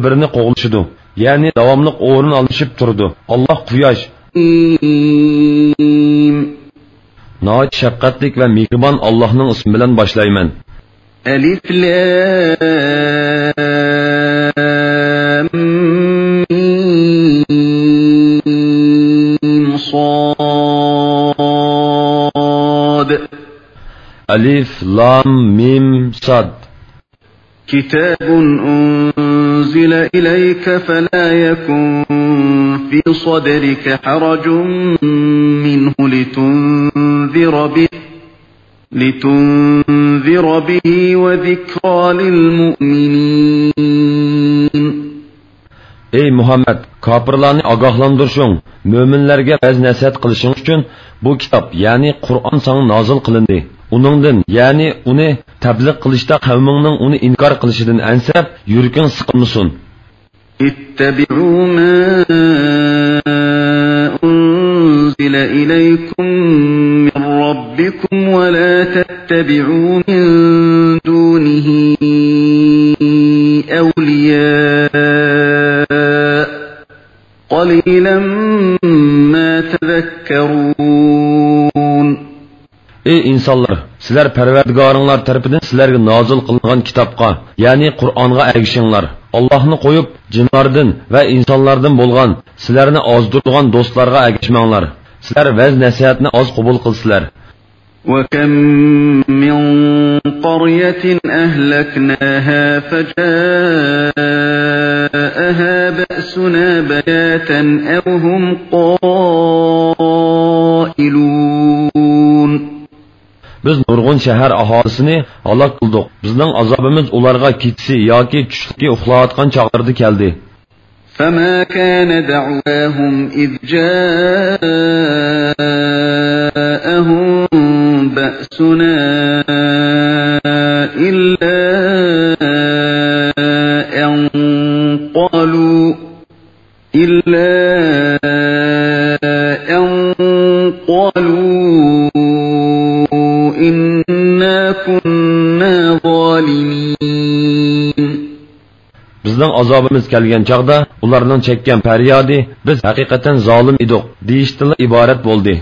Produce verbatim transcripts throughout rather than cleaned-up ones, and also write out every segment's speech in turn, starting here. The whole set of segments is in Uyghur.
بىرىنى قوغلىشىدۇ. يەنى داۋاملىق ئورۇن ئالمىشىپ تۇرىدۇ. ئاللاھ قۇياش. ناھايىتى شەپقەتلىك ۋە مېھرىبان ئاللاھنىڭ ئىسمى بىلەن باشلايمەن. ألف لام ميم صاد. ئەلىف، لام، مىم، ساد. كتاب أنزل إليك فلا يكن في صدرك حرج منه لتنذر به، لتنذر به وذكرى للمؤمنين. ئەي مۇھەممەد، كاپىرلارنى ئاگاھلاندۇرۇشۇڭ، مۆمىنلەرگە ۋەز-نەسىھەت قىلىشىڭ ئۈچۈن بۇ كىتاب، يەنى قۇرئان ساڭا نازىل قىلىندى. ئۇنىڭدىن، يەنى ئۇنى تەبلىغ قىلىشتا قەۋمىڭنىڭ ئۇنى ئىنكار قىلىشىدىن ئەنسىرەپ، يۈرىكىڭ سىقىلمىسۇن. اتبعوا ما أنزل إليكم من ربكم ولا تتبعوا من دونه أولياء قليلا ما تذكرون. ئەي ئىنسانلار، سىلەر پەرۋەردىگارىڭلار تەرىپىدىن سىلەرگە نازىل قىلىنغان كىتابقا، يەنى قۇرئانغا ئەگىشىڭلار. ئاللاھنى قويۇپ، جىنلاردىن ۋە ئىنسانلاردىن بولغان سىلەرنى ئازدۇرىدىغان دوستلارغا ئەگەشمەڭلار. سىلەر ۋەز-نەسىھەتنى ئاز قوبۇل قىلىسىلەر. وكم من قرية أهلكناها فجاءها بأسنا بياتا أو هم قائلون. بىز نۇرغۇن شەھەر ئاھالىسىنى ھالاك قىلدۇق. بىزنىڭ ئازابىمىز ئۇلارغا كېچىسى ياكى چۈشلۈكى ئۇخلاۋاتقان چاغلىرىدا كەلدى. فما كان دعواهم إذ جاءهم بأسنا إلا أن قالوا، إلا أن قالوا إنا كنا ظالمين. بىزنىڭ ئازابىمىز كەلگەن چاغدا ئۇلارنىڭ چەككەن پەريادى، بىز ھەقىقەتەن زالىم ئىدۇق، دېيىشتىنلا ئىبارەت بولدى.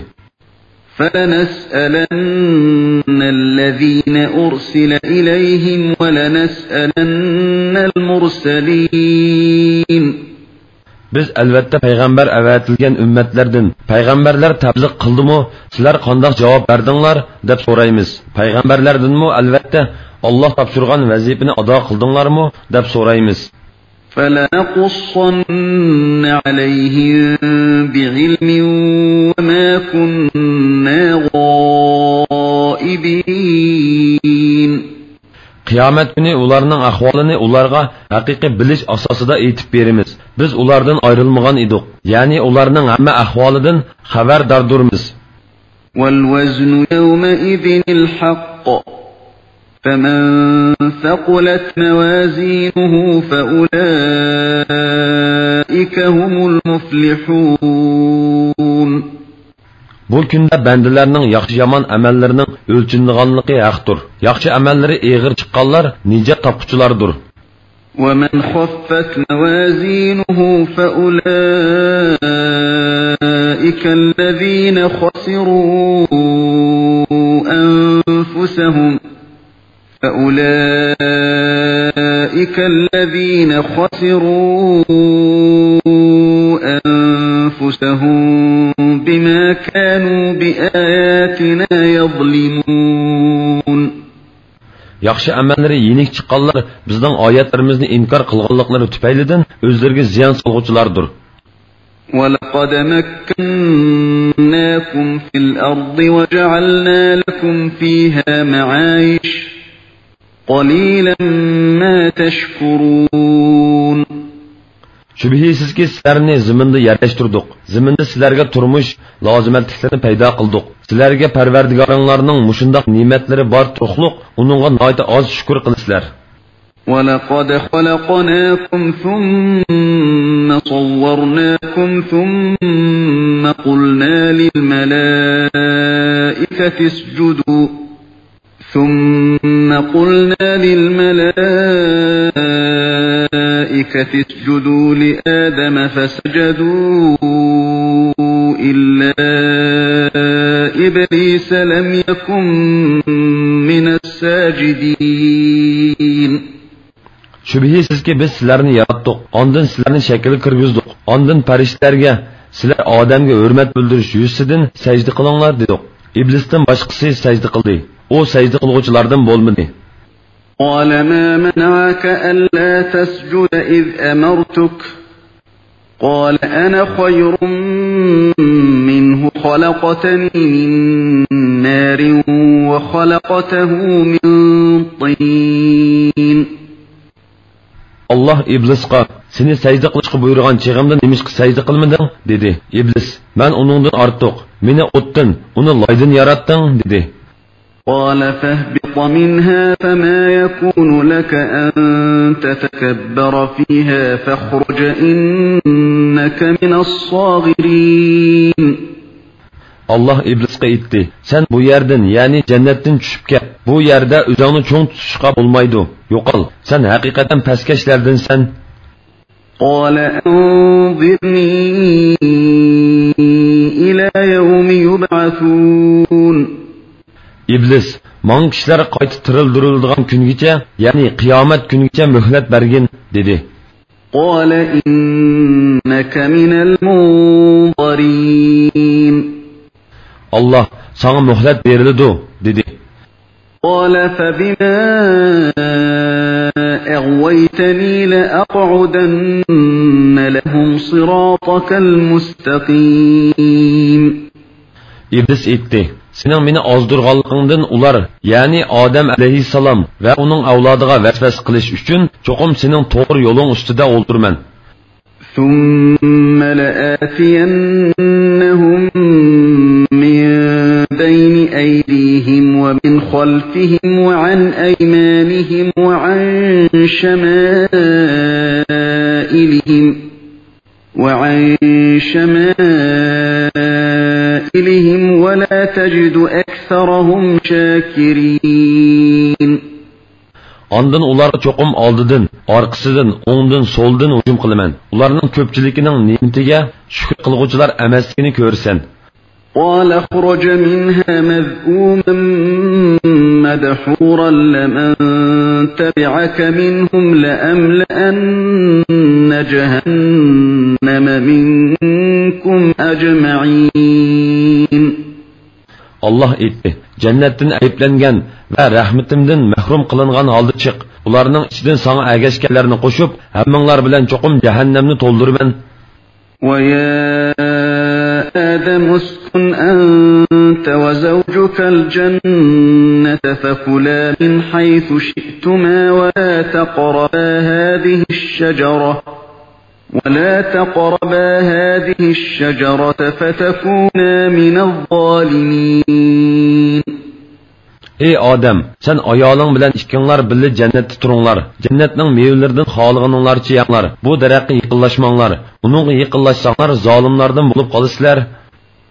فلنسألن الذين أرسل إليهم ولنسألن المرسلين. بىز ئەلۋەتتە پەيغەمبەر ئەۋەتىلگەن ئۈممەتلەردىن پەيغەمبەرلەر تەبلىغ قىلدىمۇ، سىلەر قانداق جاۋاب بەردىڭلار، دەپ سورايمىز. پەيغەمبەرلەردىنمۇ ئەلۋەتتە ئاللاھ تاپشۇرغان ۋەزىپىنى ئادا قىلدىڭلارمۇ، دەپ سورايمىز. فلنقصن عليهم بعلم وما كنا غائبين. قىيامەت كۈنى ئۇلارنىڭ ئەھۋالىنى ئۇلارغا ھەقىقىي بىلىش ئاساسىدا ئېيتىپ بېرىمىز. بىز ئۇلاردىن ئايرىلمىغان ئىدۇق، يەنى ئۇلارنىڭ ھەممە ئەھۋالىدىن خەۋەرداردۇرمىز. والوزن يومئذ الحق، فمن ثقلت موازينه فأولئك هم المفلحون. بۇ كۈندە بەندىلەرنىڭ ياخشى-يامان ئەمەللىرىنىڭ ئۆلچىنىدىغانلىقى ھەقتۇر. ياخشى ئەمەللىرى ئېغىر چىققانلار نىجات تاپقۇچىلاردۇر. ومن خفت موازينه فأولئك الذين خسروا أنفسهم، فأولئك الذين خسروا أنفسهم بما كانوا بآياتنا يظلمون. ياخشى ئەمەللىرى يېنىك چىققانلار بىزنىڭ ئايەتلىرىمىزنى ئىنكار قىلغانلىقلىرى تۈپەيلىدىن ئۆزلىرىگە زىيان سالغۇچىلاردۇر. ولقد مكناكم في الأرض وجعلنا لكم فيها معايش، قليلا ما تشكرون. شۈبھىسىزكى، سىلەرنى زېمىندا يەرلەشتۈردۇق. زېمىندا سىلەرگە تۇرمۇش لازىمەتلىكلىرىنى پەيدا قىلدۇق. سىلەرگە پەرۋەردىگارىڭلارنىڭ مۇشۇنداق نېمەتلىرى بار تۇرۇقلۇق، ئۇنىڭغا ناھايىتى ئاز شۈكۈر قىلىسىلەر. ولقد خلقناكم ثم صورناكم ثم قلنا للملائكة اسجدوا، ثم قلنا للملائكة الملائكة اسجدوا لآدم فسجدوا إلا إبليس لم يكن من الساجدين. شۈبھىسىزكى، بىز سىلەرنى ياراتتۇق، ئاندىن سىلەرنى شەكىلگە كىرگۈزدۇق، ئاندىن پەرىشتىلەرگە، سىلەر ئادەمگە ھۆرمەت بىلدۈرۈش يۈزىسىدىن سەجدە قىلىڭلار دېدۇق. ئىبلىستىن باشقىسى سەجدە قىلدى. ئۇ سەجدە قىلغۇچىلاردىن بولمىدى. قال ما منعك ألا تسجد إذ أمرتك؟ قال أنا خير منه خلقتني من نار وخلقته من طين. ئاللاھ ئىبلىسقا، سېنى سەجدە قىلىشقا بۇيرۇغان چېغىمدا نېمىشقا سەجدە قىلمىدىڭ؟ دېدى. ئىبلىس، مەن ئۇنىڭدىن ئارتۇق، مېنى ئوتتىن، ئۇنى لايدىن ياراتتىڭ، دېدى. قال فاهبط منها فما يكون لك أن تتكبر فيها فاخرج إنك من الصاغرين. ئاللاھ ئىبلىسقا ئېيتتى، سەن بۇ يەردىن، يەنى جەننەتتىن چۈشۈپ كەت. بۇ يەردە ئۆزۈڭنى چوڭ تۇتۇشقا بولمايدۇ. يوقال، سەن ھەقىقەتەن پەسكەشلەردىنسەن. قال أنظرني إلى يوم يبعثون. ئىبلىس، ماڭا كىشىلەر قايتا تىرىلدۈرۈلىدىغان كۈنگىچە، يەنى قىيامەت كۈنىگىچە مۆھلەت بەرگىن، دېدى. قال إنك من المنظرين. ئاللاھ، ساڭا مۆھلەت بېرىلىدۇ، دېدى. قال فبما أغويتني لأقعدن لهم صراطك المستقيم. ئىبلىس ئېيتتى، سېنىڭ مېنى ئازدۇرغانلىقىڭدىن ئۇلار، يەنى ئادەم ئەلەيھىسسالام ۋە ئۇنىڭ ئەۋلادىغا ۋەسۋەسە قىلىش ئۈچۈن، چوقۇم سېنىڭ توغرا يولۇڭ ئۈستىدە ئولتۇرىمەن. ثم لآتينهم من بين أيديهم ومن خلفهم وعن أيمانهم وعن شمائلهم وعن شمائلهم ولا تجد أكثرهم شاكرين. ئاندىن ئۇلارغا چوقۇم ئالدىدىن، ئارقىسىدىن، ئوڭدىن، سولدىن ھۇجۇم قىلىمەن. ئۇلارنىڭ كۆپچىلىكىنىڭ نېمىتىگە شۈكۈر قىلغۇچىلار ئەمەسلىكىنى كۆرىسەن. قال اخرج منها مذءوما مدحورا لمن تبعك منهم لأملأن جهنم منكم أجمعين. ئاللاھ ئېيتتى، جەننەتتىن ئەيىبلەنگەن ۋە رەھمىتىمدىن مەھرۇم قىلىنغان ھالدا چىق. ئۇلارنىڭ ئىچىدىن ساڭا ئەگەشكەنلەرنى قوشۇپ، ھەممىڭلار بىلەن چوقۇم جەھەننەمنى تولدۇرىمەن. ويا آدم اسكن أنت وزوجك الجنة فكلا من حيث شئتما ولا تقربا هذه الشجرة ولا تقربا هذه الشجرة فتكونا من الظالمين. ئەي ئادەم، سەن ئايالىڭ بىلەن ئىككىڭلار بىللە جەننەتتە تۇرۇڭلار. جەننەتنىڭ مېۋىلىرىدىن خالىغىنىڭلارچە يەڭلار. بۇ دەرەخكە يېقىنلاشماڭلار. ئۇنىڭغا يېقىنلاشساڭلار، زالىملاردىن بولۇپ قالىسىلەر.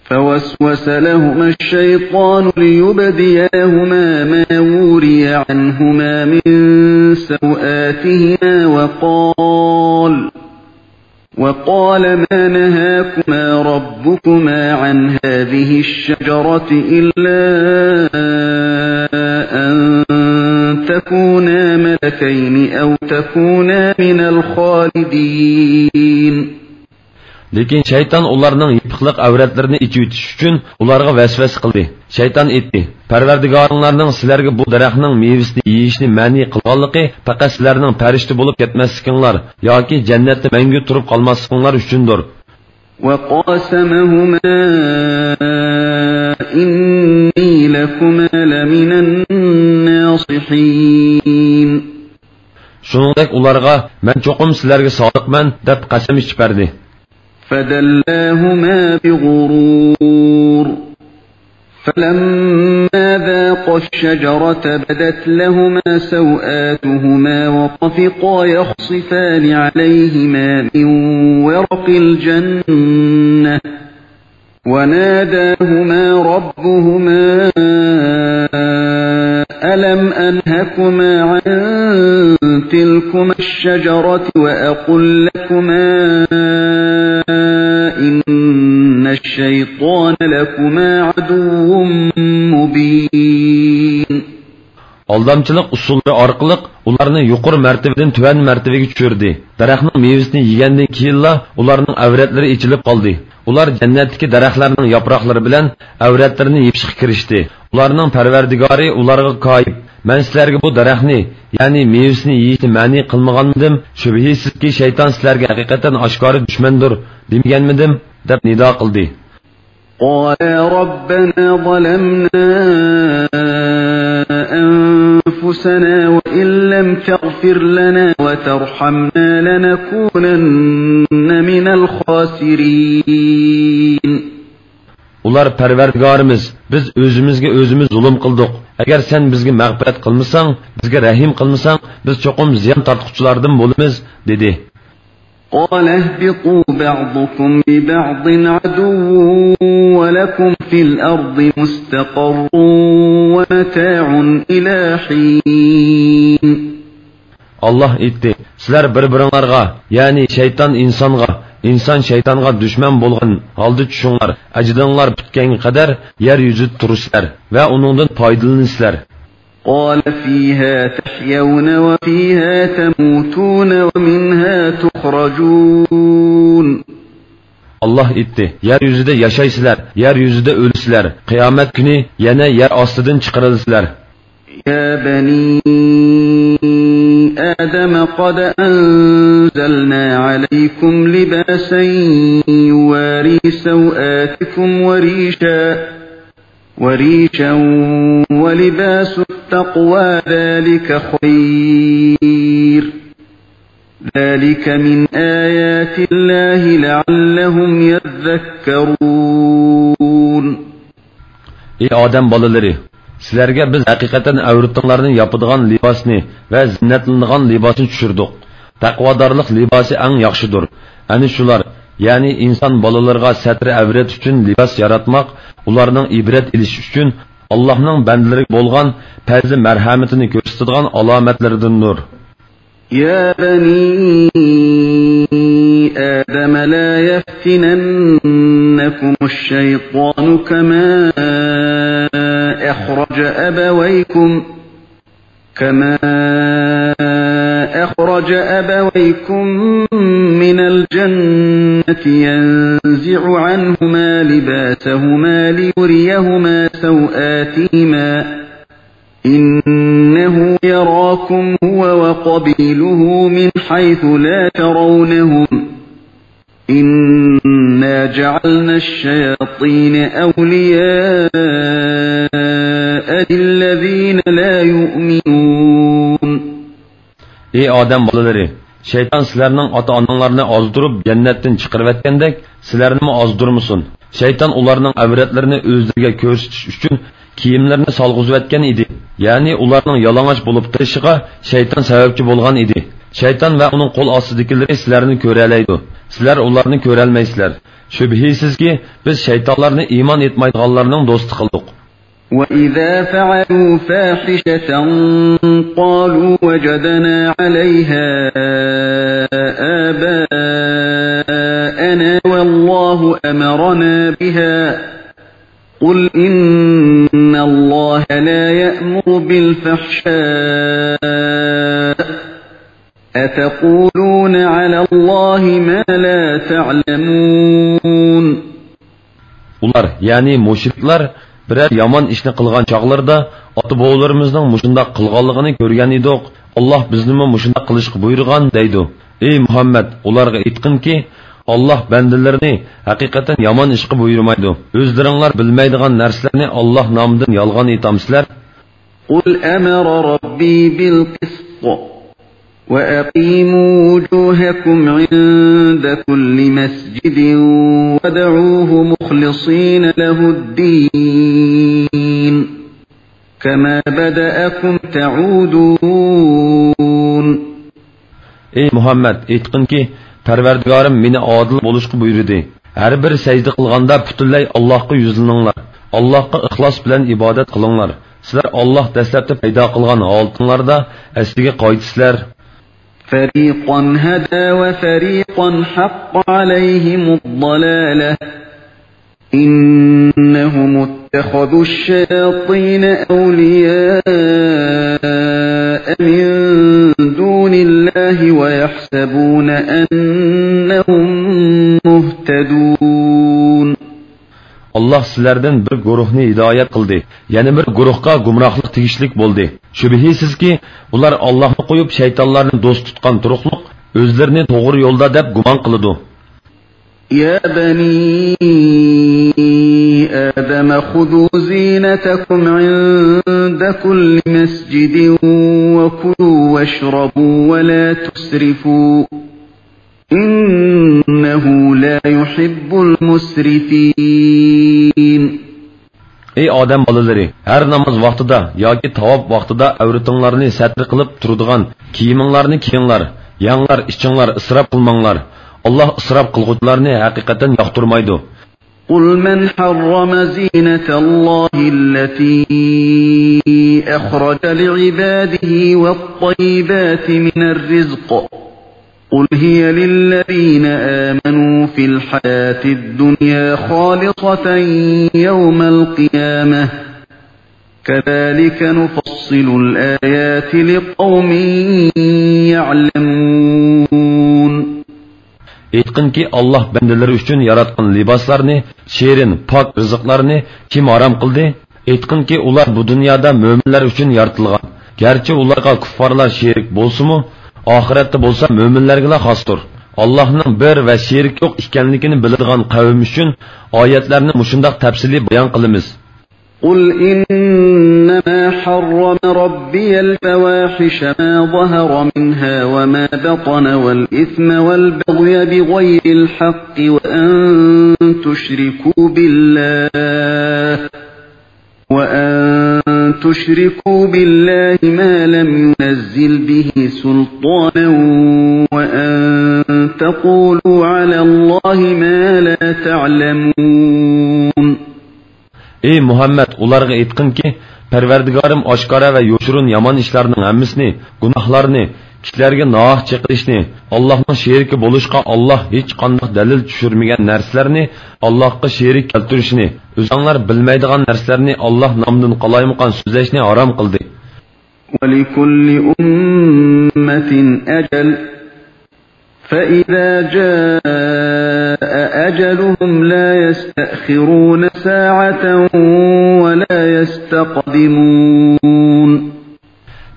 فوسوس لهما الشيطان ليبدي لهما ما وري عنهما من سوآتهما وقال، وقال ما نهاكما ربكما عن هذه الشجرة إلا أن تكونا ملكين أو تكونا من الخالدين. لېكىن شەيتان ئۇلارنىڭ يېپىقلىق ئەۋرەتلىرىنى ئېچىۋېتىش ئۈچۈن ئۇلارغا ۋەسۋەسە قىلدى. شەيتان ئېيتتى، پەرۋەردىگارىڭلارنىڭ سىلەرگە بۇ دەرەخنىڭ مېۋىسىنى يېيىشنى مەنئى قىلغانلىقى پەقەت سىلەرنىڭ پەرىشتە بولۇپ كەتمەسلىكىڭلار ياكى جەننەتتە مەڭگۈ تۇرۇپ قالماسلىقىڭلار ئۈچۈندۇر. وقاسمهما إني لكما لمن الناصحين. شۇنىڭدەك ئۇلارغا، مەن چوقۇم سىلەرگە سادىقمەن، دەپ قەسەم ئىچىپ بەردى. فدلاهما بغرور. فلما ذاقا الشجرة بدت لهما سوآتهما وطفقا يخصفان عليهما من ورق الجنة وناداهما ربهما ألم أنهكما عن تلكما تلكما الشجرة وأقل لكما إن الشيطان لكما عدو مبين. ئالدامچىلىق ئۇسۇللىرى ئارقىلىق ئۇلارنى يۇقىرى مەرتىۋىدىن تۆۋەن مەرتىۋىگە چۈشۈردى. دەرەخنىڭ مېۋىسىنى يېگەندىن كېيىنلا ئۇلارنىڭ ئەۋرەتلىرى ئېچىلىپ قالدى. ئۇلار جەننەتتىكى دەرەخلەرنىڭ ياپراقلىرى بىلەن ئەۋرەتلىرىنى يېپىشقا كىرىشتى. ئۇلارنىڭ پەرۋەردىگارى ئۇلارغا كايىپ، مەن سىلەرگە بۇ دەرەخنى، يەنى مېۋىسىنى يېيىشنى مەنئى قىلمىغانمىدىم؟ شۈبھىسىزكى، شەيتان سىلەرگە ھەقىقەتەن ئاشكارا دۈشمەندۇر دېمىگەنمىدىم؟ دەپ نىدا قىلدى. قالا ربنا ظلمنا أنفسنا وإن لم تغفر لنا وترحمنا لنكونن من الخاسرين. ئۇلار، پەرۋەردىگارىمىز، بىز ئۆزىمىزگە ئۆزىمىز زۇلۇم قىلدۇق. ئەگەر سەن بىزگە مەغپىرەت قىلمىساڭ، بىزگە رەھىم قىلمىساڭ، بىز چوقۇم زىيان تارتقۇچىلاردىن بولىمىز، دېدى. قال اهبطوا بعضكم لبعض عدو ولكم في الأرض مستقر ومتاع إلى حين. ئاللاھ ئېيتتى، سىلەر بىر-بىرىڭلارغا، يەنى شەيتان ئىنسانغا، ئىنسان شەيتانغا دۈشمەن بولغان ھالدا چۈشۈڭلار، ئەجىلىڭلار پۈتكەنگە قەدەر يەر يۈزىدە تۇرىسىلەر ۋە ئۇنىڭدىن پايدىلىنىسىلەر. قال فيها تحيون وفيها تموتون ومنها تخرجون. ئاللاھ ئېيتتى، يەر يۈزىدە ياشايسىلەر، يەر يۈزىدە ئۆلىسىلەر، قىيامەت كۈنى يەنە يەر ئاستىدىن چىقىرىلىسىلەر. يا بني آدم قد أنزلنا عليكم لباسا يواري سوآتكم وريشا وريشا ولباس التقوى ذلك خير. ذلك من آيات الله لعلهم يذكرون. ئى ئادەم بالىلىرى، سىلەرگە بىز ھەقىقەتەن ئەۋرىتىڭلارنى ياپىدىغان لىباسنى ۋە زىننەتلىنىدىغان لىباسنى چۈشۈردۇق. تەقۋادارلىق لىباسى ئەڭ ياخشىدۇر. ئەنە شۇلار، يەنى ئىنسان بالىلىرىغا سەترى ئەۋرەت ئۈچۈن لىباس ياراتماق، ئۇلارنىڭ ئىبرەت ئېلىشى ئۈچۈن ئاللاھنىڭ بەندىلىرىگە بولغان پەزلى مەرھەمىتىنى كۆرسىتىدىغان ئالامەتلىرىدىندۇر. يا بني آدم لا يفتننكم الشيطان كما أخرج أبويكم كما أخرج أبويكم من الجنة ينزع عنهما لباسهما ليريهما سوآتهما إنه يراكم هو وقبيله من حيث لا ترونهم إنا جعلنا الشياطين أولياء للذين لا يؤمنون. ئى ئادەم بالىلىرى، شەيتان سىلەرنىڭ ئاتا-ئاناڭلارنى ئازدۇرۇپ جەننەتتىن چىقىرىۋەتكەندەك، سىلەرنىمۇ ئازدۇرمىسۇن. شەيتان ئۇلارنىڭ ئەۋرەتلىرىنى ئۆزلىرىگە كۆرسىتىش ئۈچۈن كىيىملىرىنى سالغۇزۇۋەتكەن ئىدى. يەنى ئۇلارنىڭ يالىڭاچ بولۇپ تۇرۇشىغا شەيتان سەۋەبچى بولغان ئىدى. شەيتان ۋە ئۇنىڭ قول ئاستىدىكىلىرى سىلەرنى كۆرەلەيدۇ. سىلەر ئۇلارنى كۆرەلمەيسىلەر. شۈبھىسىزكى، بىز شەيتانلارنى ئىمان ئېيتمايدىغانلارنىڭ دوستى قىلدۇق. وإذا فعلوا فاحشة قالوا وجدنا عليها آباءنا والله أمرنا بها قل إن الله لا يأمر بالفحشاء أتقولون على الله ما لا تعلمون. ئۇلار، يەنى مۇشرىكلار، بىرەر يامان ئىشنى قىلغان چاغلىرىدا، ئاتا-بوۋىلىرىمىزنىڭ مۇشۇنداق قىلغانلىقىنى كۆرگەن ئىدۇق، ئاللاھ بىزنىمۇ مۇشۇنداق قىلىشقا بۇيرۇغان، دەيدۇ. ئى مۇھەممەد، ئۇلارغا ئېيتقىنكى، ئاللاھ بەندىلىرىنى ھەقىقەتەن يامان ئىشقا بۇيرۇمايدۇ. ئۆزلىرىڭلار بىلمەيدىغان نەرسىلەرنى ئاللاھ نامىدىن يالغان ئېيتامسىلەر؟ قل أمر ربي بالقسط وأقيموا وجوهكم عند كل مسجد وادعوه مخلصين له الدين كما بدأكم تعودون. ئى مۇھەممەد، ئېيتقىنكى، پەرۋەردىگارىم مېنى ئادىل بولۇشقا بۇيرۇدى. ھەر بىر سەجدە قىلغاندا پۈتۈنلەي ئاللاھقا يۈزلىنىڭلار. ئاللاھقا ئىخلاس بىلەن ئىبادەت قىلىڭلار. سىلەر ئاللاھ دەسلەپتە پەيدا قىلغان ھالىتىڭلاردا ئەسلىگە قايتىسىلەر. فريقا هدى وفريقا حق عليهم الضلالة إنهم اتخذوا الشياطين أولياء من دون الله ويحسبون أنهم مهتدون. ئاللاھ سىلەردىن بىر گۇرۇھنى ھىدايەت قىلدى، يەنە بىر گۇرۇھقا گۇمراھلىق تېگىشلىك بولدى. شۈبھىسىزكى، ئۇلار ئاللاھنى قويۇپ، شەيتانلارنى دوست تۇتقان تۇرۇقلۇق، ئۆزلىرىنى توغرا يولدا دەپ گۇمان قىلىدۇ. يا بني آدم خذوا زينتكم عند كل مسجد وكلوا واشربوا ولا تسرفوا إنه لا يحب المسرفين. ئەي ئادەم بالىلىرى، ھەر ناماز ۋاقتىدا ياكى تاۋاپ ۋاقتىدا ئەۋرىتىڭلارنى سەتر قىلىپ تۇرىدىغان كىيىمىڭلارنى كىيىڭلار، يەڭلار، ئىچىڭلار، ئىسراپ قىلماڭلار. ئاللاھ ئىسراپ قىلغۇچىلارنى ھەقىقەتەن ياقتۇرمايدۇ. قل من حرم زينة الله التي أخرج لعباده والطيبات من الرزق قل هي للذين آمنوا في الحياة الدنيا خالصة يوم القيامة كذلك نفصل الآيات لقوم يعلمون. ئېيتقىنكى، ئاللاھ بەندىلىرى ئۈچۈن ياراتقان لىباسلارنى، شېرىن، پاك رىزىقلارنى كىم ھارام قىلدى؟ ئېيتقىنكى، ئۇلار بۇ دۇنيادا مۆمىنلەر ئۈچۈن يارىتىلغان. گەرچە ئۇلارغا كۇففارلار شېرىك بولسىمۇ، ئاخىرەتتە بولسا مۆمىنلەرگىلا خاستۇر. ئاللاھنىڭ بىر ۋە شېرىك يوق ئىكەنلىكىنى بىلىدىغان قەۋم ئۈچۈن ئايەتلەرنى مۇشۇنداق تەپسىلىي بايان قىلىمىز. قل إنما حرم ربي الفواحش ما ظهر منها وما بطن والإثم والبغي بغير الحق وأن تشركوا بالله وأن تشركوا بالله ما لم ينزل به سلطانا وأن تقولوا على الله ما لا تعلمون. ئەي مۇھەممەد، ئۇلارغا ئېيتقىنكى، پەرۋەردىگارىم ئاشكارا ۋە يوشۇرۇن يامان ئىشلارنىڭ ھەممىسىنى، گۇناھلارنى، كىشىلەرگە ناھەق چېقىلىشنى، ئاللاھنىڭ شېرىكى بولۇشقا ئاللاھ ھېچقانداق دەلىل چۈشۈرمىگەن نەرسىلەرنى ئاللاھقا شېرىك كەلتۈرۈشنى، ئۆزەڭلار بىلمەيدىغان نەرسىلەرنى ئاللاھ نامىدىن قالايمىقان سۆزلەشنى ھارام قىلدى. ولكل أمة أجل فإذا جاء أجلهم لا يستأخرون ساعة ولا يستقدمون.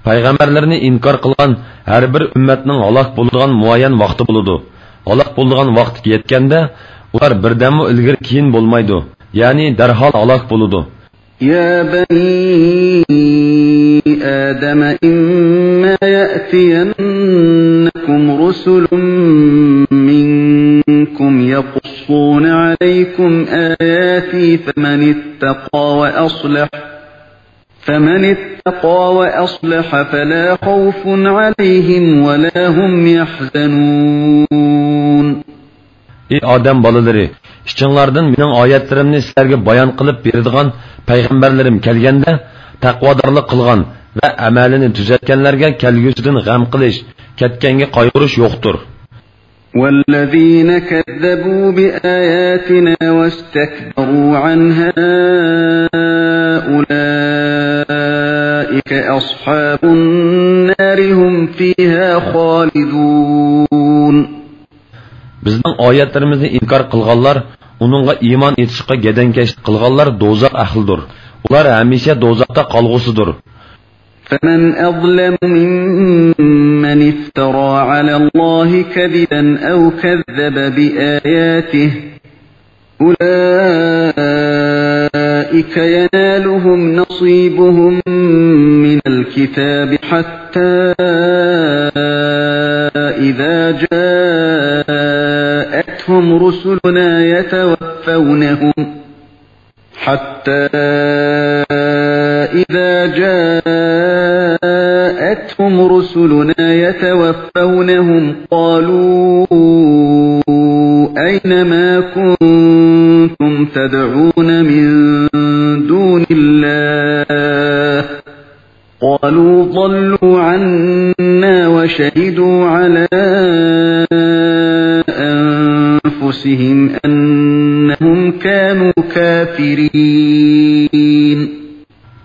پەيغەمبەرلىرىنى ئىنكار قىلغان ھەر بىر ئۈممەتنىڭ ھالاك بولىدىغان مۇئەييەن ۋاقتى بولىدۇ. ھالاك بولىدىغان ۋاقتى يەتكەندە، ئۇلار بىردەممۇ ئىلگىرى كېيىن بولمايدۇ، يەنى دەرھال ھالاك بولىدۇ. يا بني آدم إما يأتينكم رسل منكم يقصون عليكم آياتي فمن اتقى وأصلح فمن اتقى وأصلح فلا خوف عليهم ولا هم يحزنون. ئى ئادەم بالىلىرى، ئىچىڭلاردىن مېنىڭ ئايەتلىرىمنى سىلەرگە بايان قىلىپ بېرىدىغان پەيغەمبەرلىرىم كەلگەندە، تەقۋادارلىق قىلغان ۋە ئەمەلىنى تۈزەتكەنلەرگە كەلگۈسىدىن غەم قىلىش، كەتكەنگە قايغۇرۇش يوقتۇر. والذين كذبوا بآياتنا واستكبروا عنها أولئك أصحاب النار هم فيها خالدون. بىزنىڭ ئايەتلىرىمىزنى ئىنكار قىلغانلار، ئۇنىڭغا ئىمان ئېيتىشقا گەدەنكەشلىك قىلغانلار دوزاخ ئەھلىدۇر. ئۇلار ھەمىشە دوزاختا قالغۇسىدۇر. فمن أظلم ممن افترى على الله كذبا أو كذب بآياته أولئك ينالهم نصيبهم من الكتاب حتى إذا جاءتهم رسلنا يتوفونهم حتى إذا جاءتهم رسلنا يتوفونهم قالوا أين ما كنتم تدعون من دون الله قالوا ضلوا عنا شهدوا على أنفسهم أنهم كانوا كافرين.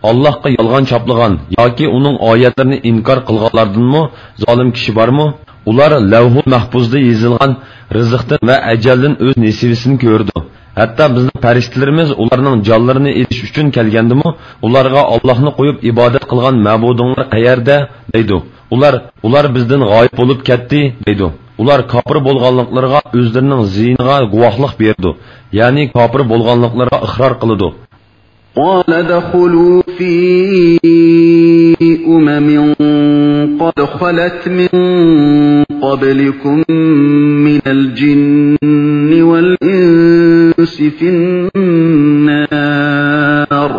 ئاللاھقا يالغان چاپلىغان ياكى ئۇنىڭ ئايەتلىرىنى ئىنكار قىلغانلاردىنمۇ زالىم كىشى بارمۇ؟ ئۇلار لەۋھۇل مەھپۇزدا يېزىلغان رىزىقتىن ۋە ئەجەلدىن ئۆز نېسىۋىسىنى كۆرىدۇ. ھەتتا بىزنىڭ پەرىشتىلىرىمىز ئۇلارنىڭ جانلىرىنى ئېلىش ئۈچۈن كەلگەندىمۇ، ئۇلارغا ئاللاھنى قويۇپ ئىبادەت قىلغان مەبۇدۇڭلار قەيەردە؟ دەيدۇ. ئۇلار، ئۇلار بىزدىن غايىب بولۇپ كەتتى، دەيدۇ. ئۇلار كاپىر بولغانلىقلىرىغا ئۆزلىرىنىڭ زىيىنىغا گۇۋاھلىق بېرىدۇ، يەنى كاپىر بولغانلىقلىرىغا ئىقرار قىلىدۇ. قال ادخلوا في أمم قد خلت من قبلكم من الجن والإنس في النار.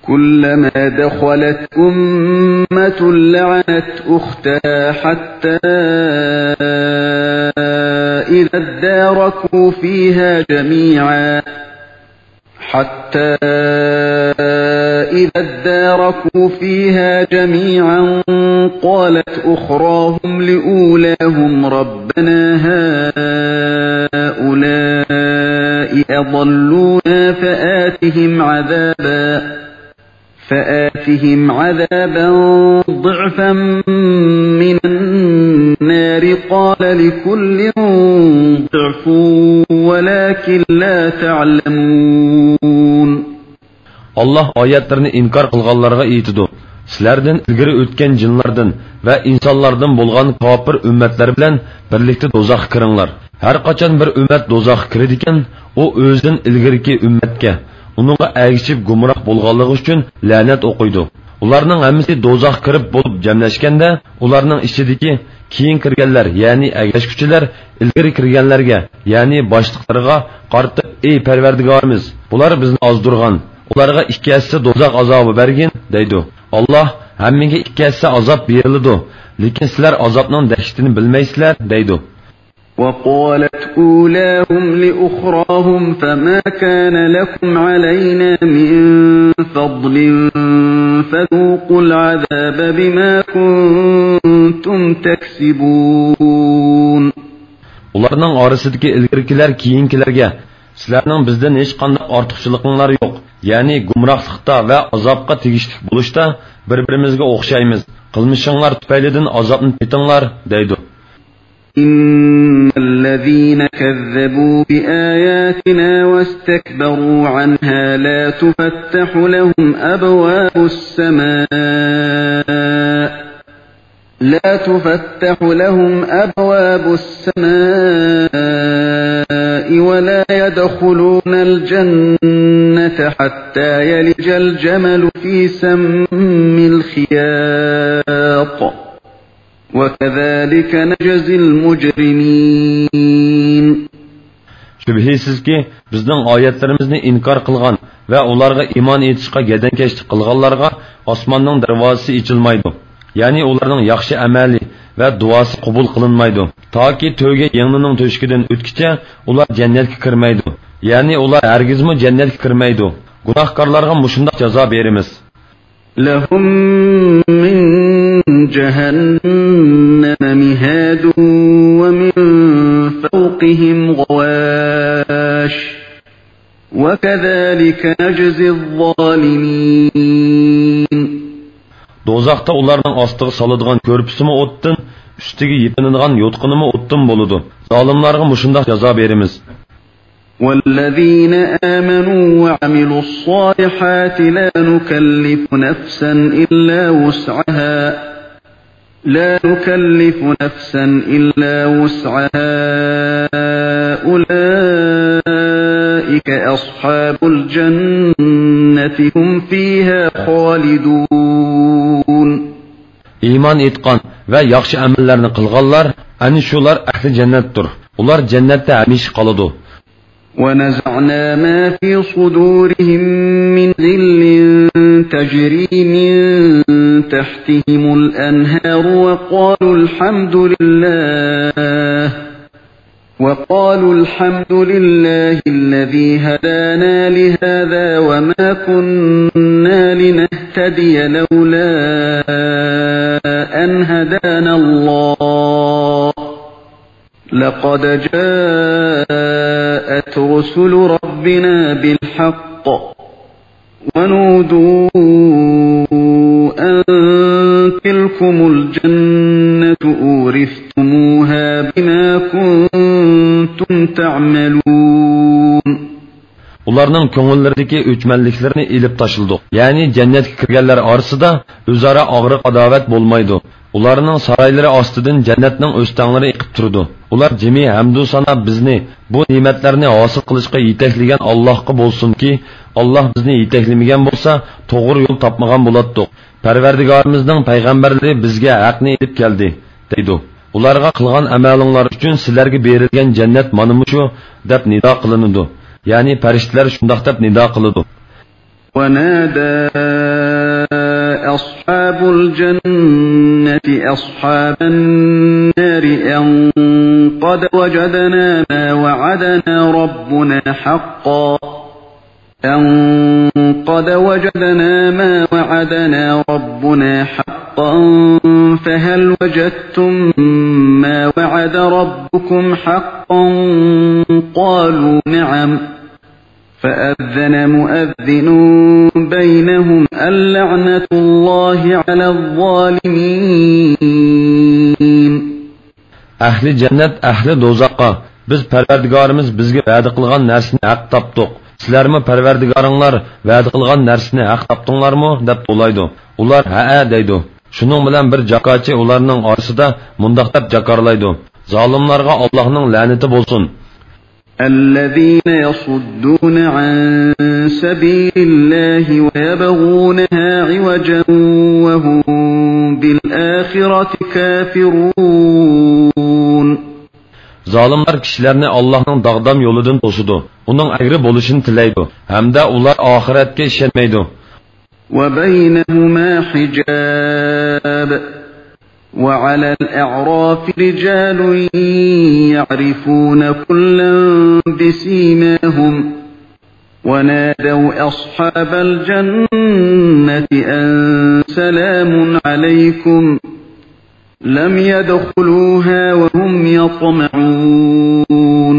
كلما دخلت أمة لعنت أختها حتى إذا اداركوا فيها جميعا حتى إذا اداركوا فيها جميعا قالت أخراهم لأولاهم ربنا هؤلاء أضلونا فآتهم عذابا فآتهم عذابا ضعفا من النار قال لكل ضعف ولكن لا تعلمون. ئاللاھ ئايەتلىرىنى ئىنكار قىلغانلارغا ئېيتىدۇ، سىلەردىن ئىلگىرى ئۆتكەن جىنلاردىن ۋە ئىنسانلاردىن بولغان كاپىر ئۈممەتلەر بىلەن بىرلىكتە دوزاخقا كىرىڭلار. ھەرقاچان بىر ئۈممەت دوزاخقا كىرىدىكەن، ئۇ ئۆزىدىن ئىلگىرىكى ئۈممەتكە، ئۇنىڭغا ئەگىشىپ گۇمراھ بولغانلىقى ئۈچۈن لەنەت ئوقۇيدۇ. ئۇلارنىڭ ھەممىسى دوزاخقا كىرىپ بولۇپ جەملەشكەندە، ئۇلارنىڭ ئىچىدىكى كېيىن كىرگەنلەر، يەنى ئەگەشكۈچىلەر ئىلگىرى كىرگەنلەرگە، يەنى باشلىقلىرىغا قارىتىپ، ئەي پەرۋەردىگارىمىز، بۇلار بىزنى ئازدۇرغان، ئۇلارغا ئىككى ھەسسە دوزاخ ئازابى بەرگىن، دەيدۇ. ئاللاھ، ھەممىگە ئىككى ھەسسە ئازاب بېرىلىدۇ، لېكىن سىلەر ئازابنىڭ دەھشىتىنى بىلمەيسىلەر، دەيدۇ. وقالت أولاهم لأخراهم فما كان لكم علينا من فضل فذوقوا العذاب بما كنتم تكسبون. ئۇلارنىڭ ئارىسىدىكى ئىلگىرىكىلەر كېيىنكىلەرگە، سىلەرنىڭ بىزدىن ھېچقانداق ئارتۇقچىلىقىڭلار يوق، يەنى گۇمراھلىقتا ۋە ئازابقا تېگىشلىك بولۇشتا بىر-بىرىمىزگە ئوخشايمىز، قىلمىشىڭلار تۈپەيلىدىن ئازابنى تېتىڭلار، دەيدۇ. إن الذين كذبوا بآياتنا واستكبروا عنها لا تفتح لهم أبواب السماء لا تفتح لهم أبواب السماء ولا يدخلون الجنة حتى يلج الجمل في سم الخياط وكذلك نجزي المجرمين. شۈبھىسىزكى، بىزنىڭ ئايەتلىرىمىزنى ئىنكار قىلغان ۋە ئۇلارغا ئىمان ئېيتىشقا گەدەنكەشلىك قىلغانلارغا ئاسماننىڭ دەرۋازىسى ئېچىلمايدۇ. يەنى ئۇلارنىڭ ياخشى ئەمەلى ۋە دۇئاسى قوبۇل قىلىنمايدۇ. تاكى تۆگە يىڭنىنىڭ تۆشۈكىدىن ئۆتكىچە ئۇلار جەننەتكە كىرمەيدۇ. يەنى ئۇلار ھەرگىزمۇ جەننەتكە كىرمەيدۇ. گۇناھكارلارغا مۇشۇنداق جازا بېرىمىز. لهم من جهنم مهاد ومن فوقهم غواش وكذلك نجزي الظالمين. دوزاختا ئۇلارنىڭ ئاستىغا سالىدىغان كۆرپىسىمۇ ئوتتىن، ئۈستىگە يېپىنىدىغان يوتقىنىمۇ ئوتتىن بولىدۇ. زالىملارغا مۇشۇنداق جازا بېرىمىز. والذين آمنوا وعملوا الصالحات لا نكلف نفسا إلا وسعها لا نكلف نفسا إلا وسعها أولئك أصحاب الجنة هم فيها خالدون. ئىمان ئېيتقان ۋە ياخشى ئەمەللەرنى قىلغانلار، ئەنە شۇلار ئەھلى جەننەتتۇر. ئۇلار جەننەتتە ھەمىشە قالىدۇ. ونزعنا ما في صدورهم من غل تجري من تحتهم الأنهار وقالوا الحمد لله وقالوا الحمد لله الذي هدانا لهذا وما كنا لنهتدي لولا أن هدانا الله لقد جاءت رسل ربنا بالحق ونودوا أن تلكم الجنة أورثتموها بما كنتم تعملون. ئۇلارنىڭ كۆڭۈللىرىدىكى ئۆچمەنلىكلىرىنى ئېلىپ تاشلىدۇق. يەنى جەننەتكە كىرگەنلەر ئارىسىدا ئۆزئارا ئاغرىق-ئاداۋەت بولمايدۇ. ئۇلارنىڭ سارايلىرى ئاستىدىن جەننەتنىڭ ئۆستەڭلىرى ئېقىپ تۇرىدۇ. ئۇلار جىمى ھەمدۇ سانا بىزنى بۇ نېمەتلەرنى ھاسىل قىلىشقا يېتەكلىگەن ئاللاھقا بولسۇنكى، ئاللاھ بىزنى يېتەكلىمىگەن بولسا، توغرا يول تاپمىغان بولاتتۇق. پەرۋەردىگارىمىزنىڭ پەيغەمبەرلىرى بىزگە ھەقنى ئېلىپ كەلدى، دەيدۇ. ئۇلارغا قىلغان ئەمەلىڭلار ئۈچۈن سىلەرگە بېرىلگەن جەننەت مانا مۇشۇ، دەپ نىدا قىلىنىدۇ. يەنى پەرىشتىلەر شۇنداق دەپ نىدا قىلىدۇ. ونادى أصحاب الجنة أصحاب النار أن قد وجدنا ما وعدنا ربنا حقا، أن قد وجدنا ما وعدنا ربنا حقا فهل وجدتم ما وعد ربكم حقا؟ قالوا نعم. فأذن مؤذن بينهم اللعنة الله على الظالمين. ئەھلى جەننەت ئەھلى دوزاخقا، بىز پەرۋەردىگارىمىز بىزگە ۋەدە قىلغان نەرسىنى ھەق تاپتۇق. سىلەرمۇ پەرۋەردىگارىڭلار ۋەدە قىلغان نەرسىنى ھەق تاپتىڭلارمۇ؟ دەپ توۋلايدۇ. ئۇلار ھەئە دەيدۇ. شۇنىڭ بىلەن بىر جاكارچى ئۇلارنىڭ ئارىسىدا مۇنداق دەپ جاكارلايدۇ: زالىملارغا ئاللاھنىڭ لەنىتى بولسۇن. الذين يصدون عن سبيل الله ويبغونها عوجا وهم بالآخرة كافرون. زالىملار كىشىلەرنى ئاللاھنىڭ داغدام يولىدىن توسىدۇ، ئۇنىڭ ئەگرى بولۇشىنى تىلەيدۇ ھەمدە ئۇلار ئاخىرەتكە ئىشەنمەيدۇ. وبينهما حجاب. وعلى الأعراف رجال يعرفون كلا بسيماهم ونادوا أصحاب الجنة أن سلام عليكم لم يدخلوها وهم يطمعون.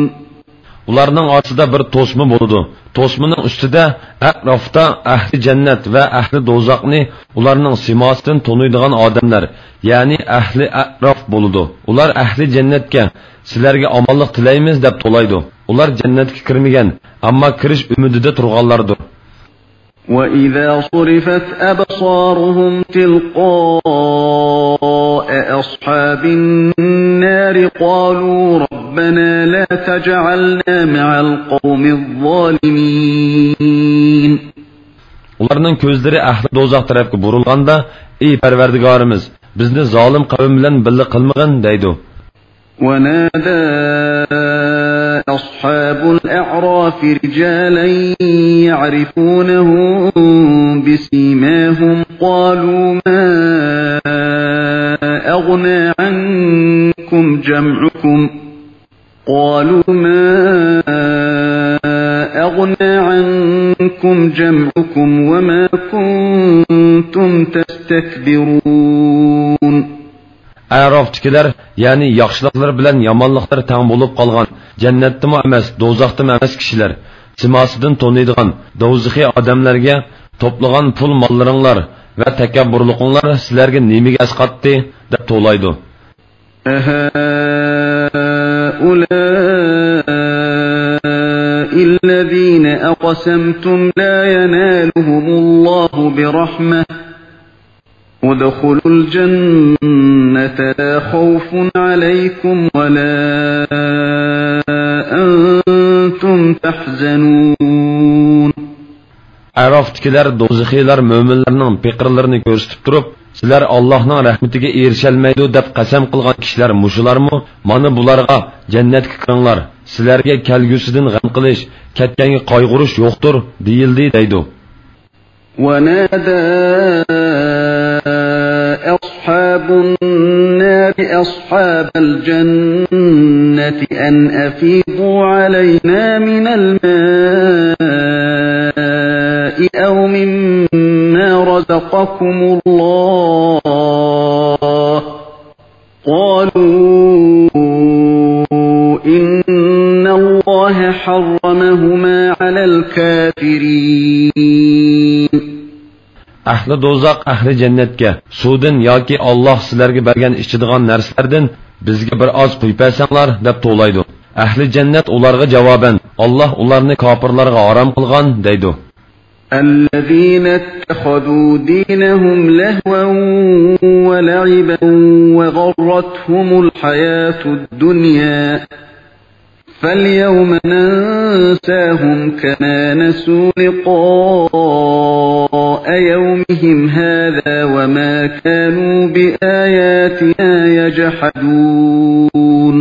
ئۇلارنىڭ ئارىسىدا بىر توسما بولىدۇ. توسمىنىڭ ئۈستىدە ئەتراپتا ئەھلى جەننەت ۋە ئەھلى دوزاخنى ئۇلارنىڭ سىماسىدىن تونۇيدىغان ئادەملەر، يەنى ئەھلى ئەتراپ بولىدۇ. ئۇلار ئەھلى جەننەتكە، سىلەرگە ئامانلىق تىلەيمىز، دەپ توۋلايدۇ. ئۇلار جەننەتكە كىرمىگەن، ئەمما كىرىش ئۈمىدىدە تۇرغانلاردۇر. وإذا صرفت أبصارهم تلقاء أصحاب النار قالوا ربنا لا تجعلنا مع القوم الظالمين. ئۇلارنىڭ كۆزلىرى ئەھلى دوزاخ تەرەپكە بۇرۇلغاندا، ئى پەرۋەردىگارىمىز، بىزنى زالىم قەۋم بىلەن بىللە قىلمىغىن، دەيدۇ. ونادى أصحاب الأعراف رجالا يعرفونهم بسيماهم قالوا ما أغنى عنكم جمعكم، قالوا ما أغنى عنكم جمعكم وما كنتم تستكبرون. ئەرافتىكىلەر، يەنى ياخشىلىقلىرى بىلەن يامانلىقلىرى تەڭ بولۇپ قالغان، جەننەتتىمۇ ئەمەس، دوزاختىمۇ ئەمەس كىشىلەر، سىماسىدىن تونۇيدىغان دوزىخىي ئادەملەرگە، توپلىغان پۇل-ماللىرىڭلار ۋە تەكەببۇرلۇقۇڭلار سىلەرگە نېمىگە ئەسقاتتى؟ دەپ توۋلايدۇ. أهؤلاء الذين أقسمتم لا ينالهم الله برحمة ادخلوا الجنة لا خوف عليكم ولا أنتم تحزنون. ئەرافدىكىلەر دوزىخىيلار مۆمىنلەرنىڭ پېقىرلىرىنى كۆرسىتىپ تۇرۇپ، سىلەر ئاللاھنىڭ رەھمىتىگە ئېرىشەلمەيدۇ دەپ قەسەم قىلغان كىشىلەر مۇشۇلارمۇ؟ مانا بۇلارغا جەننەتكە كىرىڭلار، سىلەرگە كەلگۈسىدىن غەم قىلىش، كەتكەنگە قايغۇرۇش يوقتۇر، دېيىلدى، دەيدۇ. ونادى أصحاب النار أصحاب الجنة أن أفيضوا علينا من الماء أو مما رزقكم الله قالوا إن الله حرمهما على الكافرين. ئەھلى دوزاخ ئەھلى جەننەتكە سۇدىن ياكى ئاللاھ سىلەرگە بەرگەن ئىچىدىغان نەرسىلەردىن بىزگە بىر ئاز قۇيۇپ بەرسەڭلار دەپ توۋلايدۇ. ئەھلى جەننەت ئۇلارغا جاۋابەن، ئاللاھ ئۇلارنى كاپىرلارغا ھارام قىلغان دەيدۇ. الذين اتخذوا دينهم لهوا ولعبا وغرتهم الحياة الدنيا فاليوم ننساهم كما نسوا لقاء يومهم هذا وما كانوا بآياتنا يجحدون.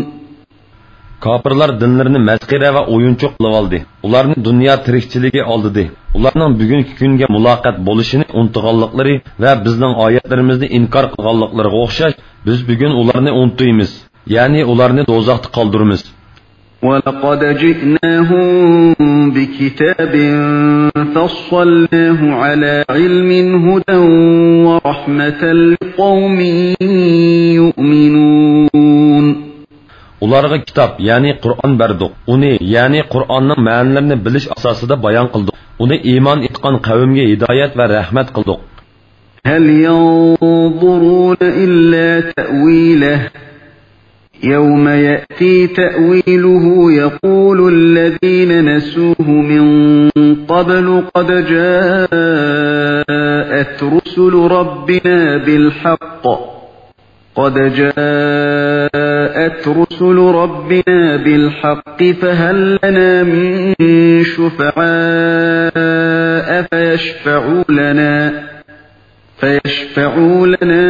كاپىرلار دىنلىرىنى مەسخىرە ۋە ئويۇنچۇق قىلىۋالدى. ئۇلارنى دۇنيا تىرىكچىلىكى ئالدىدى. ئۇلارنىڭ بۈگۈنكى كۈنگە مۇلاقات بولۇشىنى ئۇنتۇغانلىقلىرى ۋە بىزنىڭ ئايەتلىرىمىزنى ئىنكار قىلغانلىقلىرىغا ئوخشاش، بىز بۈگۈن ئۇلارنى ئۇنتۇيمىز. يەنى ئۇلارنى دوزاختا قالدۇرىمىز. ولقد جئناهم بكتاب فصلناه على علم هدى ورحمة لقوم يؤمنون. ئۇلارغا كىتاب، يەنى قۇرئان بەردۇق. ئۇنى، يەنى قۇرئاننىڭ مەنىلىرىنى بىلىش ئاساسىدا بايان قىلدۇق. ئۇنى ئىمان ئېيتقان قەۋمگە ھىدايەت ۋە رەھمەت قىلدۇق. هل ينظرون إلا تأويله يوم يأتي تأويله يقول الذين نسوه من قبل قد جاءت رسل ربنا بالحق قد جاءت رسل ربنا بالحق فهل لنا من شفعاء فيشفعوا لنا فيشفعوا لنا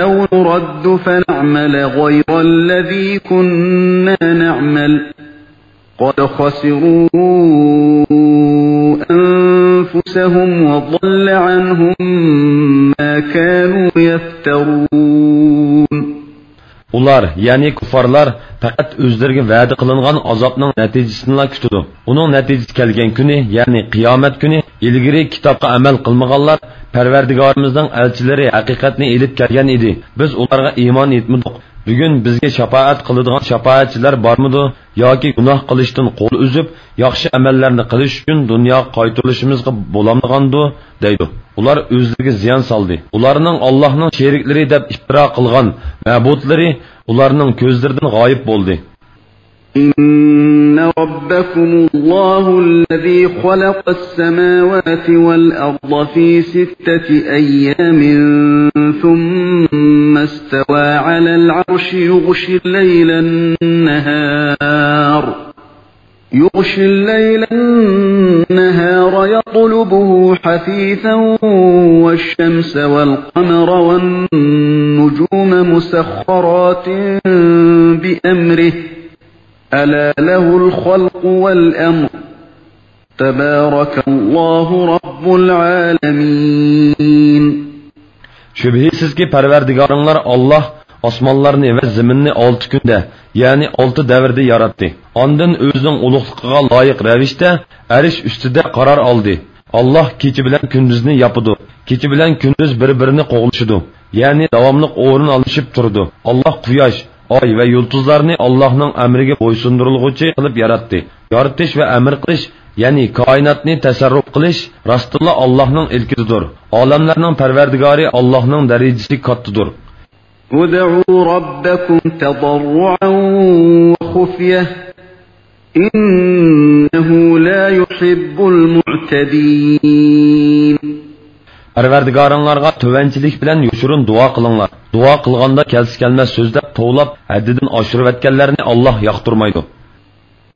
أو نرد فنعمل غير الذي كنا نعمل قد خسروا أنفسهم وضل عنهم ما كانوا يفترون. ئۇلار، يەنى كۇففارلار، پەقەت ئۆزلىرىگە ۋەدە قىلىنغان ئازابنىڭ نەتىجىسىنىلا كۈتىدۇ. ئۇنىڭ نەتىجىسى كەلگەن كۈنى، يەنى قىيامەت كۈنى، ئىلگىرى كىتابقا ئەمەل قىلمىغانلار، پەرۋەردىگارىمىزنىڭ ئەلچىلىرى ھەقىقەتنى ئېلىپ كەلگەن ئىدى، بىز ئۇلارغا ئىمان ئېيتمىدۇق. بۈگۈن بىزگە شاپائەت قىلىدىغان شاپائەتچىلەر بارمىدۇ؟ ياكى گۇناھ قىلىشتىن قول ئۈزۈپ، ياخشى ئەمەللەرنى قىلىش ئۈچۈن دۇنياغا قايتۇرۇلۇشىمىزغا بولامدىغاندۇ؟ دەيدۇ. ئۇلار ئۆزلىرىگە زىيان سالدى. ئۇلارنىڭ ئاللاھنىڭ شېرىكلىرى دەپ ئىپتىرا قىلغان مەبۇدلىرى ئۇلارنىڭ كۆزلىرىدىن غايىب بولدى. إن ربكم الله الذي خلق السماوات والأرض في ستة أيام ثم استوى على العرش يغشي الليل النهار يغشي الليل النهار يطلبه حثيثا والشمس والقمر والنجوم مسخرات بأمره ألا له الخلق والأمر تبارك الله رب العالمين. شۈبھىسىزكى، پەرۋەردىگارىڭلار ئاللاھ ئاسمانلارنى ۋە زېمىننى ئالتە كۈندە، يەنى ئالتە دەۋردە ياراتتى. ئاندىن ئۆزىنىڭ ئۇلۇغلۇقىغا لايىق رەۋىشتە ئەرش ئۈستىدە قارار ئالدى. ئاللاھ كېچە بىلەن كۈندۈزنى ياپىدۇ. كېچە بىلەن كۈندۈز بىر-بىرىنى قوغلىشىدۇ. يەنى داۋاملىق ئورۇن ئالمىشىپ تۇرىدۇ. ئاللاھ قۇياش، ئاي ۋە يۇلتۇزلارنى ئاللاھنىڭ ئەمرىگە بويسۇندۇرۇلغۇچى قىلىپ ياراتتى. يارىتىش ۋە ئەمر قىلىش، يەنى كائىناتنى تەسەررۇپ قىلىش راستتىنلا ئاللاھنىڭ ئىلكىدىدۇر. ئالەملەرنىڭ پەرۋەردىگارى ئاللاھنىڭ دەرىجىسى كاتتىدۇر. ادعوا ربكم تضرعا وخفية إنه لا يحب المعتدين. پەرۋەردىگارىڭلارغا تۆۋەنچىلىك بىلەن يوشۇرۇن دۇئا قىلىڭلار. دۇئا قىلغاندا كەلسە-كەلمەس سۆزلەپ، توۋلاپ، ھەددىدىن ئاشۇرۇۋەتكەنلەرنى ئاللاھ ياقتۇرمايدۇ.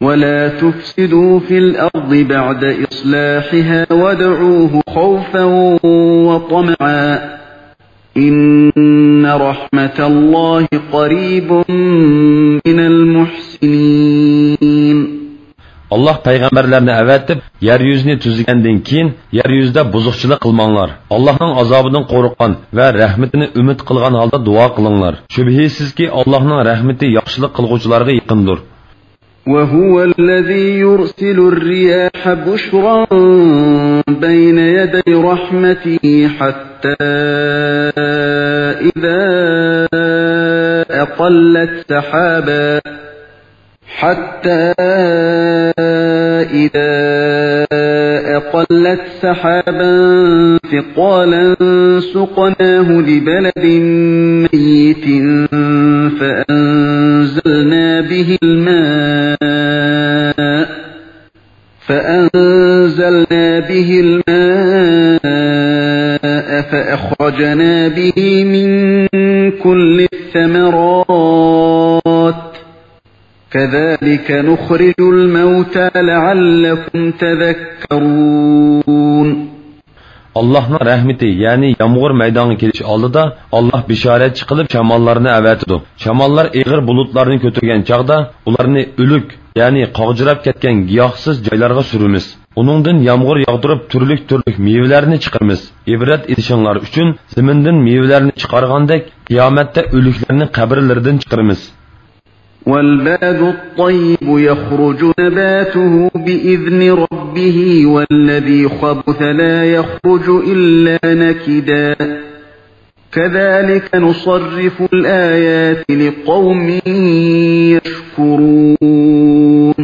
ولا تفسدوا في الأرض بعد إصلاحها وادعوه خوفا وطمعا إن رحمة الله قريب من المحسنين. ئاللاھ پەيغەمبەرلەرنى ئەۋەتىپ، يەر يۈزىنى تۈزىگەندىن كېيىن، يەر يۈزىدە بۇزۇقچىلىق قىلماڭلار. ئاللاھنىڭ ئازابىدىن قورققان ۋە رەھمىتىنى ئۈمىد قىلغان ھالدا دۇئا قىلىڭلار. شۈبھىسىزكى، ئاللاھنىڭ رەھمىتى ياخشىلىق قىلغۇچىلارغا يېقىندۇر. وهو الذي يرسل الرياح بشرا بين يدي رحمته حتى إذا أقلت سحابا، حتى إذا أقلت سحابا ثقالا سقناه لبلد ميت فأنزلنا به الماء فأنزلنا به الماء فأخرجنا به من كل الثمرات كذلك نخرج الموتى لعلكم تذكرون. ئاللاھنىڭ رەھمىتى، يەنى يامغۇر مەيدانغا كېلىش ئالدىدا، ئاللاھ بېشارەتچى قىلىپ شاماللارنى ئەۋەتىدۇ. شاماللار ئېغىر بۇلۇتلارنى كۆتۈرگەن چاغدا، ئۇلارنى ئۆلۈك، يەنى قاغجىراپ كەتكەن گىياھسىز جايلارغا سۈرىمىز. ئۇنىڭدىن يامغۇر ياغدۇرۇپ، تۈرلۈك-تۈرلۈك مېۋىلەرنى چىقىرىمىز. ئىبرەت ئېلىشىڭلار ئۈچۈن، زېمىندىن مېۋىلەرنى چىقارغاندەك، قىيامەتتە ئۆلۈكلەرنى قەبرىلىرىدىن چىقىرىمىز. والبلد الطيب يخرج نباته بإذن ربه والذي خبث لا يخرج إلا نكدا. كذلك نصرف الآيات لقوم يشكرون.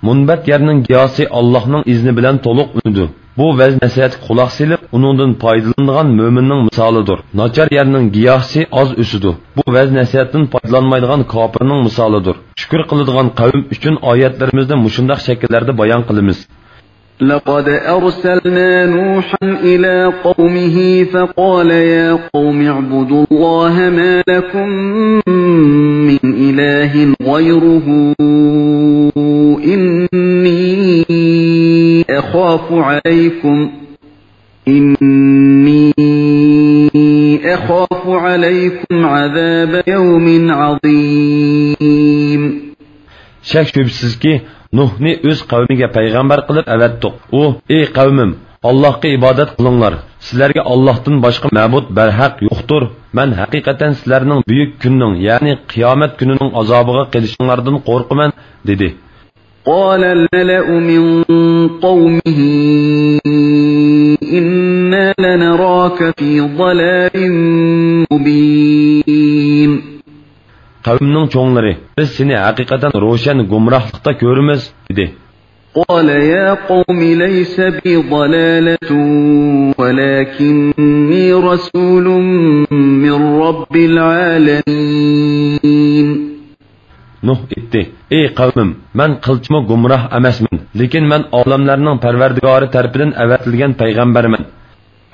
مۇنبەت يەرنىڭ گىياھى ئاللاھنىڭ ئىزنى بىلەن تولۇق ئۈنىدۇ. بۇ ۋەز-نەسىھەتكە قۇلاق سېلىپ، ئۇنىڭدىن پايدىلىنىدىغان مۆمىننىڭ مىسالىدۇر. ناچار يەرنىڭ گىياھى ئاز ئۆسىدۇ. بۇ ۋەز-نەسىھەتتىن پايدىلانمايدىغان كاپىرنىڭ مىسالىدۇر. شۈكۈر قىلىدىغان قەۋم ئۈچۈن ئايەتلىرىمىزنى مۇشۇنداق شەكىللەردە بايان قىلىمىز. لقد أرسلنا نوحا إلى قومه فقال يا قوم اعبدوا الله ما لكم من إله غيره إني أخاف عليكم إني أخاف عليكم عذاب يوم عظيم. شەك-شۈبھىسىزكى، نۇھنى ئۆز قەۋمىگە پەيغەمبەر قىلىپ ئەۋەتتۇق. ئۇ: «ئەي قەۋمىم، ئاللاھقا ئىبادەت قىلىڭلار. سىلەرگە ئاللاھتىن باشقا مەبۇد بەرھەق يوقتۇر. مەن ھەقىقەتەن سىلەرنىڭ بۈيۈك كۈننىڭ، يەنى قىيامەت كۈنىنىڭ ئازابىغا قېلىشىڭلاردىن قورقىمەن» دېدى. قال الملأ من قومه إنا لنراك في ضلال مبين. قەۋمنىڭ چوڭلىرى: «بىز سېنى ھەقىقەتەن روشەن گۇمراھلىقتا كۆرىمىز» دېدى. قال يا قوم ليس بي ضلالة ولكني رسول من رب العالمين. نۇھ ئېيتتى: «ئەي قەۋمىم، مەن قىلچىمۇ گۇمراھ ئەمەسمەن، لېكىن مەن ئالەملەرنىڭ پەرۋەردىگارى تەرىپىدىن ئەۋەتىلگەن پەيغەمبەرمەن.»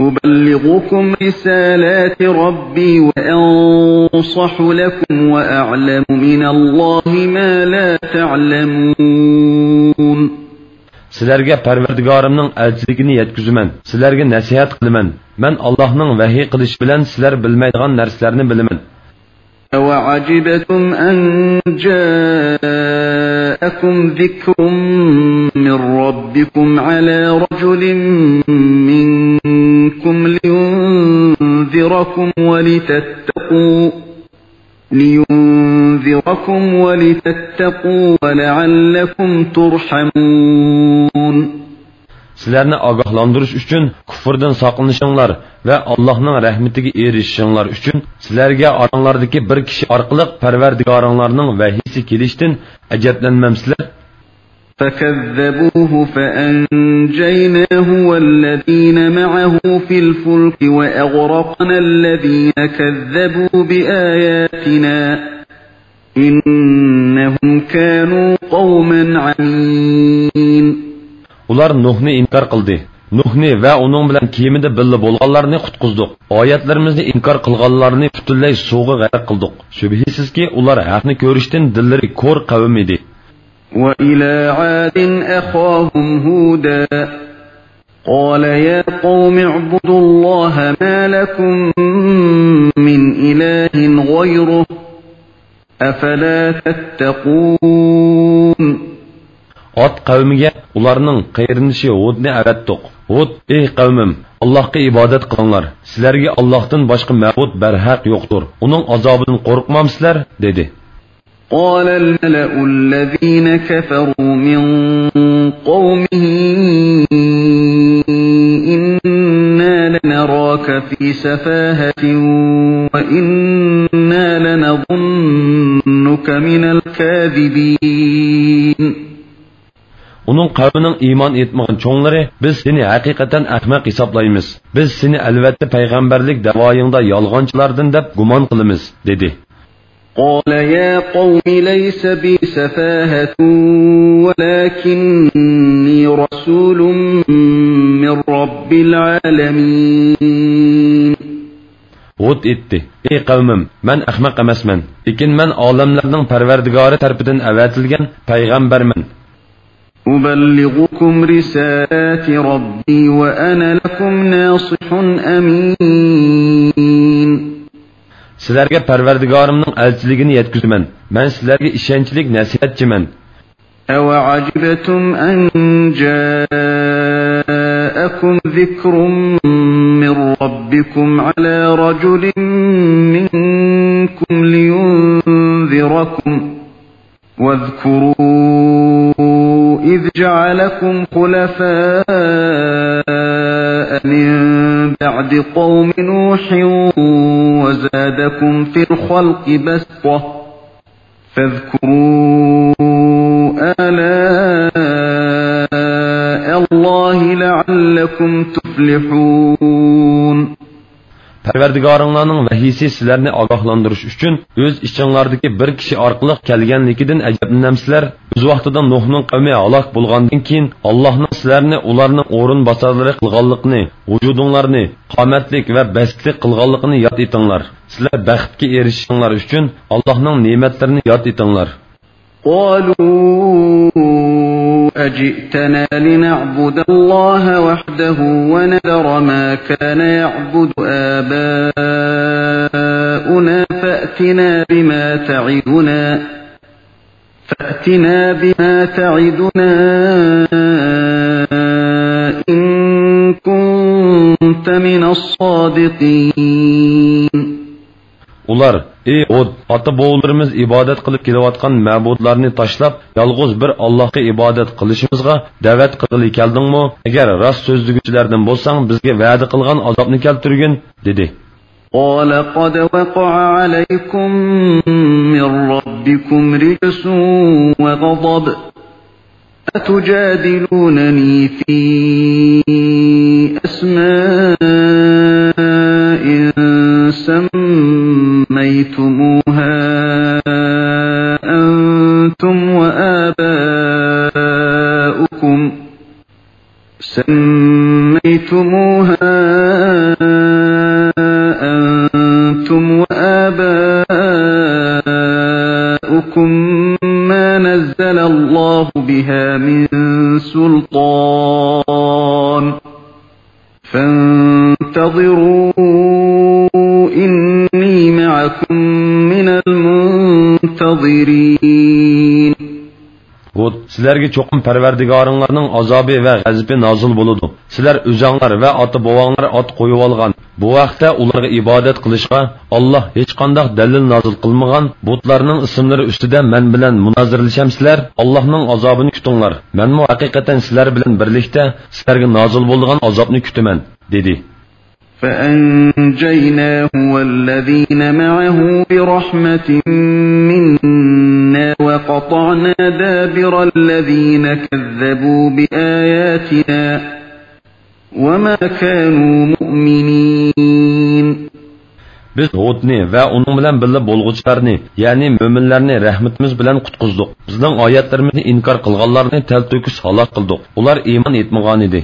أبلغكم رسالات ربي وأنصح لكم وأعلم من الله ما لا تعلمون. سىلەرگە پەرۋەردىگارىمنىڭ ئەلچىلىكىنى يەتكۈزىمەن، سىلەرگە نەسىھەت قىلىمەن. مەن ئاللاھنىڭ ۋەھىي قىلىشى بىلەن سىلەر بىلمەيدىغان نەرسىلەرنى بىلىمەن. أوعجبتم أن جاءكم ذكر من ربكم على رجل منكم لينذركم ولتتقوا، لينذركم ولتتقوا ولعلكم ترحمون. سىلەرنى ئاگاھلاندۇرۇش ئۈچۈن كۇفرىدىن ساقلىنىشىڭلار ۋە ئاللاھنىڭ رەھمىتىگە ئېرىشىشىڭلار ئۈچۈن سىلەرگە ئاراڭلاردىكى بىر كىشى ئارقىلىق پەرۋەردىگارىڭلارنىڭ ۋەھىيسى كېلىشتىن ئەجەبلەنمەمسىلەر؟ فكذبوه فأنجيناه والذين معه في الفلك وأغرقنا الذين كذبوا بآياتنا إنهم كانوا قوما عمين. ئۇلار نۇھنى ئىنكار قىلدى. نۇھنى ۋە ئۇنىڭ بىلەن كېمىدە بىللە بولغانلارنى قۇتقۇزدۇق. ئايەتلىرىمىزنى ئىنكار قىلغانلارنى پۈتۈنلەي سۇغا غەرق قىلدۇق. شۈبھىسىزكى، ئۇلار ھەقنى كۆرۈشتىن دىللىرى كور قەۋم ئىدى. وإلى عاد أخاهم هودا قال يا قوم اعبدوا الله ما لكم من إله غيره أفلا تتقون. ئاد قەۋمىگە ئۇلارنىڭ قېرىندىشى ھۇدنى ئەۋەتتۇق. ھۇد: «ئەي قەۋمىم، ئاللاھقا ئىبادەت قىلىڭلار. سىلەرگە ئاللاھتىن باشقا مەبۇد بەرھەق يوقتۇر. ئۇنىڭ ئازابىدىن قورقمامسىلەر؟» دېدى. قال الملأ الذين كفروا من قومه إنا لنراك في سفاهة وإنا لنظنك لمن الكاذبين. ئۇنىڭ قەۋمىنىڭ ئىمان ئېيتمىغان چوڭلىرى: «بىز سېنى ھەقىقەتەن ئەخمەق ھېسابلايمىز. بىز سېنى ئەلۋەتتە پەيغەمبەرلىك دەۋايىڭدا يالغانچىلاردىن دەپ گۇمان قىلىمىز» دېدى. قال يا قوم ليس بي سفاهة ولكني رسول من رب العالمين. ھۇد ئېيتتى: «ئەي قەۋمىم، مەن ئەخمەق ئەمەسمەن، لېكىن مەن ئالەملەرنىڭ پەرۋەردىگارى تەرىپىدىن ئەۋەتىلگەن پەيغەمبەرمەن.» أبلغكم رسالات ربي وأنا لكم ناصح أمين. سىلەرگە پەرۋەردىگارىمنىڭ ئەلچىلىكىنى يەتكۈزىمەن. مەن سىلەرگە ئىشەنچلىك نەسىھەتچىمەن. أوعجبتم أن جاءكم ذكر من ربكم على رجل منكم لينذركم. واذكروا إذ جعلكم خلفاء من بعد قوم نوح وزادكم في الخلق بسطة. فاذكروا آلاء الله لعلكم تفلحون. پەرۋەردىگارىڭلارنىڭ ۋەھىيسى سىلەرنى ئاگاھلاندۇرۇش ئۈچۈن، ئۆز ئىچىڭلاردىكى بىر كىشى ئارقىلىق كەلگەنلىكىدىن ئەجەبلىنەمسىلەر؟ ئۆز ۋاقتىدا نۇھنىڭ قەۋمى ھالاك بولغاندىن كېيىن، ئاللاھنىڭ سىلەرنى ئۇلارنىڭ ئورۇنباسارلىرى قىلغانلىقىنى، ۋۇجۇدۇڭلارنى قامەتلىك ۋە بەستلىك قىلغانلىقىنى ياد ئېتىڭلار. سىلەر بەختكە ئېرىشىشىڭلار ئۈچۈن، ئاللاھنىڭ نېمەتلىرىنى ياد ئېتىڭلار. قالوا أجئتنا لنعبد الله وحده ونذر ما كان يعبد آباؤنا فأتنا بما تعدنا، فأتنا بما تعدنا إن كنت من الصادقين. ئۇلار: «ئەي ھۇد، ئاتا-بوۋىلىرىمىز ئىبادەت قىلىپ كېلىۋاتقان مەبۇدلارنى تاشلاپ، يالغۇز بىر ئاللاھقا ئىبادەت قىلىشىمىزغا دەۋەت قىلغىلى كەلدىڭمۇ؟ ئەگەر راست سۆزلىگۈچىلەردىن بولساڭ، بىزگە ۋەدە قىلغان ئازابنى كەلتۈرگىن» دېدى. قال قد وقع عليكم من ربكم رجس وغضب أتجادلونني في أسماء سميتموها أنتم وآباؤكم، سميتموها أنتم وآباؤكم ما نزل الله بها من سلطان، فانتظروا إني معكم من المنتظرين. ھۇد: «سىلەرگە چوقۇم پەرۋەردىگارىڭلارنىڭ ئازابى ۋە غەزىپى نازىل بولىدۇ. سىلەر ئۆزۈڭلار ۋە ئاتا-بوۋاڭلار ئات قويۇۋالغان، بۇ ھەقتە ئۇلارغا ئىبادەت قىلىشقا ئاللاھ ھېچقانداق دەلىل نازىل قىلمىغان بۇتلارنىڭ ئىسىملىرى ئۈستىدە مەن بىلەن مۇنازىرىلىشەمسىلەر؟ ئاللاھنىڭ ئازابىنى كۈتۈڭلار. مەنمۇ ھەقىقەتەن سىلەر بىلەن بىرلىكتە سىلەرگە نازىل بولىدىغان ئازابنى كۈتىمەن» دېدى. فأنجيناه والذين معه برحمة منا وقطعنا دابر الذين كذبوا بآياتنا وما كانوا مؤمنين. بىز ھۇدنى ۋە ئۇنىڭ بىلەن بىللە بولغۇچىلارنى، يەنى مۆمىنلەرنى رەھمىتىمىز بىلەن قۇتقۇزدۇق. بىزنىڭ ئايەتلىرىمىزنى ئىنكار قىلغانلارنى تەلتۆكۈس ھالاك قىلدۇق. ئۇلار ئىمان ئېيتمىغانىدى.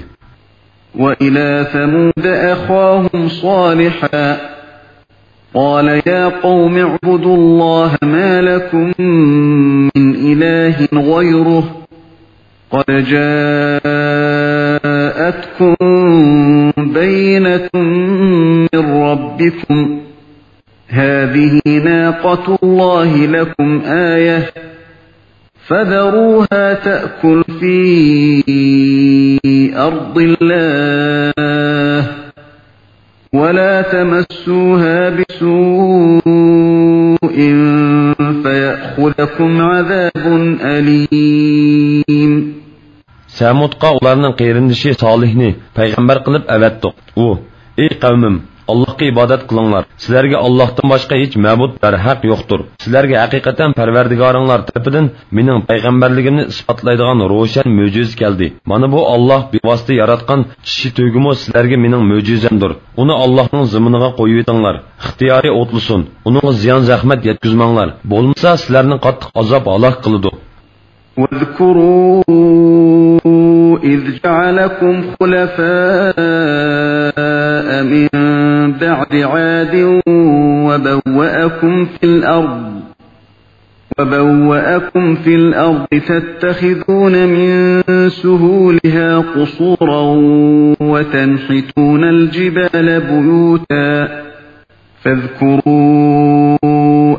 وإلى ثمود أخاهم صالحا قال يا قوم اعبدوا الله ما لكم من إله غيره قد جاءتكم بينة من ربكم هذه ناقة الله لكم آية فذروها تأكل في أرض الله ولا تمسوها بسوء فيأخذكم عذاب أليم. سەمۇدقا ئۇلارنىڭ قېرىندىشى سالىھنى پەيغەمبەر قىلىپ ئەۋەتتۇق. ئۇ: «ئەي قەۋمىم، ئاللاھقا ئىبادەت قىلىڭلار. سىلەرگە ئاللاھتىن باشقا ھېچ مەبۇد بەرھەق يوقتۇر. سىلەرگە ھەقىقەتەن پەرۋەردىگارىڭلار تەرىپىدىن مېنىڭ پەيغەمبەرلىكىمنى ئىسپاتلايدىغان روشەن مۆجىزە كەلدى. مانا بۇ ئاللاھ بىۋاسىتە ياراتقان چىشى تۆگىمۇ سىلەرگە مېنىڭ مۆجىزەمدۇر. ئۇنى ئاللاھنىڭ زېمىنىغا قويۇۋېتىڭلار. ئىختىيارى ئوتلىسۇن. ئۇنىڭغا زىيان-زەخمەت يەتكۈزمەڭلار. بولمىسا سىلەرنى قاتتىق ئازاب ھالاك قىلىدۇ. واذكروا إذ جعلكم خلفاء من بعد عاد وبوأكم في الأرض وبوأكم في الأرض تتخذون من سهولها قصورا وتنحتون الجبال بيوتا فاذكروا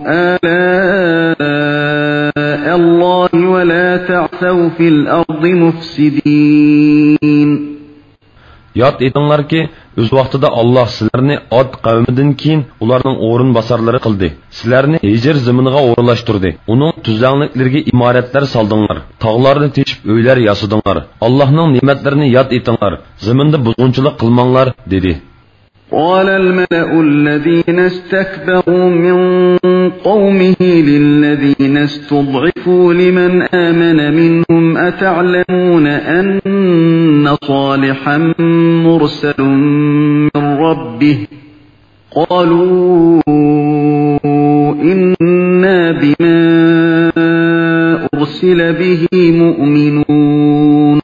آلاء الله ولا تعثوا في الأرض مفسدين. ياد ئېتىڭلاركى، ئۆز ۋاقتىدا ئاللاھ سىلەرنى ئاد قەۋمىدىن كېيىن ئۇلارنىڭ ئورۇنباسارلىرى قىلدى. سىلەرنى ھىجىر زېمىنىغا ئورۇنلاشتۇردى. ئۇنىڭ تۈزلەڭلىكلىرىگە ئىمارەتلەر سالدىڭلار. تاغلارنى تېشىپ ئۆيلەر ياسىدىڭلار. ئاللاھنىڭ نېمەتلىرىنى ياد ئېتىڭلار. زېمىندا بۇزغۇنچىلىق قىلماڭلار، دېدى. قال الملأ الذين استكبروا من قومه للذين استضعفوا لمن آمن منهم أتعلمون أن صالحا مرسل من ربه قالوا إنا بما أرسل به مؤمنون.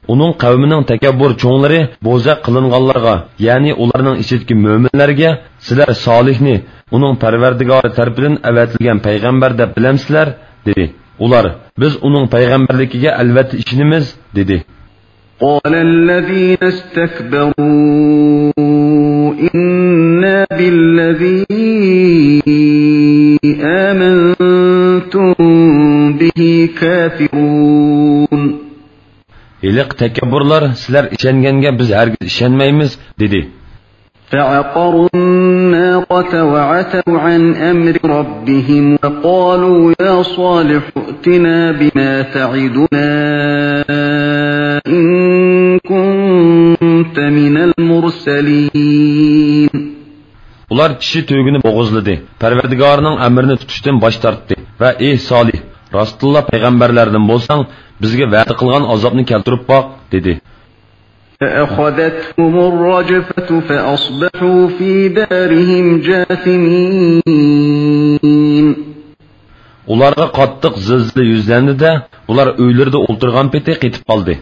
ئۇنىڭ قەۋمىنىڭ تەكەببۇر چوڭلىرى بوزەك قىلىنغانلارغا، يەنى ئۇلارنىڭ ئىچىدىكى مۆمىنلەرگە، سىلەر سالىھنى، ئۇنىڭ پەرۋەردىگارى تەرىپىدىن ئەۋەتىلگەن پەيغەمبەر دەپ بىلەمسىلەر؟ دېدى. ئۇلار، بىز ئۇنىڭ پەيغەمبەرلىكىگە ئەلۋەتتە ئىشىنىمىز، دېدى. قال الذين استكبروا إنا بالذي آمنتم به كافرون. ھېلىقى تەكەببۇرلار، سىلەر ئىشەنگەنگە بىز ھەرگىز ئىشەنمەيمىز، دېدى. فعقروا الناقة وعتوا عن أمر ربهم وقالوا يا صالح ائتنا بما تعدنا إن كنت من المرسلين. ئۇلار چىشى تۆگىنى بوغۇزلىدى، پەرۋەردىگارىنىڭ ئەمرىنى تۇتۇشتىن باش تارتتى ۋە ئېھ سالىھ، راستتىنلا پەيغەمبەرلەردىن بولساڭ، بىزگە ۋەدە قىلغان ئازابنى كەلتۈرۈپ باق، دېدى. فأخذتهم الرجفة فأصبحوا في دارهم جاثمين. ئۇلارغا قاتتىق زىلزىلە يۈزلەندى-دە، ئۇلار ئۆيلىرىدە ئولتۇرغان پېتى قېتىپ قالدى.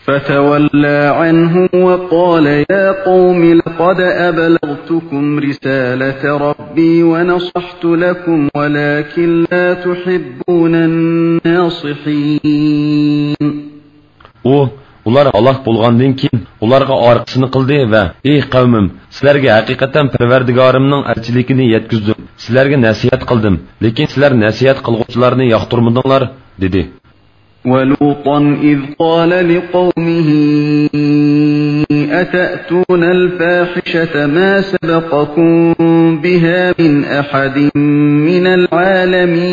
فتولى عنهم وقال يا قوم لقد أبلغتكم رسالة ربي ونصحت لكم ولكن لا تحبون الناصحين. ئۇ، ئۇلار ھالاك بولغاندىن كېيىن، ئۇلارغا ئارقىسىنى قىلدى ۋە، ئېي قەۋمىم، سىلەرگە ھەقىقەتەن پەرۋەردىگارىمنىڭ ئەلچىلىكىنى يەتكۈزدۈم، سىلەرگە نەسىھەت قىلدىم، لېكىن سىلەر نەسىھەت قىلغۇچىلارنى ياقتۇرمىدىڭلار، دېدى. ولوطا إذ قال لقومه أتأتون الفاحشة ما سبقكم بها من أحد من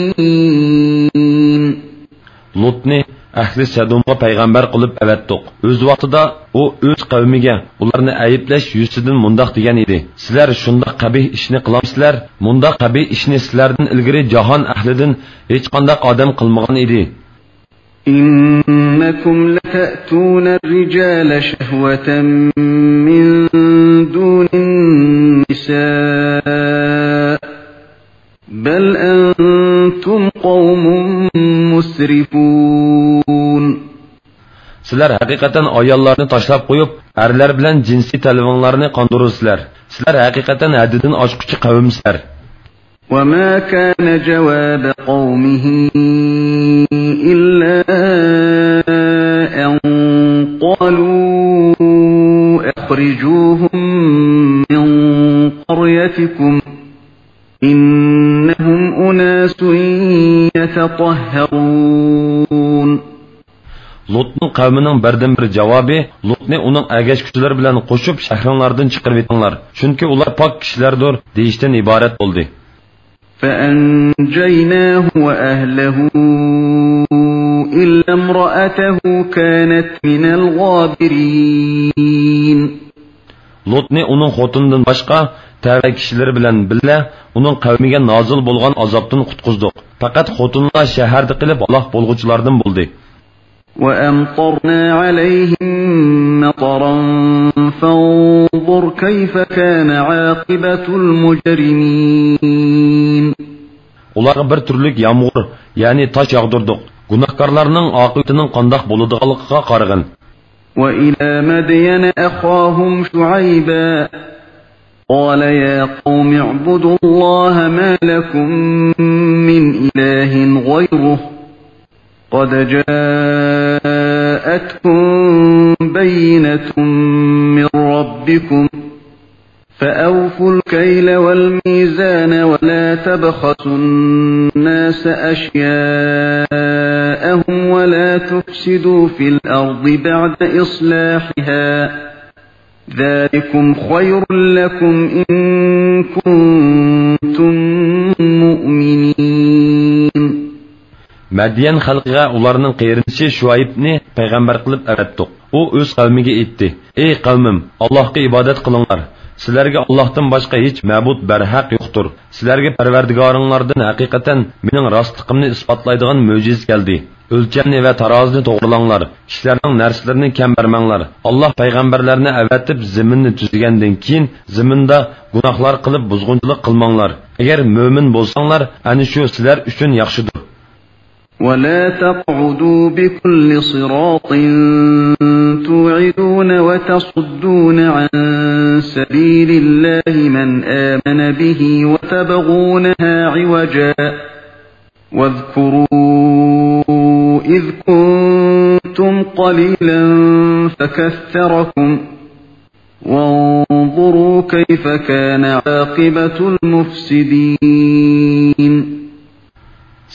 العالمين. لۇتنى ئەھلى سەدۇمغا پەيغەمبەر قىلىپ ئەۋەتتۇق. ئۆز ۋاقتىدا ئۇ ئۆز قەۋمىگە ئۇلارنى ئەيىبلەش يۈزىسىدىن مۇنداق دېگەن ئىدى: سىلەر شۇنداق قەبىھ ئىشنى قىلامسىلەر؟ مۇنداق قەبىھ ئىشنى سىلەردىن ئىلگىرى جاھان ئەھلىدىن ھېچقانداق ئادەم قىلمىغان ئىدى. إنكم لتأتون الرجال شهوة من دون النساء بل أنتم قوم مسرفون. سىلەر ھەقىقەتەن ئاياللارنى تاشلاپ قويۇپ، ئەرلەر بىلەن جىنسىي تەلىپىڭلارنى قاندۇرىسىلەر. سىلەر ھەقىقەتەن ھەددىدىن ئاشقۇچى قەۋمسىلەر. وما كان جواب قومه إلا أن قالوا أخرجوهم من قريتكم إنهم أناس يتطهرون. لۇتنىڭ قەۋمىنىڭ بىردىنبىر جاۋابى، لۇتنى ئۇنىڭ ئەگەشكۈچىلىرى بىلەن قوشۇپ شەھىرىڭلاردىن چىقىرىۋېتىڭلار، چۈنكى ئۇلار پاك كىشىلەردۇر، دېيىشتىن ئىبارەت بولدى. فأنجيناه وأهله إلا امرأته كانت من الغابرين. لۇتنى ئۇنىڭ خوتۇنىدىن باشقا تەۋە كىشىلىرى بىلەن بىللە ئۇنىڭ قەۋمىگە نازىل بولغان ئازابتىن قۇتقۇزدۇق. پەقەت خوتۇنلا شەھەردە قېلىپ ھالاك بولغۇچىلاردىن بولدى. وأمطرنا عليهم مطرا فانظر كيف كان عاقبة المجرمين. ئۇلارغا بىر تۈرلۈك يامغۇر، يەنى تاش ياغدۇردۇق. گۇناھكارلارنىڭ ئاقىۋىتىنىڭ قانداق بولىدىغانلىقىغا قارىغىن. وإلى مدين أخاهم شعيبا قال يا قوم اعبدوا الله ما لكم من إله غيره قد جاءتكم بينة من ربكم فأوفوا الكيل والميزان ولا تبخسوا الناس أشياءهم ولا تفسدوا في الأرض بعد إصلاحها ذلكم خير لكم إن كنتم مؤمنين. مەديەن خەلقىگە ئۇلارنىڭ قېرىندىشى شۇئەيبنى پەيغەمبەر قىلىپ ئەۋەتتۇق. ئۇ ئۆز قەۋمىگە ئېيتتى: ئەي قەۋمىم، ئاللاھقا ئىبادەت قىلىڭلار. سىلەرگە ئاللاھتىن باشقا ھېچ مەبۇد بەرھەق يوقتۇر. سىلەرگە پەرۋەردىگارىڭلاردىن ھەقىقەتەن مېنىڭ راستلىقىمنى ئىسپاتلايدىغان مۆجىزە كەلدى. ئۆلچەمنى ۋە تارازىنى توغرىلاڭلار. كىشىلەرنىڭ نەرسىلىرىنى كەم بەرمەڭلار. ئاللاھ پەيغەمبەرلەرنى ئەۋەتىپ زېمىننى تۈزىگەندىن كېيىن، زېمىندا گۇناھلار قىلىپ بۇزغۇنچىلىق قىلماڭلار. ئەگەر مۆمىن بولساڭلار، ئەنە شۇ سىلەر ئۈچۈن ياخشىدۇر. ولا تقعدوا بكل صراط توعدون وتصدون عن سبيل الله من آمن به وتبغونها عوجا واذكروا إذ كنتم قليلا فكثركم وانظروا كيف كان عاقبة المفسدين.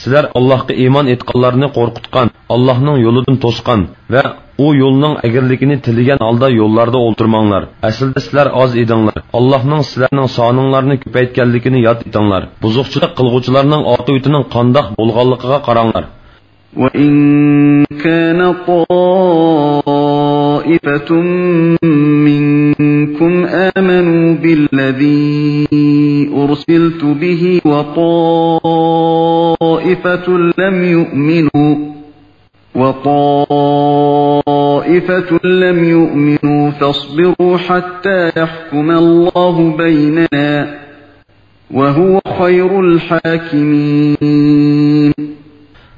سىلەر ئاللاھقا ئىمان ئېيتقانلارنى قورقۇتقان، ئاللاھنىڭ يولىدىن توسقان ۋە ئۇ يولنىڭ ئەگرىلىكىنى تىلىگەن ھالدا يوللاردا ئولتۇرماڭلار. ئەسلىدە سىلەر ئاز ئىدىڭلار. ئاللاھنىڭ سىلەرنىڭ سانىڭلارنى كۆپەيتكەنلىكىنى ياد ئېتىڭلار. بۇزۇقچىلىق قىلغۇچىلارنىڭ ئاقىۋىتىنىڭ قانداق بولغانلىقىغا قاراڭلار. وإن كان طائفة منكم آمنوا بالذي أرسلت به وطائفة لم يؤمنوا وطائفة لم يؤمنوا فاصبروا حتى يحكم الله بيننا وهو خير الحاكمين.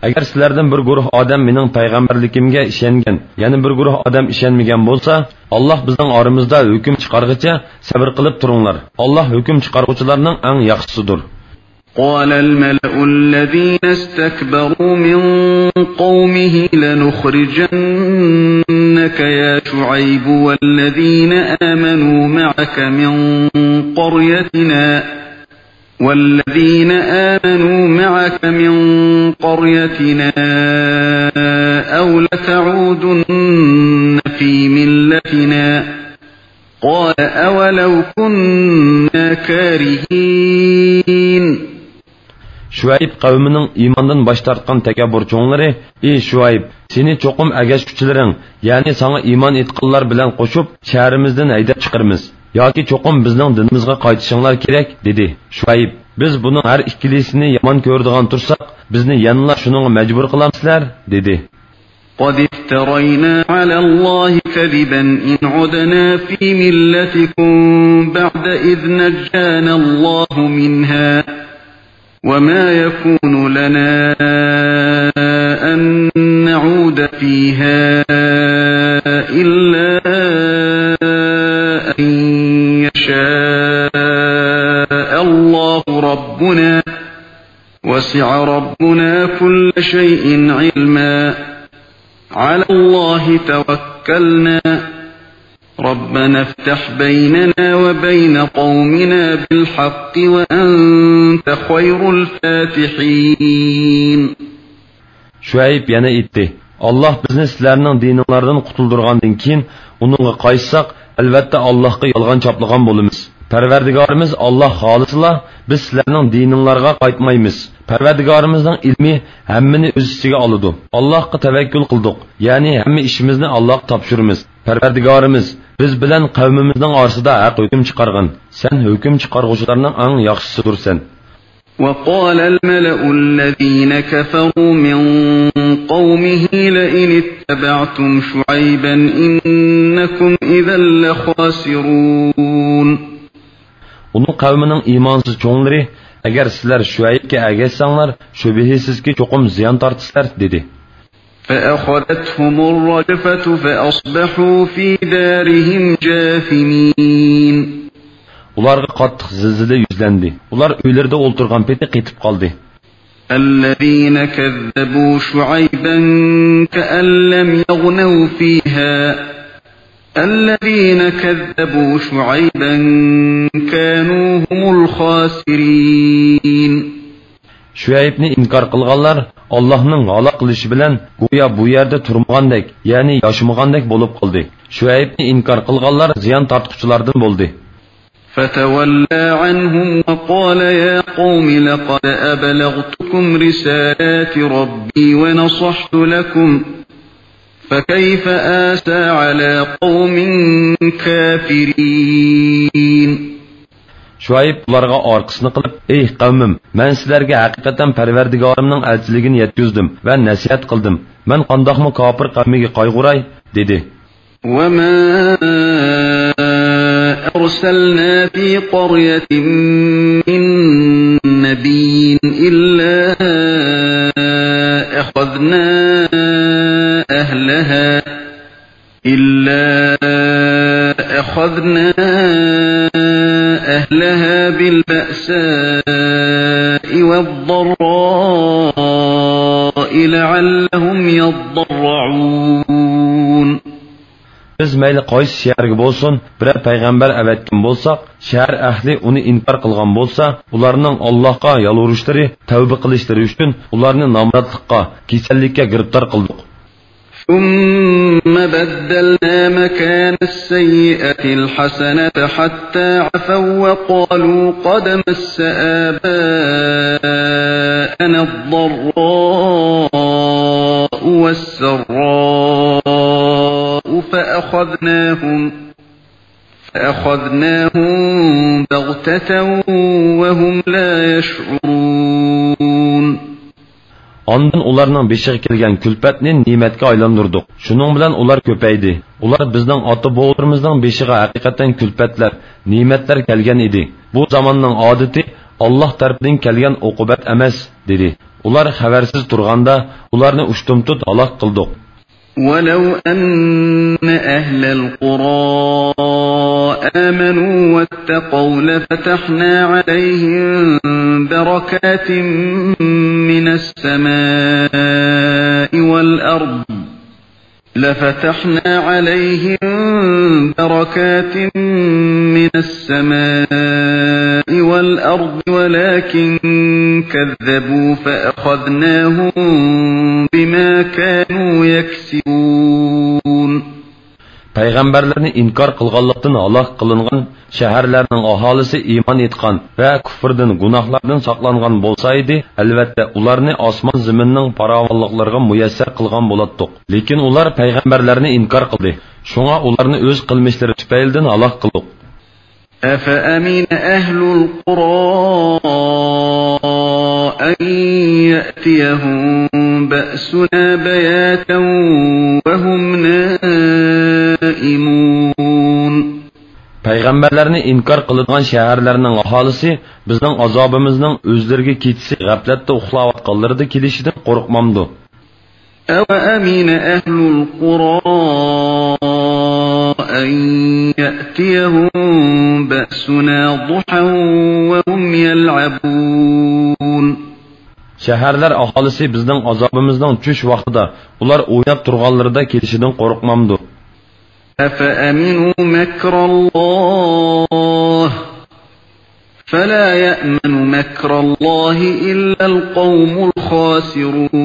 ئەگەر سىلەردىن بىر گۇرۇھ ئادەم مېنىڭ پەيغەمبەرلىكىمگە ئىشەنگەن، يەنە بىر گۇرۇھ ئادەم ئىشەنمىگەن بولسا، ئاللاھ بىزنىڭ ئارىمىزدا ھۆكۈم چىقارغىچە سەۋر قىلىپ تۇرۇڭلار. ئاللاھ ھۆكۈم چىقارغۇچىلارنىڭ ئەڭ ياخشىسىدۇر. قال الملأ الذين استكبروا من قومه لنخرجنك يا شعيب والذين آمنوا معك من قريتنا والذين آمنوا معك من قريتنا أو لتعودن في ملتنا قال أولو كنا كارهين. شۇئەيب قەۋمىنىڭ ئىماندىن باش تارتقان تەكەببۇر چوڭلىرى: ئى شۇئەيب، سېنى چوقۇم ئەگەشكۈچىلىرىڭ، يەنى ساڭا ئىمان ئېيتقانلار بىلەن قوشۇپ، شەھىرىمىزدىن ھەيدەپ چىقىرىمىز. ياكى چوقۇم بىزنىڭ دىنىمىزغا قايتىشىڭلار كېرەك، دېدى. شۇئەيب: بىز بۇنىڭ ھەر ئىككىلىسىنى يامان كۆرىدىغان تۇرساق، بىزنى يەنىلا شۇنىڭغا مەجبۇر قىلامسىلەر؟ دېدى. قد افترينا على الله كذبا إن عدنا في ملتكم بعد إذ نجانا الله منها وما يكون لنا أن نعود فيها إلا أن يشاء الله ربنا وسع ربنا كل شيء علما على الله توكلنا ربنا افتح بيننا وبين قومنا بالحق وأنت خير الفاتحين. شۇئەيب يەنە ئېيتتى: ئاللاھ بىزنى سىلەرنىڭ دىنىڭلاردىن قۇتۇلدۇرغاندىن كېيىن، ئۇنىڭغا قايتساق، ئەلۋەتتە ئاللاھقا يالغان چاپلىغان بولىمىز. پەرۋەردىگارىمىز ئاللاھ خالىسىلا، بىز سىلەرنىڭ دىنىڭلارغا قايتمايمىز. پەرۋەردىگارىمىزنىڭ ئىلمى ھەممىنى ئۆز ئىچىگە ئالىدۇ. ئاللاھقا تەۋەككۈل قىلدۇق، يەنى ھەممە ئىشىمىزنى ئاللاھقا تاپشۇرىمىز. پەرۋەردىگارىمىز، بىز بىلەن قەۋمىمىزنىڭ ئارىسىدا ھەق ھۆكۈم چىقارغىن. سەن ھۆكۈم چىقارغۇچىلارنىڭ ئەڭ ياخشىسىدۇرسەن. وقال الملأ الذين كفروا من قومه لئن اتبعتم شعيبا إنكم إذا لخاسرون. ئۇنىڭ قەۋمىنىڭ ئىمانسىز چوڭلىرى، ئەگەر سىلەر شۇئەيبكە ئەگەشسەڭلار، شۈبھىسىزكى چوقۇم زىيان تارتىسىلەر، دېدى. فأخذتهم الرجفة فأصبحوا في دارهم جاثمين. ئۇلارغا قاتتىق زىلزىلە يۈزلەندى. ئۇلار ئۆيلىرىدە ئولتۇرغان پېتى قېتىپ قالدى. الذين كذبوا شعيبا كأن لم يغنوا فيها. الذين كذبوا شعيبا كانوا هم الخاسرين. شۇئەيبنى ئىنكار قىلغانلار ئاللاھنىڭ ھالاك قىلىشى بىلەن گويا بۇ يەردە تۇرمىغاندەك، يەنى ياشىمىغاندەك بولۇپ قالدى. شۇئەيبنى ئىنكار قىلغانلار زىيان تارتقۇچىلاردىن بولدى. فتولى عنهم وقال يا قوم لقد أبلغتكم رسالات ربي ونصحت لكم فكيف آسى على قوم كافرين. شۇئەيب ئۇلارغا ئارقىسىنى قىلىپ، ئەي قەۋمىم، مەن سىلەرگە ھەقىقەتەن پەرۋەردىگارىمنىڭ ئەلچىلىكىنى يەتكۈزدۈم ۋە نەسىھەت قىلدىم. مەن قانداقمۇ كاپىر قەۋمىگە قايغۇراي؟ دېدى. وما أرسلنا في قرية من نبي إلا أخذنا أهلها إلا أخذنا أهلها بالبأساء والضراء لعلهم يضرعون. بىز مەيلى قايسى شەھەرگە بولسۇن، بىرەر پەيغەمبەر ئەۋەتكەن بولساق، شەھەر ئەھلى ئۇنى ئىنكار قىلغان بولسا، ئۇلارنىڭ ئاللاھقا يالۋۇرۇشلىرى، تەۋبە قىلىشلىرى ئۈچۈن ئۇلارنى نامراتلىققا، كېسەللىككە گىرىپتار قىلدۇق. ثم بدلنا مكان السيئة الحسنة حتى عفوا وقالوا قد مس آباءنا الضراء والسراء فأخذناهم، فأخذناهم بغتة وهم لا يشعرون. ئاندىن ئۇلارنىڭ بېشىغا كەلگەن كۈلپەتنى نېمەتكە ئايلاندۇردۇق. شۇنىڭ بىلەن ئۇلار كۆپەيدى. ئۇلار بىزنىڭ ئاتا-بوۋىلىرىمىزنىڭ بېشىغا ھەقىقەتەن كۈلپەتلەر، نېمەتلەر كەلگەن ئىدى. بۇ زاماننىڭ ئادىتى، ئاللاھ تەرىپىدىن كەلگەن ئوقۇبەت ئەمەس، دېدى. ئۇلار خەۋەرسىز تۇرغاندا، ئۇلارنى ئۇشتۇمتۇت ھالاك قىلدۇق. ولو أن أهل القرى آمنوا واتقوا لفتحنا عليهم بركات من السماء والأرض، لفتحنا عليهم بركات من السماء والأرض ولكن كذبوا فأخذناهم بما كانوا يكسبون. پەيغەمبەرلەرنى ئىنكار قىلغانلىقتىن ھالاك قىلىنغان شەھەرلەرنىڭ ئاھالىسى ئىمان ئېيتقان ۋە كۇفردىن، گۇناھلاردىن ساقلانغان بولسا ئىدى، ئەلۋەتتە، ئۇلارنى ئاسمان-زېمىننىڭ پاراۋانلىقلىرىغا مۇيەسسەر قىلغان بولاتتۇق. لېكىن ئۇلار پەيغەمبەرلەرنى ئىنكار قىلدى. شۇڭا ئۇلارنى ئۆز قىلمىشلىرى تۈپەيلىدىن ھالاك قىلدۇق. أفأمن أهل القرى أن يأتيهم بأسنا بياتا وهم نائمون. پەيغەمبەرلەرنى ئىنكار قىلىدىغان شەھەرلەرنىڭ ئاھالىسى بىزنىڭ ئازابىمىزنىڭ ئۆزلىرىگە كېچىسى غەپلەتتە ئۇخلاۋاتقانلىرىدا كېلىشىدىن قورقمامدۇ؟ أوأمن أهل القرى أن يأتيهم بأسنا ضحى وهم يلعبون. شەھەرلەر ئاھالىسى بىزنىڭ ئازابىمىزنىڭ چۈش ۋاقتىدا، ئۇلار ئويناپ تۇرغانلىرىدا كېلىشىدىن قورقمامدۇ؟ أفأمنوا مكر الله فلا يأمن مكر الله إلا القوم الخاسرون.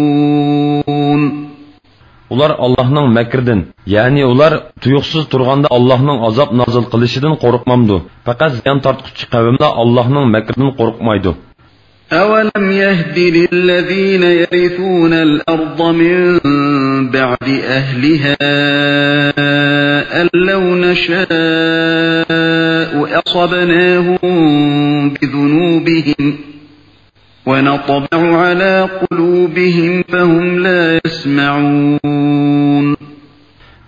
ئۇلار ئاللاھنىڭ مەكرىدىن، يەنى ئۇلار تۇيۇقسىز تۇرغاندا ئاللاھنىڭ ئازاب نازىل قىلىشىدىن قورقمامدۇ؟ پەقەت زىيان تارتقۇچى قەۋملا ئاللاھنىڭ مەكرىدىن قورقمايدۇ. أولم يهد للذين يرثون الأرض من بعد أهلها أن لو نشاء أصبناهم بذنوبهم ونطبع على قلوبهم فهم لا يسمعون.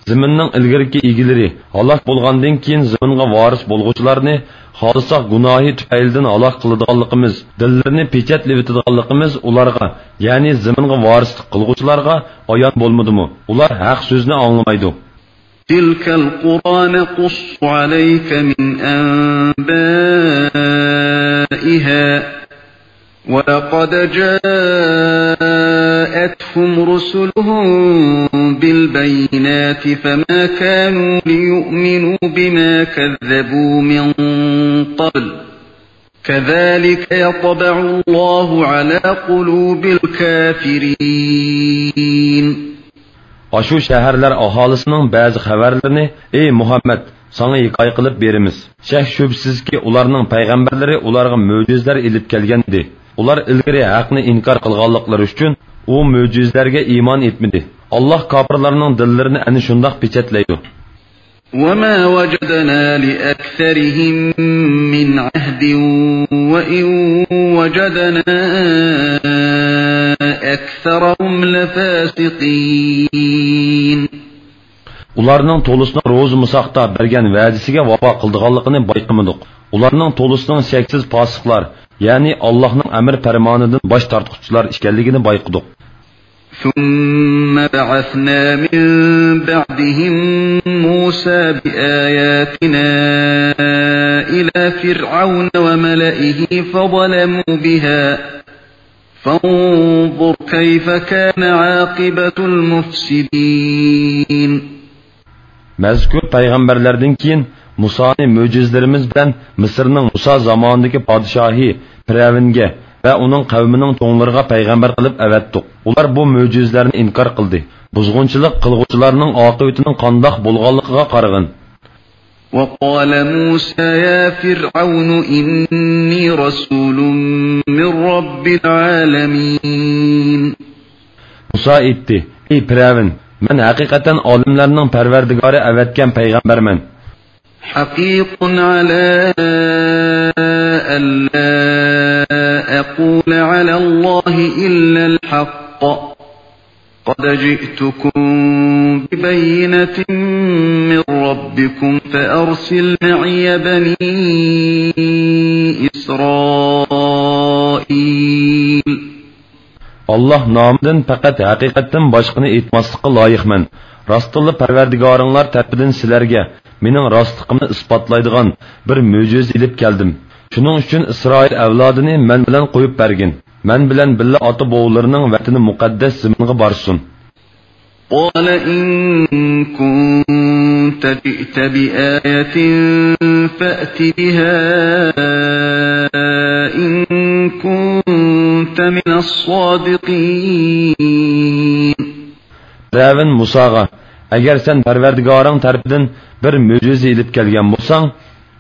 زېمىننىڭ ئىلگىرىكى ئىگىلىرى ھالاك بولغاندىن كېيىن زېمىنغا ۋارىس بولغۇچىلارنى خالىساق گۇناھى تۈپەيلىدىن ھالاك قىلىدىغانلىقىمىز، دىللىرىنى پېچەتلىۋېتىدىغانلىقىمىز ئۇلارغا، يەنى زېمىنغا ۋارىسلىق قىلغۇچىلارغا ئايان بولمىدىمۇ؟ ئۇلار ھەق سۆزنى ئاڭلىمايدۇ. تلك القرى نقص عليك من أنبائها ولقد جاءتهم رسلهم بالبينات فما كانوا ليؤمنوا بما كذبوا من قبل كذلك يطبع الله على قلوب الكافرين. ئاشۇ شەھەرلەر ئاھالىسىنىڭ بەزى خەۋەرلىرىنى، ئەي مۇھەممەد، ساڭا ھېكايە قىلىپ بېرىمىز. شەك-شۈبھىسىزكى، ئۇلارنىڭ پەيغەمبەرلىرى ئۇلارغا مۆجىزىلەر ئېلىپ كەلگەن ئىدى. ئۇلار ئىلگىرى ھەقنى ئىنكار قىلغانلىقلىرى ئۈچۈن، ئۇ مۆجىزىلەرگە ئىمان ئېيتمىدى. ئاللاھ كاپىرلارنىڭ دىللىرىنى ئەنە شۇنداق پېچەتلەيدۇ. وما وجدنا لأكثرهم من عهد وإن وجدنا أكثرهم لفاسقين. ئۇلارنىڭ تولىسىنىڭ روزا مۇساقتا بەرگەن ۋەدىسىگە ۋاپا قىلىدىغانلىقىنى بايقىمىدۇق. ئۇلارنىڭ تولىسىنىڭ شەكسىز پاسىقلار، يەنى ئاللاھنىڭ ئەمر پەرمانىدىن باش تارتقۇچىلار ئىكەنلىكىنى بايقىدۇق. ثم بعثنا من بعدهم موسى بآياتنا إلى فرعون وملئه فظلموا بها فانظر كيف كان عاقبة المفسدين. مەزكۇر پەيغەمبەرلەردىن كېيىن مۇسانى مۆجىزىلىرىمىز بىلەن مىسىرنىڭ مۇسا زامانىدىكى پادىشاھى پىرئەۋنگە ۋە ئۇنىڭ قەۋمىنىڭ چوڭلىرىغا پەيغەمبەر قىلىپ ئەۋەتتۇق. ئۇلار بۇ مۆجىزىلەرنى ئىنكار قىلدى. بۇزغۇنچىلىق قىلغۇچىلارنىڭ ئاقىۋىتىنىڭ قانداق بولغانلىقىغا قارىغىن. وقال موسى يا فرعون إني رسول من رب العالمين. مۇسا ئېيتتى، ئەي پىرئەۋن، مەن ھەقىقەتەن ئالەملەرنىڭ پەرۋەردىگارى ئەۋەتكەن پەيغەمبەرمەن. حقيق على ألا أقول على الله إلا الحق قد جئتكم ببينة من ربكم فأرسل معي بني إسرائيل. ئاللاھ نامىدىن پەقەت ھەقىقەتتىن باشقىنى ئېيتماسلىققا لايىقمەن. راستتىنلا پەرۋەردىگارىڭلار تەرىپىدىن سىلەرگە مېنىڭ راستلىقىمنى ئىسپاتلايدىغان بىر مۆجىزە ئېلىپ كەلدىم. شۇنىڭ ئۈچۈن ئىسرائىل ئەۋلادىنى مەن بىلەن قويۇپ بەرگىن. مەن بىلەن بىللە ئاتا-بوۋىلىرىنىڭ ۋەتىنى مۇقەددەس زېمىنغا بارسۇن. قال إن كنت جئت بآية فأت بها إن كنت من الصادقين. پىرئەۋن مۇساغا، ئەگەر سەن پەرۋەردىگارىڭ تەرىپىدىن بىر مۆجىزە ئېلىپ كەلگەن بولساڭ،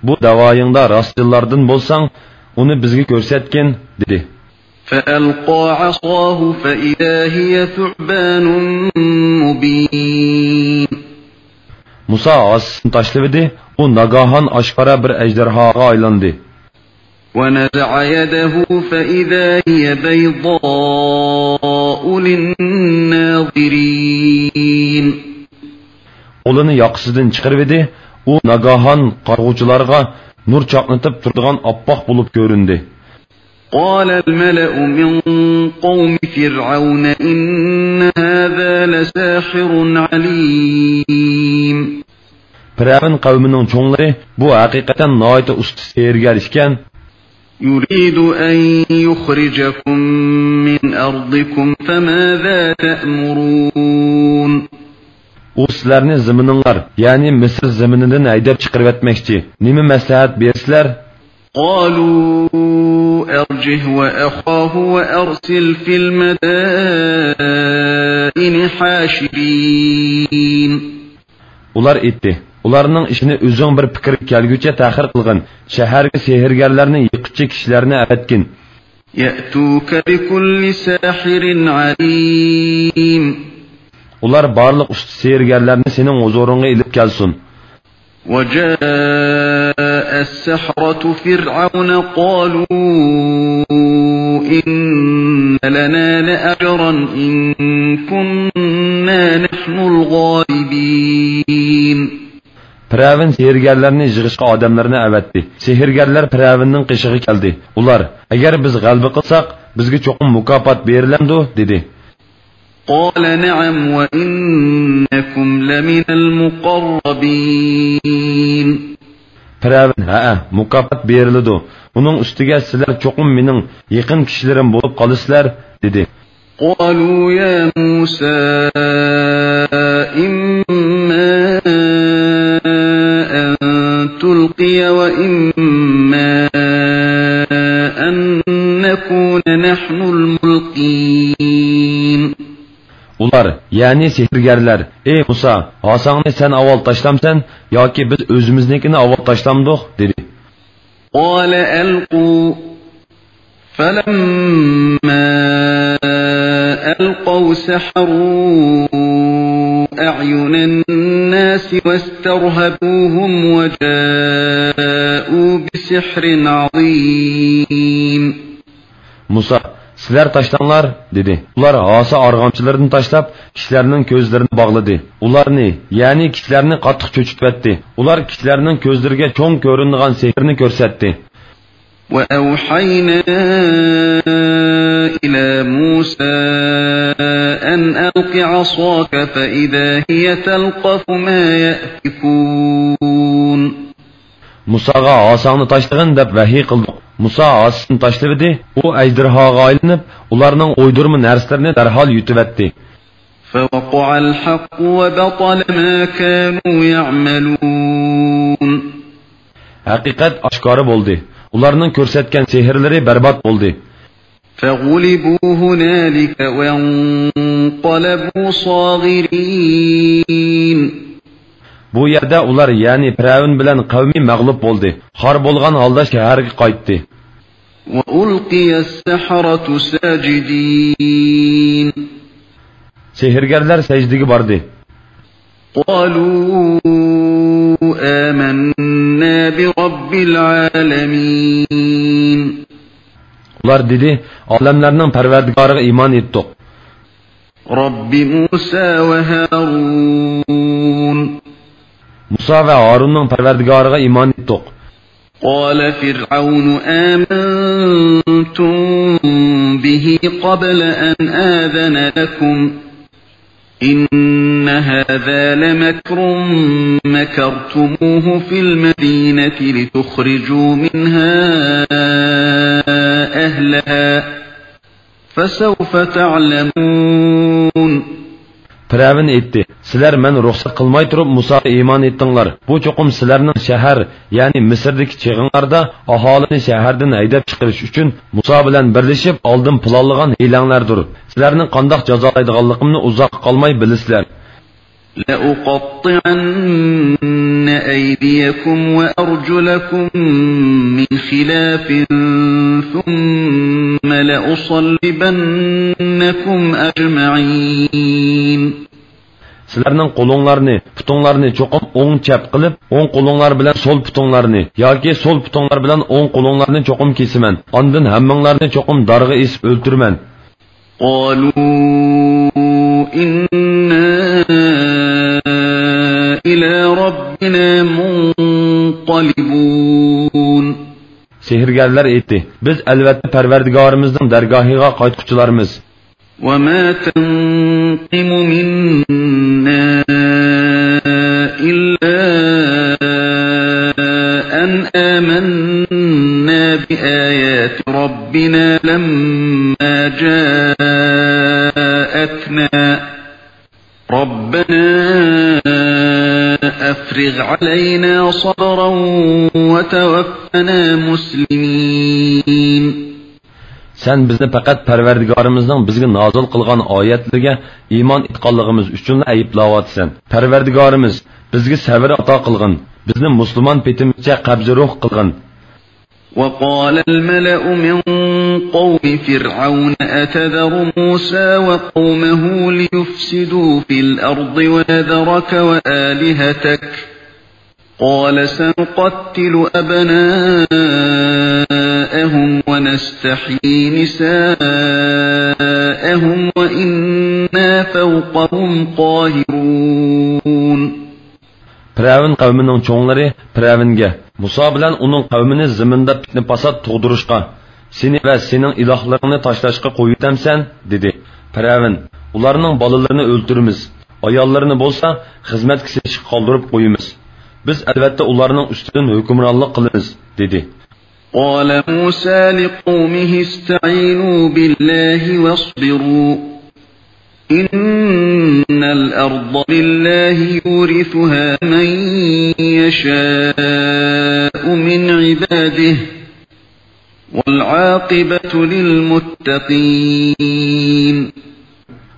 بۇ دەۋايىڭدا راستچىللاردىن بولساڭ، ئۇنى بىزگە كۆرسەتكىن، دېدى. فألقى عصاه فإذا هي ثعبان مبين. مۇسا ھاسىسىنى تاشلىۋىدى، ئۇ ناگاھان ئاشكارا بىر ئەجدىھاغا ئايلاندى. ونزع يده فإذا هي بيضاء للناظرين. قولىنى ياقىسىدىن چىقىرىۋىدى، ئۇ ناگاھان قارىغۇچىلارغا نۇر چاقنىتىپ تۇرىدىغان ئاپئاق بولۇپ كۆرۈندى. قال الملأ من قوم فرعون إن هذا لساحر عليم. پىرئەۋن قەۋمىنىڭ چوڭلىرى، بۇ ھەقىقەتەن ناھايىتى ئۇستا سېھىرگەر ئىكەن. يريد أن يخرجكم من أرضكم فماذا تأمرون. ئۇ سىلەرنى زېمىنىڭلار، يەنى مىسىر زېمىنىدىن ھەيدەپ چىقىرىۋەتمەكچى. نېمە مەسلىھەت بېرىسىلەر؟ قالوا أرجه وأخاه وأرسل في المدائن حاشرين. ئۇلار ئېيتتى، ئۇلارنىڭ ئىشىنى ئۆزۈڭ بىر پىكىرگە كەلگۈچە تەخىر قىلغىن، شەھەرگە سېھىرگەرلەرنى يىغقۇچى كىشىلەرنى ئەۋەتكىن. يأتوك بكل ساحر عليم. ئۇلار بارلىق ئۇستا سېھىرگەرلەرنى سېنىڭ ھۇزۇرۇڭغا ئېلىپ كەلسۇن. وجاء السحرة فرعون قالوا إن لنا لأجرا إن كنا نحن الغالبين. پىرئەۋن سېھىرگەرلەرنى يىغىشقا ئادەملەرنى ئەۋەتتى. سېھىرگەرلەر پىرئەۋننىڭ قېشىغا كەلدى. ئۇلار، ئەگەر بىز غەلىبە قىلساق، بىزگە چوقۇم مۇكاپات بېرىلەمدۇ؟ دېدى. قال نعم وإنكم لمن المقربين. پىرئەۋن، ھەئە، مۇكاپات بېرىلىدۇ. ئۇنىڭ ئۈستىگە سىلەر چوقۇم مېنىڭ يېقىن كىشىلىرىم بولۇپ قالىسىلەر، دېدى. قالوا يا موسى إما أن تلقي وإما أن نكون نحن الملقين. ئۇلار، يەنى سېھىرگەرلەر، ئەي مۇسا، ھاساڭنى سەن ئاۋۋال تاشلامسەن ياكى بىز ئۆزىمىزنىڭكىنى ئاۋۋال تاشلامدۇق؟ دېدى. قال ألقوا فلما ألقوا سحروا أعين الناس واسترهبوهم وجاءوا بسحر عظيم. مۇسا، سىلەر تاشلاڭلار، دېدى. ئۇلار ھاسا ئارغامچىلىرىنى تاشلاپ، كىشىلەرنىڭ كۆزلىرىنى باغلىدى. ئۇلارنى، يەنى كىشىلەرنى قاتتىق چۆچۈتۈۋەتتى. ئۇلار كىشىلەرنىڭ كۆزلىرىگە چوڭ كۆرۈنىدىغان سېھىرنى كۆرسەتتى. وأوحينا إلى موسى أن ألق عصاك فإذا هي تلقف ما يأفكون. مۇساغا ھاساڭنى تاشلىغىن دەپ ۋەھىي قىلدۇق. مۇسا ھاسىسىنى تاشلىۋىدى، ئۇ ئەجدىرھاغا ئايلىنىپ، ئۇلارنىڭ ئويدۇرما نەرسىلىرىنى دەرھال يۇتۇۋەتتى. فوقع الحق وبطل ما كانوا يعملون. ھەقىقەت ئاشكارا بولدى. ئۇلارنىڭ كۆرسەتكەن سېھىرلىرى بەربات بولدى. فغلبوا هنالك وانقلبوا صاغرين. بۇ يەردە ئۇلار، يەنى پىرئەۋن بىلەن قەۋمى مەغلۇپ بولدى. خار بولغان ھالدا شەھەرگە قايتتى. وألقي السحرة ساجدين. سېھىرگەرلەر سەجدىگە باردى. قالوا آمنا برب العالمين. ئۇلار دېدى، ئالەملەرنىڭ پەرۋەردىگارىغا ئىمان ئېيتتۇق. رب موسى وهارون. مۇسا ۋە ھارۇننىڭ پەرۋەردىگارىغا ئىمان ئېيتتۇق. قال فرعون آمنتم به قبل أن آذن لكم إن هذا لمكر مكرتموه في المدينة لتخرجوا منها أهلها فسوف تعلمون. پىرئەۋن ئېيتتى، سىلەر مەن رۇخسەت قىلماي تۇرۇپ مۇساغا ئىمان ئېيتتىڭلار. بۇ چوقۇم سىلەرنىڭ شەھەر، يەنى مىسىردىكى چېغىڭلاردا ئاھالىنى شەھەردىن ھەيدەپ چىقىرىش ئۈچۈن مۇسا بىلەن بىرلىشىپ ئالدىن پىلانلىغان ھىيلەڭلەردۇر. سىلەرنى قانداق جازالايدىغانلىقىمنى ئۇزاققا قالماي بىلىسىلەر. لأقطعن أيديكم وأرجلكم من خلاف ثم لأصلبنكم أجمعين. سىلەرنىڭ قولۇڭلارنى، پۇتۇڭلارنى چوقۇم ئوڭ چەپ قىلىپ، ئوڭ قولۇڭلار بىلەن سول پۇتۇڭلارنى ياكى سول پۇتۇڭلار بىلەن ئوڭ قولۇڭلارنى چوقۇم كېسىمەن. ئاندىن ھەممىڭلارنى چوقۇم دارغا ئېسىپ ئۆلتۈرىمەن. قالوا إنا إلى ربنا منقلبون. سېھىرگەرلەر ئېيتتى، بىز ئەلۋەتتە پەرۋەردىگارىمىزنىڭ دەرگاھىغا قايتقۇچىلارمىز. وما تنقم منا إلا أن آمنا بآيات ربنا لما جاءتنا ربنا أفرغ علينا صبرا وتوفنا مسلمين. سەن بىزنى پەقەت پەرۋەردىگارىمىزنىڭ بىزگە نازىل قىلغان ئايەتلىرىگە ئىمان ئېيتقانلىقىمىز ئۈچۈنلا ئەيىبلەۋاتىسەن. پەرۋەردىگارىمىز، بىزگە سەۋر ئاتا قىلغىن، بىزنى مۇسۇلمان پېتىمىزچە قەبزى روھ قىلغىن. وقال الملأ من قوم فرعون أتذر موسى وقومه ليفسدوا في الأرض ويذرك وآلهتك قال سنقتل أبناءهم ونستحيي نساءهم وإنا فوقهم قاهرون. پىرئەۋن قەۋمىنىڭ چوڭلىرى پىرئەۋنگە، مۇسا بىلەن ئۇنىڭ قەۋمىنى زېمىندا پىتنە-پاسات تۇغدۇرۇشقا، سېنى ۋە سېنىڭ ئىلاھلىرىڭنى تاشلاشقا قويۇۋېتەمسەن؟ دېدى. پىرئەۋن، ئۇلارنىڭ بالىلىرىنى ئۆلتۈرىمىز، ئاياللىرىنى بولسا خىزمەتكە سېلىشقا قالدۇرۇپ قويىمىز. بىز ئەلۋەتتە ئۇلارنىڭ ئۈستىدىن ھۆكۈمرانلىق قىلىمىز، دېدى. قال موسى لقومه استعينوا بالله واصبروا إن الأرض لله يورثها من يشاء من عباده والعاقبة للمتقين.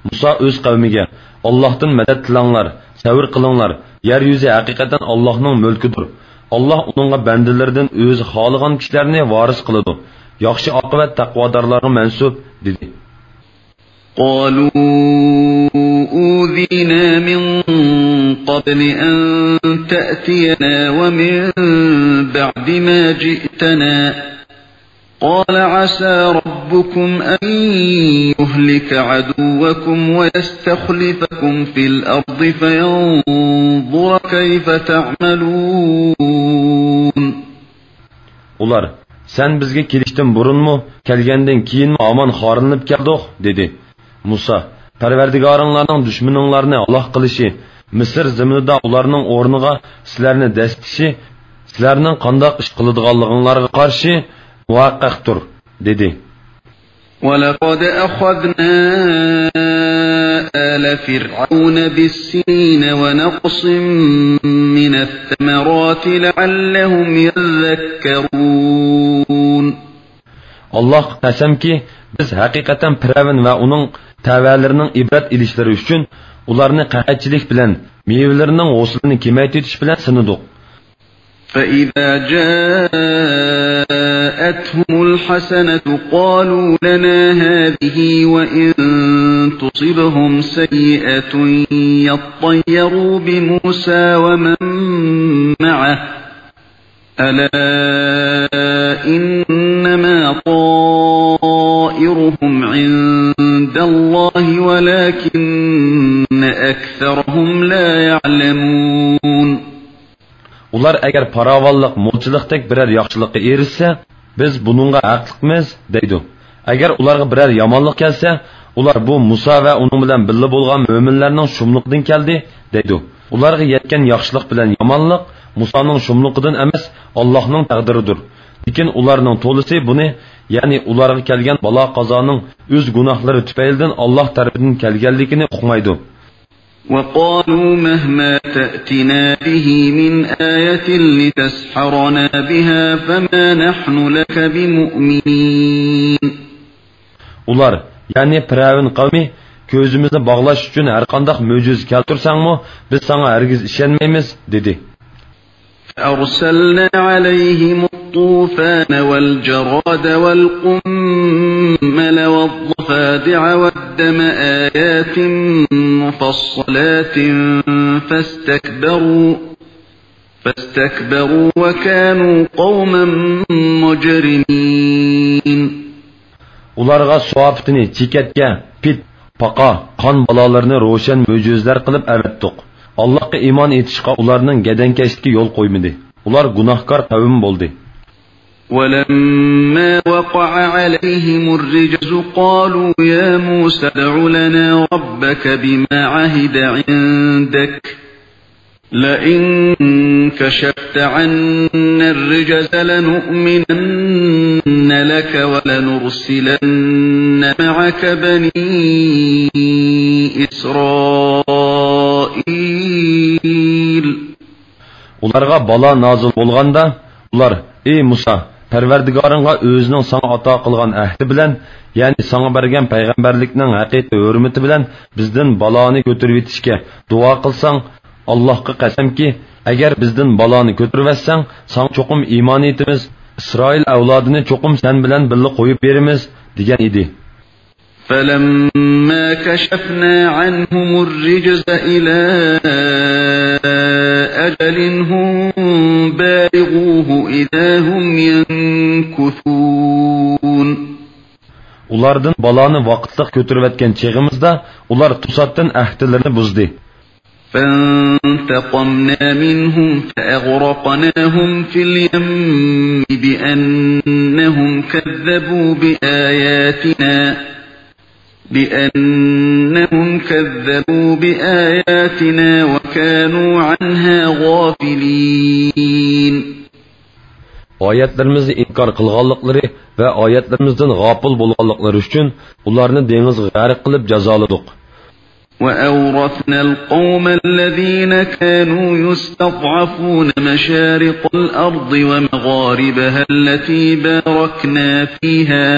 مۇسا ئۆز قەۋمىگە، ئاللاھتىن مەدەت تىلەڭلار، سەۋر قىلىڭلار، يەر يۈزى ھەقىقەتەن ئاللاھنىڭ مۈلكىدۇر. ئاللاھ ئۇنىڭغا بەندىلىرىدىن ئۆزى خالىغان كىشىلەرنى ۋارىس قىلىدۇ. ياخشى ئاقىۋەت تەقۋادارلارغا مەنسۇپ، دېدى. قالوا أوذينا من قبل أن تأتينا ومن بعد ما جئتنا قال عسى ربكم أن يهلك عدوكم ويستخلفكم في الأرض فينظر كيف تعملون. ئۇلار، سەن بىزگە كېلىشتىن بۇرۇنمۇ، كەلگەندىن كېيىنمۇ ھامان خارلىنىپ كەلدۇق، دېدى. مۇسا، پەرۋەردىگارىڭلارنىڭ دۈشمىنىڭلارنى ھالاك قىلىشى، مىسىر زېمىنىدا ئۇلارنىڭ ئورنىغا سىلەرنى دەسسىشى، سىلەرنىڭ قانداق ئىش قىلىدىغانلىقىڭلارغا قارشى مۇۋەققەقتۇر، دېدى. ولقد أخذنا آل فرعون بالسنين ونقص من الثمرات لعلهم يذكرون. ئاللاھقا قەسەمكى، بىز ھەقىقەتەن پىرئەۋن ۋە ئۇنىڭ تەۋەلىرىنىڭ ئىبرەت ئېلىشلىرى ئۈچۈن ئۇلارنى قەھەتچىلىك بىلەن، مېۋىلىرىنىڭ ھوسۇلىنى كېمەيتىۋېتىش بىلەن سىنىدۇق. فإذا جاءتهم الحسنة قالوا لنا هذه وإن تصبهم سيئة يطيروا بموسى ومن معه ألا إنما طائرهم عند الله ولكن أكثرهم لا يعلمون. ئۇلار ئەگەر پاراۋانلىق، مولچىلىقتەك بىرەر ياخشىلىققا ئېرىشسە، بىز بۇنىڭغا ھەقلىقمىز، دەيدۇ. ئەگەر ئۇلارغا بىرەر يامانلىق كەلسە، ئۇلار بۇ مۇسا ۋە ئۇنىڭ بىلەن بىللە بولغان مۆمىنلەرنىڭ شۇملۇقىدىن كەلدى، دەيدۇ. ئۇلارغا يەتكەن ياخشىلىق بىلەن يامانلىق مۇسانىڭ شۇملۇقىدىن ئەمەس، ئاللاھنىڭ تەقدىرىدۇر. لېكىن ئۇلارنىڭ تولىسى بۇنى، يەنى ئۇلارغا كەلگەن بالا-قازانىڭ ئۆز گۇناھلىرى تۈپەيلىدىن ئاللاھ تەرىپىدىن كەلگەنلىكىنى ئۇقمايدۇ. وقالوا مهما تأتنا به من آية لتسحرنا بها فما نحن لك بمؤمنين. ئۇلار، يەنى پىرئەۋن قەۋمى، كۆزىمىزنى باغلاش ئۈچۈن ھەرقانداق مۆجىزە كەلتۈرسەڭمۇ، بىز ساڭا ھەرگىز ئىشەنمەيمىز، دېدى. فأرسلنا عليهم الطوفان والجراد والقمل والضفادع والدم آيات مفصلات فاستكبروا فاستكبروا وكانوا قوما مجرمين. ئۇلارغا سۇ ئاپىتىنى، چېكەتكە، پىت، پاقا، قان بالالىرىنى روشەن مۆجىزىلەر قىلىپ ئەۋەتتۇق. ئاللاھقا ئىمان ئېيتىشقا ئۇلارنىڭ گەدەنكەشلىكى يول قويمىدى. ئۇلار گۇناھكار قەۋم بولدى. ولما وقع عليهم الرجز قالوا يا موسى ادع لنا ربك بما عهد عندك لئن كشفت عنا الرجز لنؤمنن لك ولنرسلن معك بني إسرائيل. ئۇلارغا بالا نازىل بولغاندا، ئۇلار، ئى مۇسا، پەرۋەردىگارىڭغا ئۆزىنىڭ ساڭا ئاتا قىلغان ئەھدى بىلەن، يەنى ساڭا بەرگەن پەيغەمبەرلىكنىڭ ھەقىقىي ھۆرمىتى بىلەن بىزدىن بالانى كۆتۈرۈۋېتىشكە دۇئا قىلساڭ، ئاللاھقا قەسەمكى، ئەگەر بىزدىن بالانى كۆتۈرۈۋەتسەڭ، ساڭا چوقۇم ئىمان ئېيتىمىز، ئىسرائىل ئەۋلادىنى چوقۇم سەن بىلەن بىللە قويۇپ بېرىمىز، دېگەن ئىدى. فَلَمَّا كَشَفْنَا عَنْهُمُ الرِّجْزَ إِلَىٰ أَجَلٍ هُمْ بَالِغُوهُ إِذَا هُمْ يَنكُثُونَ. ئۇلاردىن بالانى ۋاقىتلىق كۆتۈرۈۋەتكەن چېغىمىزدا، ئۇلار توساتتىن ئەھدىلىرىنى بۇزدى. فَانْتَقَمْنَا مِنْهُمْ فَأَغْرَقْنَاهُمْ فِي الْيَمِّ بِأَنَّهُمْ كَذَّبُوا بِآيَاتِنَا، بِأَنَّهُمْ كَذَّبُوا بِآيَاتِنَا وَكَانُوا عَنْهَا غَافِلِينَ. ئايەتلىرىمىزنى ئىنكار قىلغانلىقلىرى ۋە ئايەتلىرىمىزدىن غاپىل بولغانلىقلىرى ئۈچۈن ئۇلارنى دېڭىزغا غەرق قىلىپ جازالىدۇق. وَأَوْرَثْنَا الْقَوْمَ الَّذِينَ كَانُوا يُسْتَضْعَفُونَ مَشَارِقَ الْأَرْضِ وَمَغَارِبَهَا الَّتِي بَارَكْنَا فِيهَا،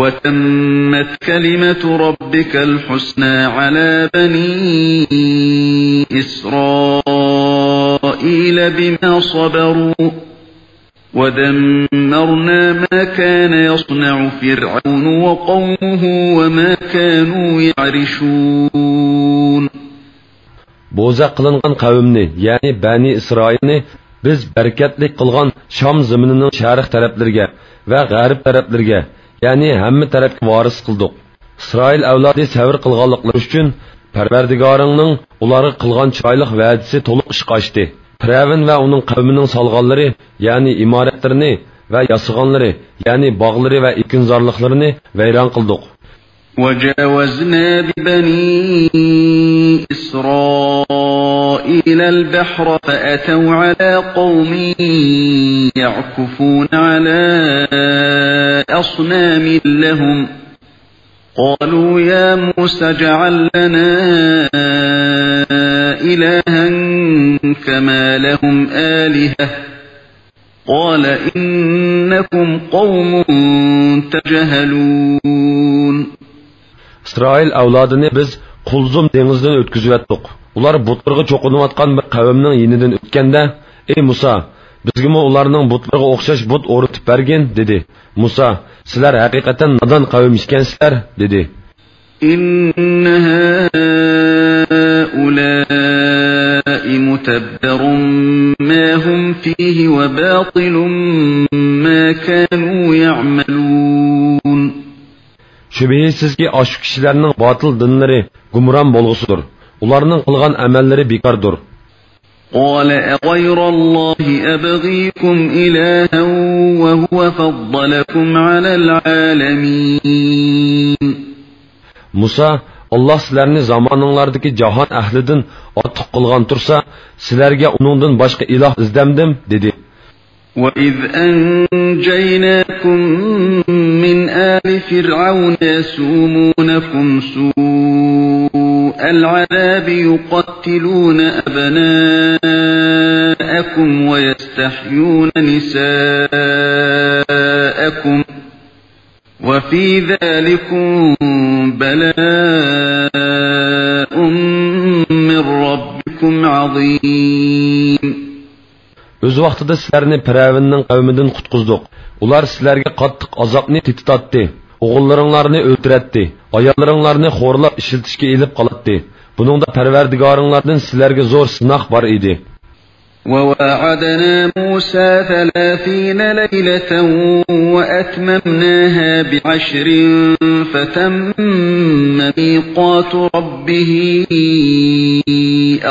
وَتَمَّتْ كَلِمَةُ رَبِّكَ الْحُسْنَىٰ عَلَىٰ بَنِي إِسْرَائِيلَ بِمَا صَبَرُوا، وَدَمَّرْنَا مَا كَانَ يَصْنَعُ فِرْعَوْنُ وَقَوْمُهُ وَمَا كَانُوا يَعْرِشُونَ. بوزەك قىلىنغان قەۋمنى، يەنى بەنى ئىسرائىلنى بىز بەرىكەتلىك قىلغان شام زېمىنىنىڭ شەرق تەرەپلىرىگە ۋە غەرب تەرەپلىرىگە، يەنى ھەممە تەرەپكە ۋارىس قىلدۇق. ئىسرائىل ئەۋلادى سەۋر قىلغانلىقلىرى ئۈچۈن پەرۋەردىگارىڭنىڭ ئۇلارغا قىلغان چىرايلىق ۋەدىسى تولۇق ئىشقا ئاشتى. پىرئەۋن ۋە ئۇنىڭ قەۋمىنىڭ سالغانلىرى، يەنى ئىمارەتلىرىنى، ۋە ياسىغانلىرى، يەنى باغلىرى ۋە ئېكىنزارلىقلىرىنى ۋەيران قىلدۇق. وَجَاوَزْنَا بِبَنِي إِسْرَائِيلَ الْبَحْرَ فَأَتَوْا عَلَىٰ قَوْمٍ يَعْكُفُونَ عَلَىٰ أَصْنَامٍ لَّهُمْ، قَالُوا يَا مُوسَى اجْعَل لَّنَا إِلَٰهًا كَمَا لَهُمْ آلِهَةٌ، قَالَ إِنَّكُمْ قَوْمٌ تَجْهَلُونَ. ئىسرائىل ئەۋلادىنى بىز قۇلزۇم دېڭىزدىن ئۆتكۈزۈۋەتتۇق. ئۇلار بۇتلىرىغا چوقۇنۇۋاتقان بىر قەۋمنىڭ يېنىدىن ئۆتكەندە، ئەي مۇسا، بىزگىمۇ ئۇلارنىڭ بۇتلىرىغا ئوخشاش بۇت ئورنىتىپ بەرگىن، دېدى. مۇسا، سىلەر ھەقىقەتەن نادان قەۋم ئىكەنسىلەر، دېدى. إِنَّ هَٰؤُلَاءِ مُتَبَّرٌ مَّا هُمْ فِيهِ وَبَاطِلٌ مَّا كَانُوا يَعْمَلُونَ. شۈبھىسىزكى، ئاشۇ كىشىلەرنىڭ باتىل دىنلىرى گۇمران بولغۇسىدۇر. ئۇلارنىڭ قىلغان ئەمەللىرى بىكاردۇر. قَالَ أَغَيْرَ اللَّهِ أَبْغِيكُمْ إِلَٰهًا وَهُوَ فَضَّلَكُمْ عَلَى الْعَالَمِينَ. مۇسا، ئاللاھ سىلەرنى زامانىڭلاردىكى جاھان ئەھلىدىن ئارتۇق قىلغان تۇرسا، سىلەرگە ئۇنىڭدىن باشقا ئىلاھ ئىزدەمدىم؟ دېدى. وَإِذْ أَنْجَيْنَاكُمْ مِنْ آلِ فِرْعَوْنَ يَسُومُونَكُمْ سُوءَ الْعَذَابِ يُقَتِّلُونَ أَبْنَاءَكُمْ وَيَسْتَحْيُونَ نِسَاءَكُمْ وَفِي ذَٰلِكُمْ بَلَاءٌ مِّن رَّبِّكُمْ عَظِيمٌ. ئۆز ۋاقتىدا سىلەرنى پىرئەۋننىڭ قەۋمىدىن قۇتقۇزدۇق. ئۇلار سىلەرگە قاتتىق ئازابنى تېتىتاتتى. ئوغۇللىرىڭلارنى ئۆلتۈرەتتى. ئاياللىرىڭلارنى خورلاپ ئىشلىتىشكە ئېلىپ قالاتتى. بۇنىڭدا پەرۋەردىگارىڭلاردىن سىلەرگە زور سىناق بار ئىدى. وَوَاعَدْنَا مُوسَىٰ ثَلَاثِينَ لَيْلَةً وَأَتْمَمْنَاهَا بِعَشْرٍ فَتَمَّ مِيقَاتُ رَبِّهِ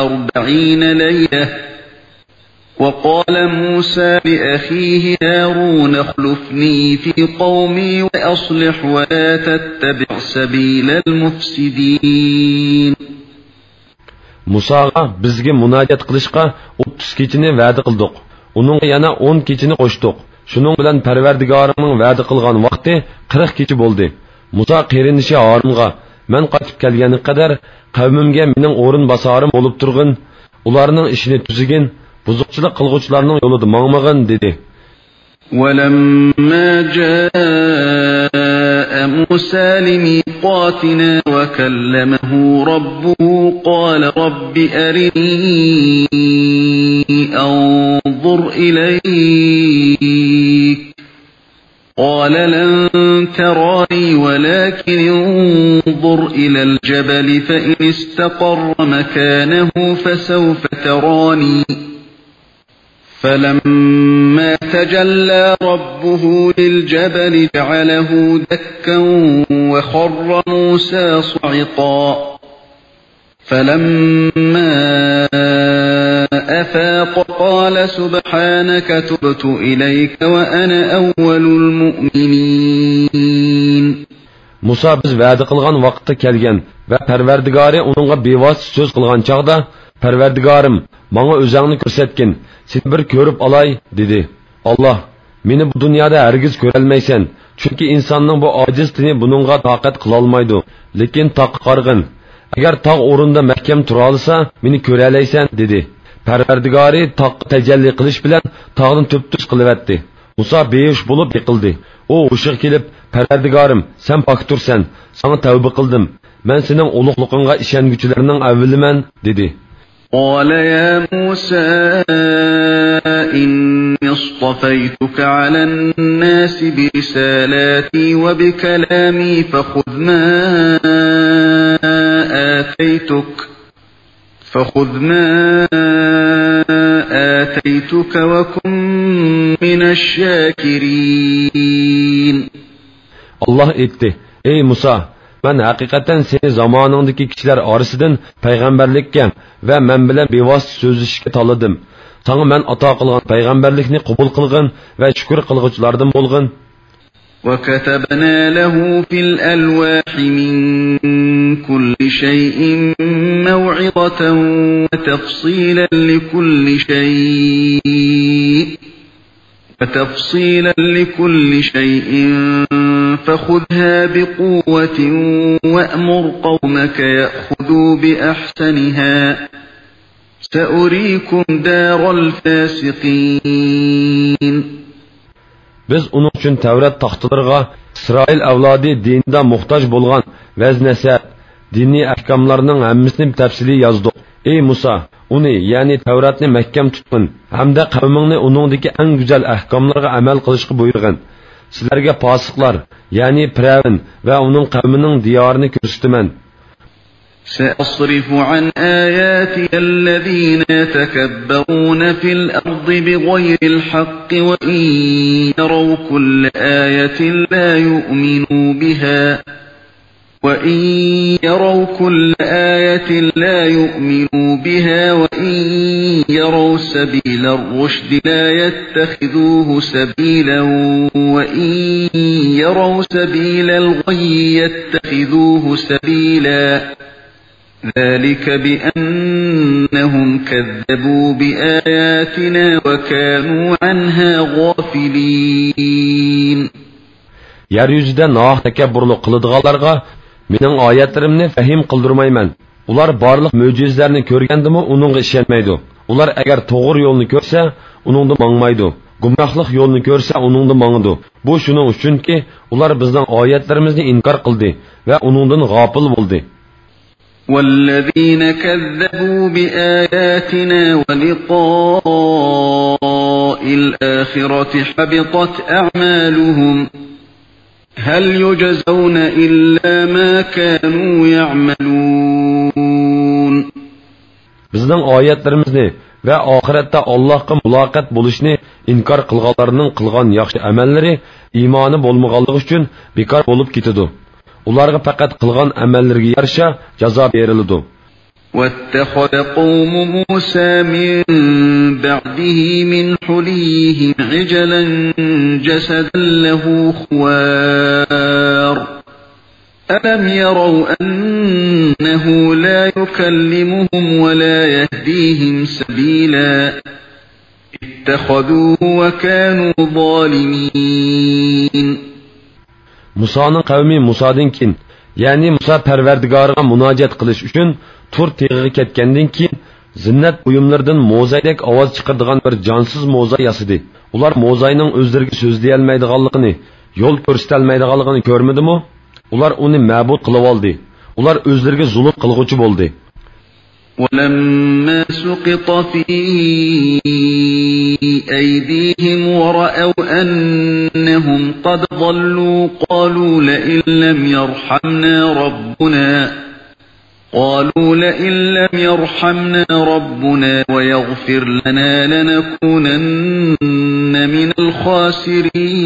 أَرْبَعِينَ لَيْلَةً، وَقَالَ مُوسَىٰ لِأَخِيهِ هَارُونَ اخْلُفْنِي فِي قَوْمِي وَأَصْلِحْ وَلَا تَتَّبِعْ سَبِيلَ الْمُفْسِدِينَ. مۇساغا بىزگە مۇناجات قىلىشقا ئوتتۇز كېچىنى ۋەدە قىلدۇق. ئۇنىڭغا يەنە ئون كېچىنى قوشتۇق. شۇنىڭ بىلەن پەرۋەردىگارىڭنىڭ ۋەدە قىلغان ۋاقتى قىرىق كېچە بولدى. مۇسا قېرىندىشى ھارۇنغا، مەن قايتىپ كەلگەنگە قەدەر قەۋمىمگە مېنىڭ ئورۇنباسارىم بولۇپ تۇرغىن، ئۇلارنىڭ ئىشىنى تۈزىگىن، بۇزۇقچىلىق قىلغۇچىلارنىڭ يولىدا ماڭمىغىن، دېدى. وَلَمَّا جَاءَ مُوسَىٰ لِمِيقَاتِنَا وَكَلَّمَهُ رَبُّهُ قَالَ رَبِّ أَرِنِي أَنظُرْ إِلَيْكَ قال لن تراني ولكن انظر إلى الجبل فإن استقر مكانه فسوف تراني. فلما تجلى ربه للجبل جعله دكا وخر موسى صعقا. فلما أفاق قال سبحانك تبت إليك وأنا أول المؤمنين. مۇسا بىز ۋەدە قىلغان ۋاقىتتا كەلگەن ۋە پەرۋەردىگارى ئۇنىڭغا بىۋاسىتە سۆز قىلغان چاغدا، پەرۋەردىگارىم، ماڭا ئۆزەڭنى كۆرسەتكىن، سېنى بىر كۆرۈپ ئالاي، دېدى. ئاللاھ، مېنى بۇ دۇنيادا ھەرگىز كۆرەلمەيسەن، چۈنكى ئىنساننىڭ بۇ ئاجىز تېنى بۇنىڭغا تاقەت قىلالمايدۇ، لېكىن تاغقا قارىغىن، ئەگەر تاغ ئورنىدا مەھكەم تۇرالىسا، مېنى كۆرەلەيسەن، دېدى. پەرۋەردىگارى تاغقا تەجەللى قىلىش بىلەن تاغنى تۈپتۈز قىلىۋەتتى. مۇسا بىھوش بولۇپ يىقىلدى. ئۇ ھوشىغا كېلىپ، پەرۋەردىگارىم، سەن پاكتۇرسەن، ساڭا تەۋبە قىلدىم، مەن سېنىڭ ئۇلۇغلۇقۇڭغا ئىشەنگۈچىلەرنىڭ ئەۋۋىلىمەن، دېدى. قال يا موسى إني اصطفيتك على الناس برسالاتي وبكلامي فخذ ما آتيتك فخذ ما آتيتك وكن من الشاكرين. ئاللاھ ئېيتتى: ئەي مۇسا، مەن ھەقىقەتەن سېنى زامانىڭدىكى كىشىلەر ئارىسىدىن پەيغەمبەرلىككە ۋە مەن بىلەن بىۋاسىتە سۆزلىشىشكە تاللىدىم. ساڭا مەن ئاتا قىلغان پەيغەمبەرلىكنى قوبۇل قىلغىن ۋە شۈكۈر قىلغۇچىلاردىن بولغىن. وكتبنا له في الألواح من كل شيء موعظة وتفصيلا لكل شيء وتفصيلا لكل شيء فخذها بقوة وأمر قومك يأخذوا بأحسنها سأريكم دار الفاسقين. بىز ئۇنىڭ ئۈچۈن تەۋرات تاختىلىرىغا ئىسرائىل ئەۋلادى دىنىدا موھتاج بولغان ۋەز-نەسىھەت، دىنىي ئەھكاملارنىڭ ھەممىسىنى تەپسىلىي يازدۇق. ئەي مۇسا، ئۇنى، يەنى تەۋراتنى مەھكەم تۇتقىن ھەمدە قەۋمىڭنى ئۇنىڭدىكى ئەڭ گۈزەل ئەھكاملارغا ئەمەل قىلىشقا بۇيرۇغىن. سىلەرگە پاسىقلار، يەنى پىرئەۋن ۋە ئۇنىڭ قەۋمىنىڭ دىيارىنى كۆرسىتىمەن. سأصرف عن آياتي الذين يتكبرون في الأرض بغير الحق وإن يروا كل آية لا يؤمنوا بها وإن يروا كل آية لا يؤمنوا بها وإن يروا سبيل الرشد لا يتخذوه سبيلا وإن يروا سبيل الغي يتخذوه سبيلا ذلك بأنهم كذبوا بآياتنا وكانوا عنها غافلين. يەر يۈزىدە ناھەق تەكەببۇرلۇق قىلىدىغانلارغا مېنىڭ ئايەتلىرىمنى پەھىم قىلدۇرمايمەن. ئۇلار بارلىق مۆجىزىلەرنى كۆرگەندىمۇ ئۇنىڭغا ئىشەنمەيدۇ. ئۇلار ئەگەر توغرا يولنى كۆرسە، ئۇنىڭدا ماڭمايدۇ. گۇمراھلىق يولىنى كۆرسە، ئۇنىڭدا ماڭىدۇ. بۇ شۇنىڭ ئۈچۈنكى، ئۇلار بىزنىڭ ئايەتلىرىمىزنى ئىنكار قىلدى ۋە ئۇنىڭدىن غاپىل بولدى. والذين كذبوا بآياتنا ولقاء الآخرة حبطت أعمالهم هل يجزون إلا ما كانوا يعملون. بىزنىڭ ئايەتلىرىمىزنى ۋە ئاخىرەتتە ئاللاھقا مۇلاقات بولۇشنى ئىنكار قىلغانلارنىڭ قىلغان ياخشى ئەمەللىرى ئىمانى بولمىغانلىقى ئۈچۈن بىكار بولۇپ كېتىدۇ. ئۇلارغا پەقەت قىلغان ئەمەللىرىگە يارىشا جازا بېرىلىدۇ. واتخذ قوم موسى من بعده من حليهم عجلا جسدا له خوار ألم يروا أنه لا يكلمهم ولا يهديهم سبيلا اتخذوه وكانوا ظالمين. مۇسانىڭ قەۋمى مۇسادىن كېيىن، يەنى مۇسا پەرۋەردىگارىغا مۇناجات قىلىش ئۈچۈن تۇر تېغىغا كەتكەندىن كېيىن، زىننەت بۇيۇملىرىدىن موزايدەك ئاۋاز چىقىرىدىغان بىر جانسىز موزاي ياسىدى. ئۇلار موزاينىڭ ئۆزلىرىگە سۆزلىيەلمەيدىغانلىقىنى، يول كۆرسىتەلمەيدىغانلىقىنى كۆرمىدىمۇ؟ ئۇلار ئۇنى مەبۇد قىلىۋالدى. ئۇلار ئۆزلىرىگە زۇلۇم قىلغۇچى بولدى. ولما سقط في أيديهم ورأوا أن إنهم قد ضلوا قالوا لئن لم يرحمنا ربنا قالوا لئن لم يرحمنا ربنا ويغفر لنا لنكونن من الخاسرين.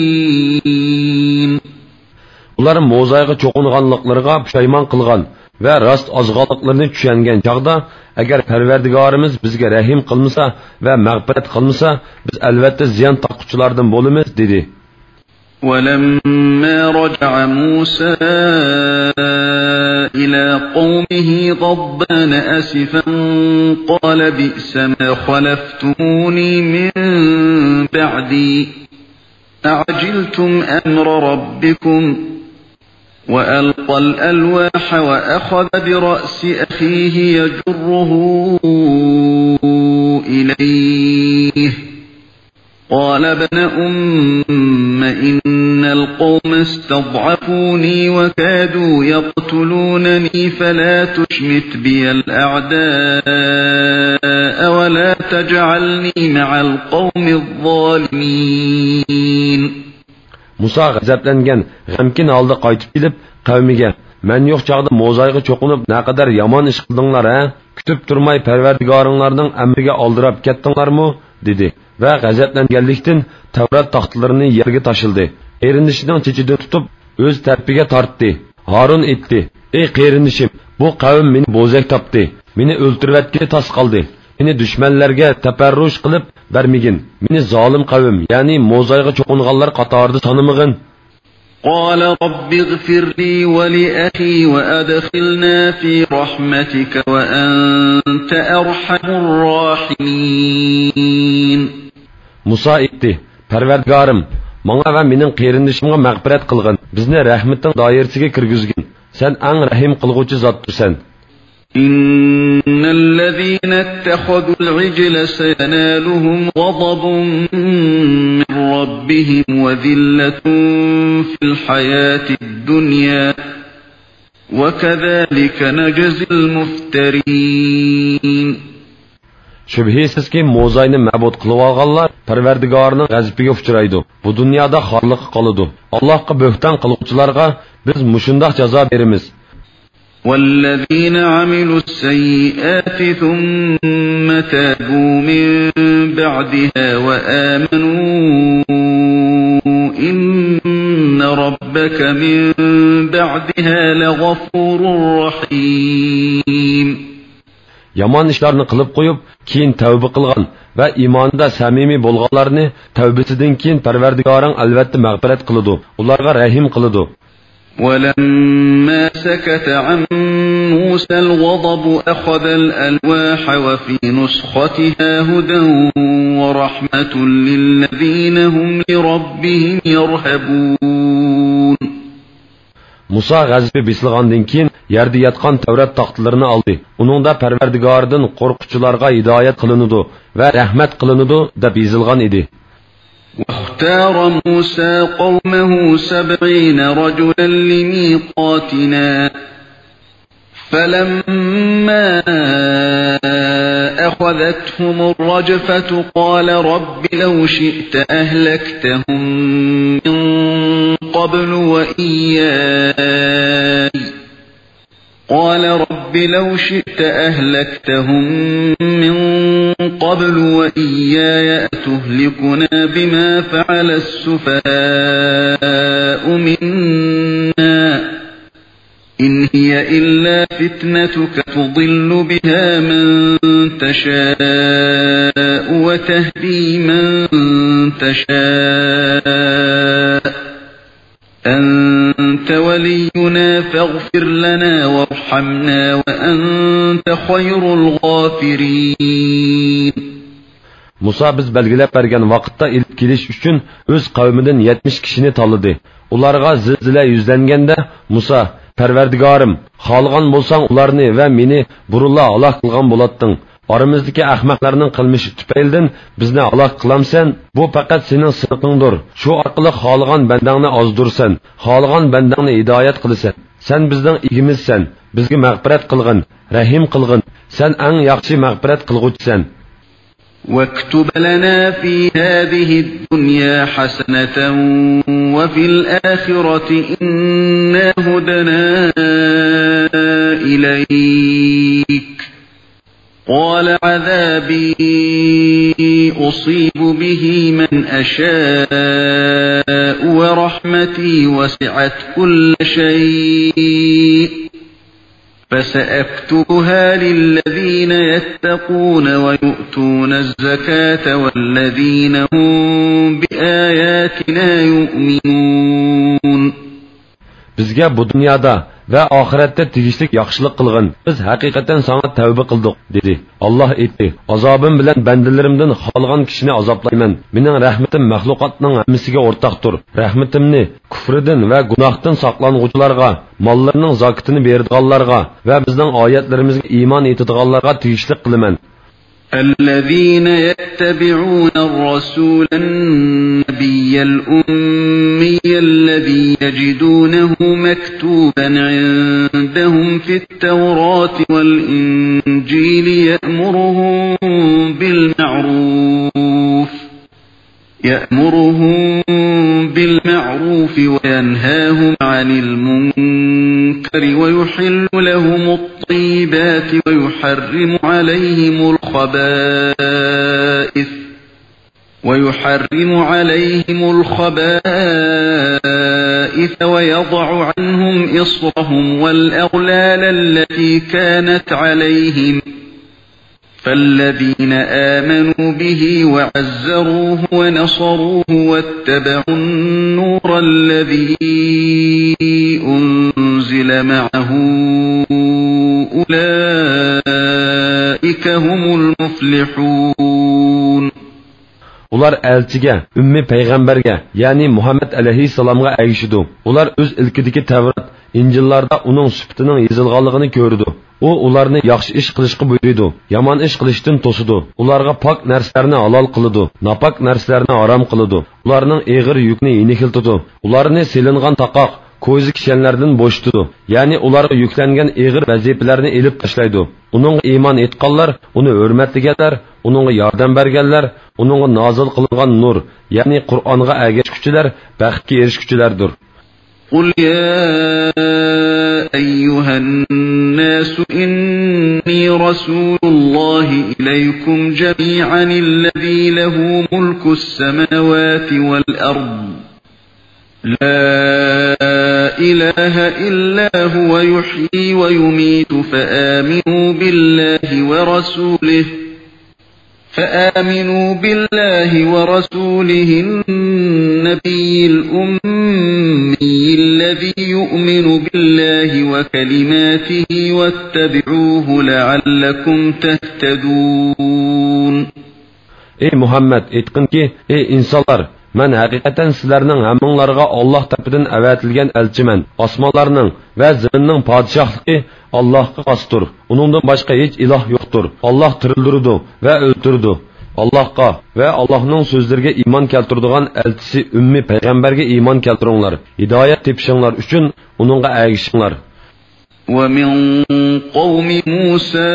ئۇلار موزايغا چوقۇنغانلىقلىرىغا پۇشايمان قىلغان ۋە راست ئازغانلىقلىرىنى چۈشەنگەن چاغدا، ئەگەر پەرۋەردىگارىمىز بىزگە رەھىم قىلمىسا ۋە مەغپىرەت قىلمىسا، بىز ئەلۋەتتە زىيان تارتقۇچىلاردىن بولىمىز، دېدى. ولما رجع موسى إلى قومه غضبان أسفا قال بئس ما خلفتموني من بعدي أعجلتم أمر ربكم وألقى الألواح وأخذ برأس أخيه يجره إليه قال ابن أم إن القوم استضعفوني وكادوا يقتلونني فلا تشمت بي الأعداء ولا تجعلني مع القوم الظالمين. مۇسا غەزەپلەنگەن، غەمكىن ھالدا قايتىپ كېلىپ، قەۋمىگە، مەن يوق چاغدا موزايغا چوقۇنۇپ، نەقەدەر يامان ئىش قىلدىڭلار ھە؟ كۈتۈپ تۇرماي پەرۋەردىگارىڭلارنىڭ ئەمرىگە ئالدىراپ كەتتىڭلارمۇ؟ دېدى ۋە غەزەپلەنگەنلىكتىن تەۋرات تاختىلىرىنى يەرگە تاشلىدى. قېرىندىشىنىڭ چېچىدىن تۇتۇپ، ئۆز تەرىپىگە تارتتى. ھارۇن ئېيتتى: ئەي قېرىندىشىم، بۇ قەۋم مېنى بوزەك تاپتى. مېنى ئۆلتۈرۈۋەتكىلى تاس قالدى. مېنى دۈشمەنلەرگە تەپەررۇش قىلىپ بەرمىگىن. مېنى زالىم قەۋم، يەنى موزايغا چوقۇنغانلار قاتارىدا سانىمىغىن. قال رب اغفر لي ولأخي وأدخلنا في رحمتك وأنت أرحم الراحمين. مۇسا ئېيتتى: پەرۋەردىگارىم، ماڭا ۋە مېنىڭ قېرىندىشىمغا مەغپىرەت قىلغىن، بىزنى رەھمىتىڭ دائىرىسىگە كىرگۈزگىن، سەن ئەڭ رەھىم قىلغۇچى زاتتۇرسەن. إن الذين اتخذوا العجل سينالهم غضب من ربهم وذلة في الحياة الدنيا وكذلك نجزي المفترين. شۈبھىسىزكى، موزاينى مەبۇد قىلىۋالغانلار پەرۋەردىگارىنىڭ غەزىپىگە ئۇچرايدۇ. بۇ دۇنيادا خارلىققا قالىدۇ. ئاللاھقا بۆھتان قىلغۇچىلارغا بىز مۇشۇنداق جازا بېرىمىز. والذين عملوا السيئات ثم تابوا من بعدها وآمنوا إن ربك من بعدها لغفور رحيم. يامان ئىشلارنى قىلىپ قويۇپ، كېيىن تەۋبە قىلغان ۋە ئىمانىدا سەمىمىي بولغانلارنى تەۋبىسىدىن كېيىن پەرۋەردىگارىڭ ئەلۋەتتە مەغپىرەت قىلىدۇ، ئۇلارغا رەھىم قىلىدۇ. ولما سكت عن موسى الغضب أخذ الألواح وفي نسختها هدى ورحمة للذين هم لربهم يرهبون. مۇسا غەزىپى بېسىلغاندىن كېيىن يەردە ياتقان تەۋرات تاختىلىرىنى ئالدى. ئۇنىڭدا پەرۋەردىگارىدىن قورققۇچىلارغا ھىدايەت قىلىنىدۇ ۋە رەھمەت قىلىنىدۇ دەپ يېزىلغان ئىدى. واختار موسى قومه سبعين رجلا لميقاتنا فلما أخذتهم الرجفة قال رب لو شئت أهلكتهم من قبل وإياي قال رب لو شئت أهلكتهم من قبل وإياي أتهلكنا بما فعل السفهاء منا إن هي إلا فتنتك تضل بها من تشاء وتهدي من تشاء أنت ولينا فاغفر لنا وارحمنا وأنت خير الغافرين. مۇسا بىز بەلگىلەپ بەرگەن ۋاقىتتا ئېلىپ كېلىش ئۈچۈن ئۆز قەۋمىدىن يەتمىش كىشىنى تاللىدى. ئۇلارغا زىلزىلە يۈزلەنگەندە مۇسا: پەرۋەردىگارىم، خالىغان بولساڭ ئۇلارنى ۋە مېنى بۇرۇنلا ھالاك قىلغان بولاتتىڭ. ئارىمىزدىكى ئەخمەقلەرنىڭ قىلمىشى تۈپەيلىدىن بىزنى ھالاك قىلامسەن؟ بۇ پەقەت سېنىڭ سىنىقىڭدۇر. شۇ ئارقىلىق خالىغان بەندەڭنى ئازدۇرىسەن، خالىغان بەندەڭنى ھىدايەت قىلىسەن. سەن بىزنىڭ ئىگىمىزسەن، بىزگە مەغپىرەت قىلغىن، رەھىم قىلغىن. سەن ئەڭ ياخشى مەغپىرەت قىلغۇچىسەن. واكتب لنا في هذه الدنيا حسنة وفي الآخرة إنا هدنا إليك. قال عذابي أصيب به من أشاء ورحمتي وسعت كل شيء فسأكتبها للذين يتقون ويؤتون الزكاة والذين هم بآياتنا يؤمنون. بىزگە بۇ دۇنيادا ۋە ئاخىرەتتە تېگىشلىك ياخشىلىق قىلغىن. بىز ھەقىقەتەن ساڭا تەۋبە قىلدۇق، دېدى. ئاللاھ ئېيتتى: ئازابىم بىلەن بەندىلىرىمدىن خالىغان كىشىنى ئازابلايمەن. مېنىڭ رەھمىتىم مەخلۇقاتنىڭ ھەممىسىگە ئورتاقتۇر. رەھمىتىمنى كۇفرىدىن ۋە گۇناھتىن ساقلانغۇچىلارغا، ماللىرىنىڭ زاكىتىنى بېرىدىغانلارغا ۋە بىزنىڭ ئايەتلىرىمىزگە ئىمان ئېيتىدىغانلارغا تېگىشلىك قىلىمەن. الذين يتبعون الرسول النبي الأمي الذي يجدونه مكتوبا عندهم في التوراة والإنجيل يأمرهم بالمعروف يأمرهم بالمعروف وينهاهم عن المنكر ويحل لهم الطيبات ويحرم عليهم الخبائث ويحرم عليهم الخبائث ويضع عنهم إصرهم والأغلال التي كانت عليهم فالذين آمنوا به وعزروه ونصروه واتبعوا النور الذي أنزل معه أولئك هم المفلحون. ئۇلار ئەلچىگە، ئۈممى پەيغەمبەرگە، يەنى مۇھەممەد ئەلەيھىسسالامغا ئەگىشىدۇ. ئۇلار ئۆز ئىلكىدىكى تەۋرات، ئىنجىللاردا ئۇنىڭ سۈپىتىنىڭ يېزىلغانلىقىنى كۆرىدۇ. ئۇ ئۇلارنى ياخشى ئىش قىلىشقا بۇيرۇيدۇ، يامان ئىش قىلىشتىن توسىدۇ. ئۇلارغا پاك نەرسىلەرنى ھالال قىلىدۇ، ناپاك نەرسىلەرنى ھارام قىلىدۇ. ئۇلارنىڭ ئېغىر يۈكىنى يېنىكلىتىدۇ. ئۇلارنى سېلىنغان تاقاق، كويزا كىشەنلەردىن بوشىتىدۇ. يەنى ئۇلارغا يۈكلەنگەن ئېغىر ۋەزىپىلەرنى ئېلىپ تاشلايدۇ. ئۇنىڭغا ئىمان ئېيتقانلار، ئۇنى ھۆرمەتلىگەنلەر، ئۇنىڭغا ياردەم بەرگەنلەر، ئۇنىڭغا نازىل قىلىنغان نۇر، يەنى قۇرئانغا ئەگەشكۈچىلەر بەختكە ئېرىشكۈچىلەردۇر. قل يا أيها الناس إني رسول الله إليكم جميعا الذي له ملك السماوات والأرض لا إله إلا هو يحيي ويميت فآمنوا بالله ورسوله فآمنوا بالله ورسوله النبي الأمي الذي يؤمن بالله وكلماته واتبعوه لعلكم تهتدون. ئەي مۇھەممەد، ئېيتقىنكى، ئەي ئىنسانلار، مەن ھەقىقەتەن سىلەرنىڭ ھەممىڭلارغا ئاللاھ تەرىپىدىن ئەۋەتىلگەن ئەلچىمەن. ئاسمانلارنىڭ ۋە زېمىننىڭ پادىشاھلىقى ئاللاھقا خاستۇر. ئۇنىڭدىن باشقا ھېچ ئىلاھ يوقتۇر. ئاللاھ تىرىلدۈرىدۇ ۋە ئۆلتۈرىدۇ. ئاللاھقا ۋە ئاللاھنىڭ سۆزلىرىگە ئىمان كەلتۈرىدىغان ئەلچىسى ئۈممى پەيغەمبەرگە ئىمان كەلتۈرۈڭلار. ھىدايەت تېپىشىڭلار ئۈچۈن ئۇنىڭغا ئەگىشىڭلار. ومن قوم موسى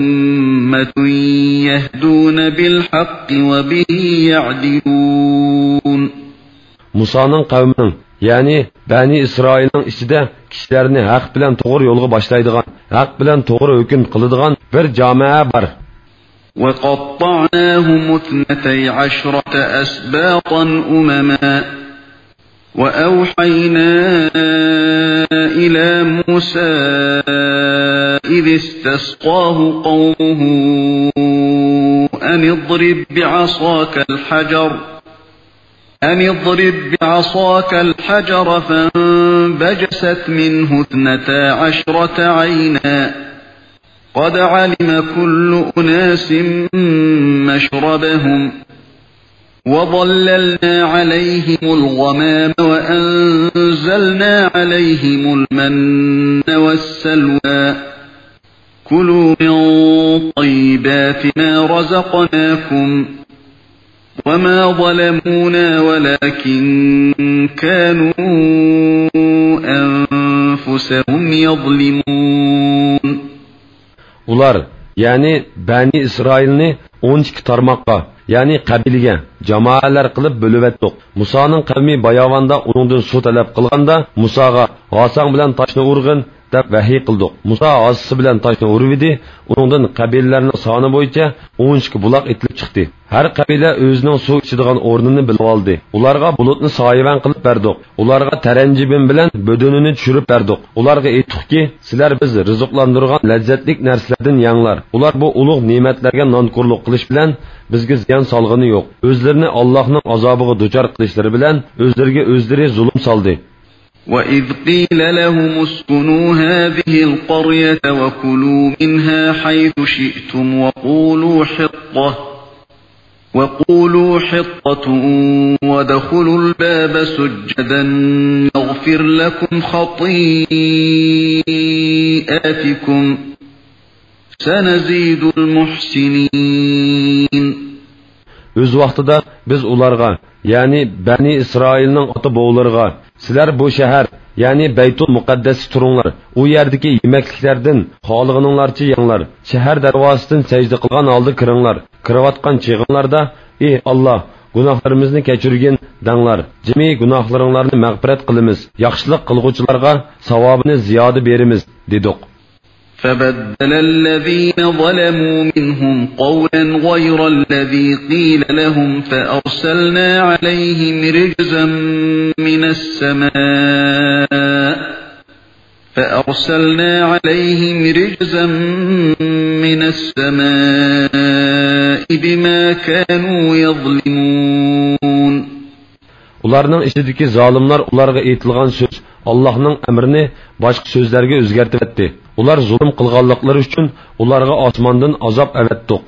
أمة يهدون بالحق وبه يعدلون. مۇسانىڭ قەۋمىنىڭ، يەنى بەنى ئىسرائىلنىڭ ئىچىدە كىشىلەرنى ھەق بىلەن توغرا يولغا باشلايدىغان، ھەق بىلەن توغرا ھۆكۈم قىلىدىغان بىر جامائە بار. وقطعناهم اثنتي عشرة أسباطا أمما وأوحينا إلى موسى إذ استسقاه قومه أن اضرب بعصاك الحجر أن اضرب بعصاك الحجر فانبجست منه اثنتا عشرة عينا قد علم كل أناس مشربهم وظللنا عليهم الغمام وأنزلنا عليهم المن والسلوى كلوا من طيبات ما رزقناكم وما ظلمونا ولكن كانوا أنفسهم يظلمون. ئۇلار، يەنى بەنى ئىسرائىلنى ئون ئىككى تارماققا، يەنى قەبىلىگە، جامائەلەر قىلىپ بۆلۈۋەتتۇق. مۇسانىڭ قەۋمى باياۋاندا ئۇنىڭدىن سۇ تەلەپ قىلغاندا، مۇساغا، «ھاساڭ بىلەن تاشنى ئۇرغىن» دەپ ۋەھىي قىلدۇق. مۇسا ھاسىسى بىلەن تاشنى ئۇرۇۋىدى، ئۇنىڭدىن قەبىلىلەرنىڭ سانى بويىچە ئون ئىككى بۇلاق ئېتىلىپ چىقتى. ھەر قەبىلە ئۆزىنىڭ سۇ ئىچىدىغان ئورنىنى بىلىۋالدى. ئۇلارغا بۇلۇتنى سايىۋەن قىلىپ بەردۇق. ئۇلارغا تەرەنجىبىن بىلەن بۆدۈنىنى چۈشۈرۈپ بەردۇق. ئۇلارغا ئېيتتۇقكى، سىلەر بىز رىزىقلاندۇرغان لەززەتلىك نەرسىلەردىن يەڭلار. ئۇلار بۇ ئۇلۇغ نېمەتلەرگە نانكورلۇق قىلىش بىلەن بىزگە زىيان سالغىنى يوق. ئۆزلىرىنى ئاللاھنىڭ ئازابىغا دۇچار قىلىشلىرى بىلەن ئۆزلىرىگە ئۆزلىرى زۇلۇم سالدى. وإذ قيل لهم اسكنوا هذه القرية وكلوا منها حيث شئتم وقولوا حطة، وقولوا حطة وادخلوا الباب سجدا نغفر لكم خطيئاتكم سنزيد المحسنين. ئۆز ۋاقتىدا بىز ئۇلارغا، يەنى بەنى ئىسرائىلنىڭ ئاتا-بوۋىلىرىغا، سىلەر بۇ شەھەر، يەنى بەيتۇل مۇقەددەستە تۇرۇڭلار، ئۇ يەردىكى يېمەكلىكلەردىن خالىغىنىڭلارچە يەڭلار، شەھەر دەرۋازىسىدىن سەجدە قىلغان ھالدا كىرىڭلار، كىرىۋاتقان چېغىڭلاردا، ئى ئاللا، گۇناھلىرىمىزنى كەچۈرگىن، دەڭلار، جىمى گۇناھلىرىڭلارنى مەغپىرەت قىلىمىز، ياخشىلىق قىلغۇچىلارغا ساۋابىنى زىيادە بېرىمىز، دېدۇق. فبدل الذين ظلموا منهم قولا غير الذي قيل لهم فأرسلنا عليهم رجزا من السماء، فأرسلنا عليهم رجزا من السماء بما كانوا يظلمون. ئۇلارنىڭ ئىچىدىكى زالىملار ئۇلارغا ئېيتىلغان سۆز، ئاللاھنىڭ ئەمرىنى باشقا سۆزلەرگە ئۆزگەرتىۋەتتى. ئۇلار زۇلۇم قىلغانلىقلىرى ئۈچۈن ئۇلارغا ئاسماندىن ئازاب ئەۋەتتۇق.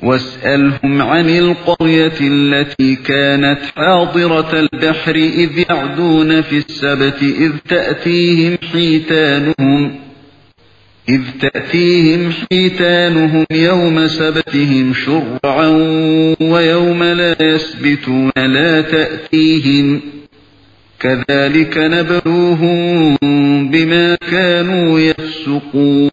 واسألهم عن القرية التي كانت حاضرة البحر إذ يعدون في السبت إذ تأتيهم حيتانهم إذ تأتيهم حيتانهم يوم سبتهم شرعا ويوم لا يسبتون لا تأتيهم كذلك نبلوهم بما كانوا يفسقون.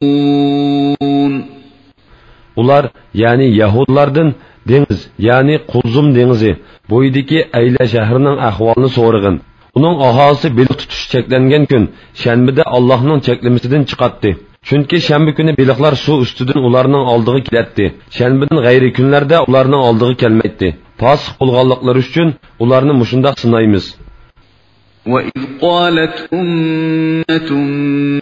ئۇلار، يەنى يەھۇدلاردىن دېڭىز، يەنى قۇلزۇم دېڭىزى بويىدىكى ئەيلە شەھىرىنىڭ ئەھۋالىنى سورىغىن. ئۇنىڭ ئاھالىسى بېلىق تۇتۇش چەكلەنگەن كۈن شەنبىدە ئاللاھنىڭ چەكلىمىسىدىن چىقاتتى. چۈنكى شەنبە كۈنى بېلىقلار سۇ ئۈستىدىن ئۇلارنىڭ ئالدىغا كېلەتتى. شەنبىدىن غەيرىي كۈنلەردە ئۇلارنىڭ ئالدىغا كەلمەيتتى. پاسىق بولغانلىقلىرى ئۈچۈن ئۇلارنى مۇشۇنداق سىنايمىز. وإذ قالت أمة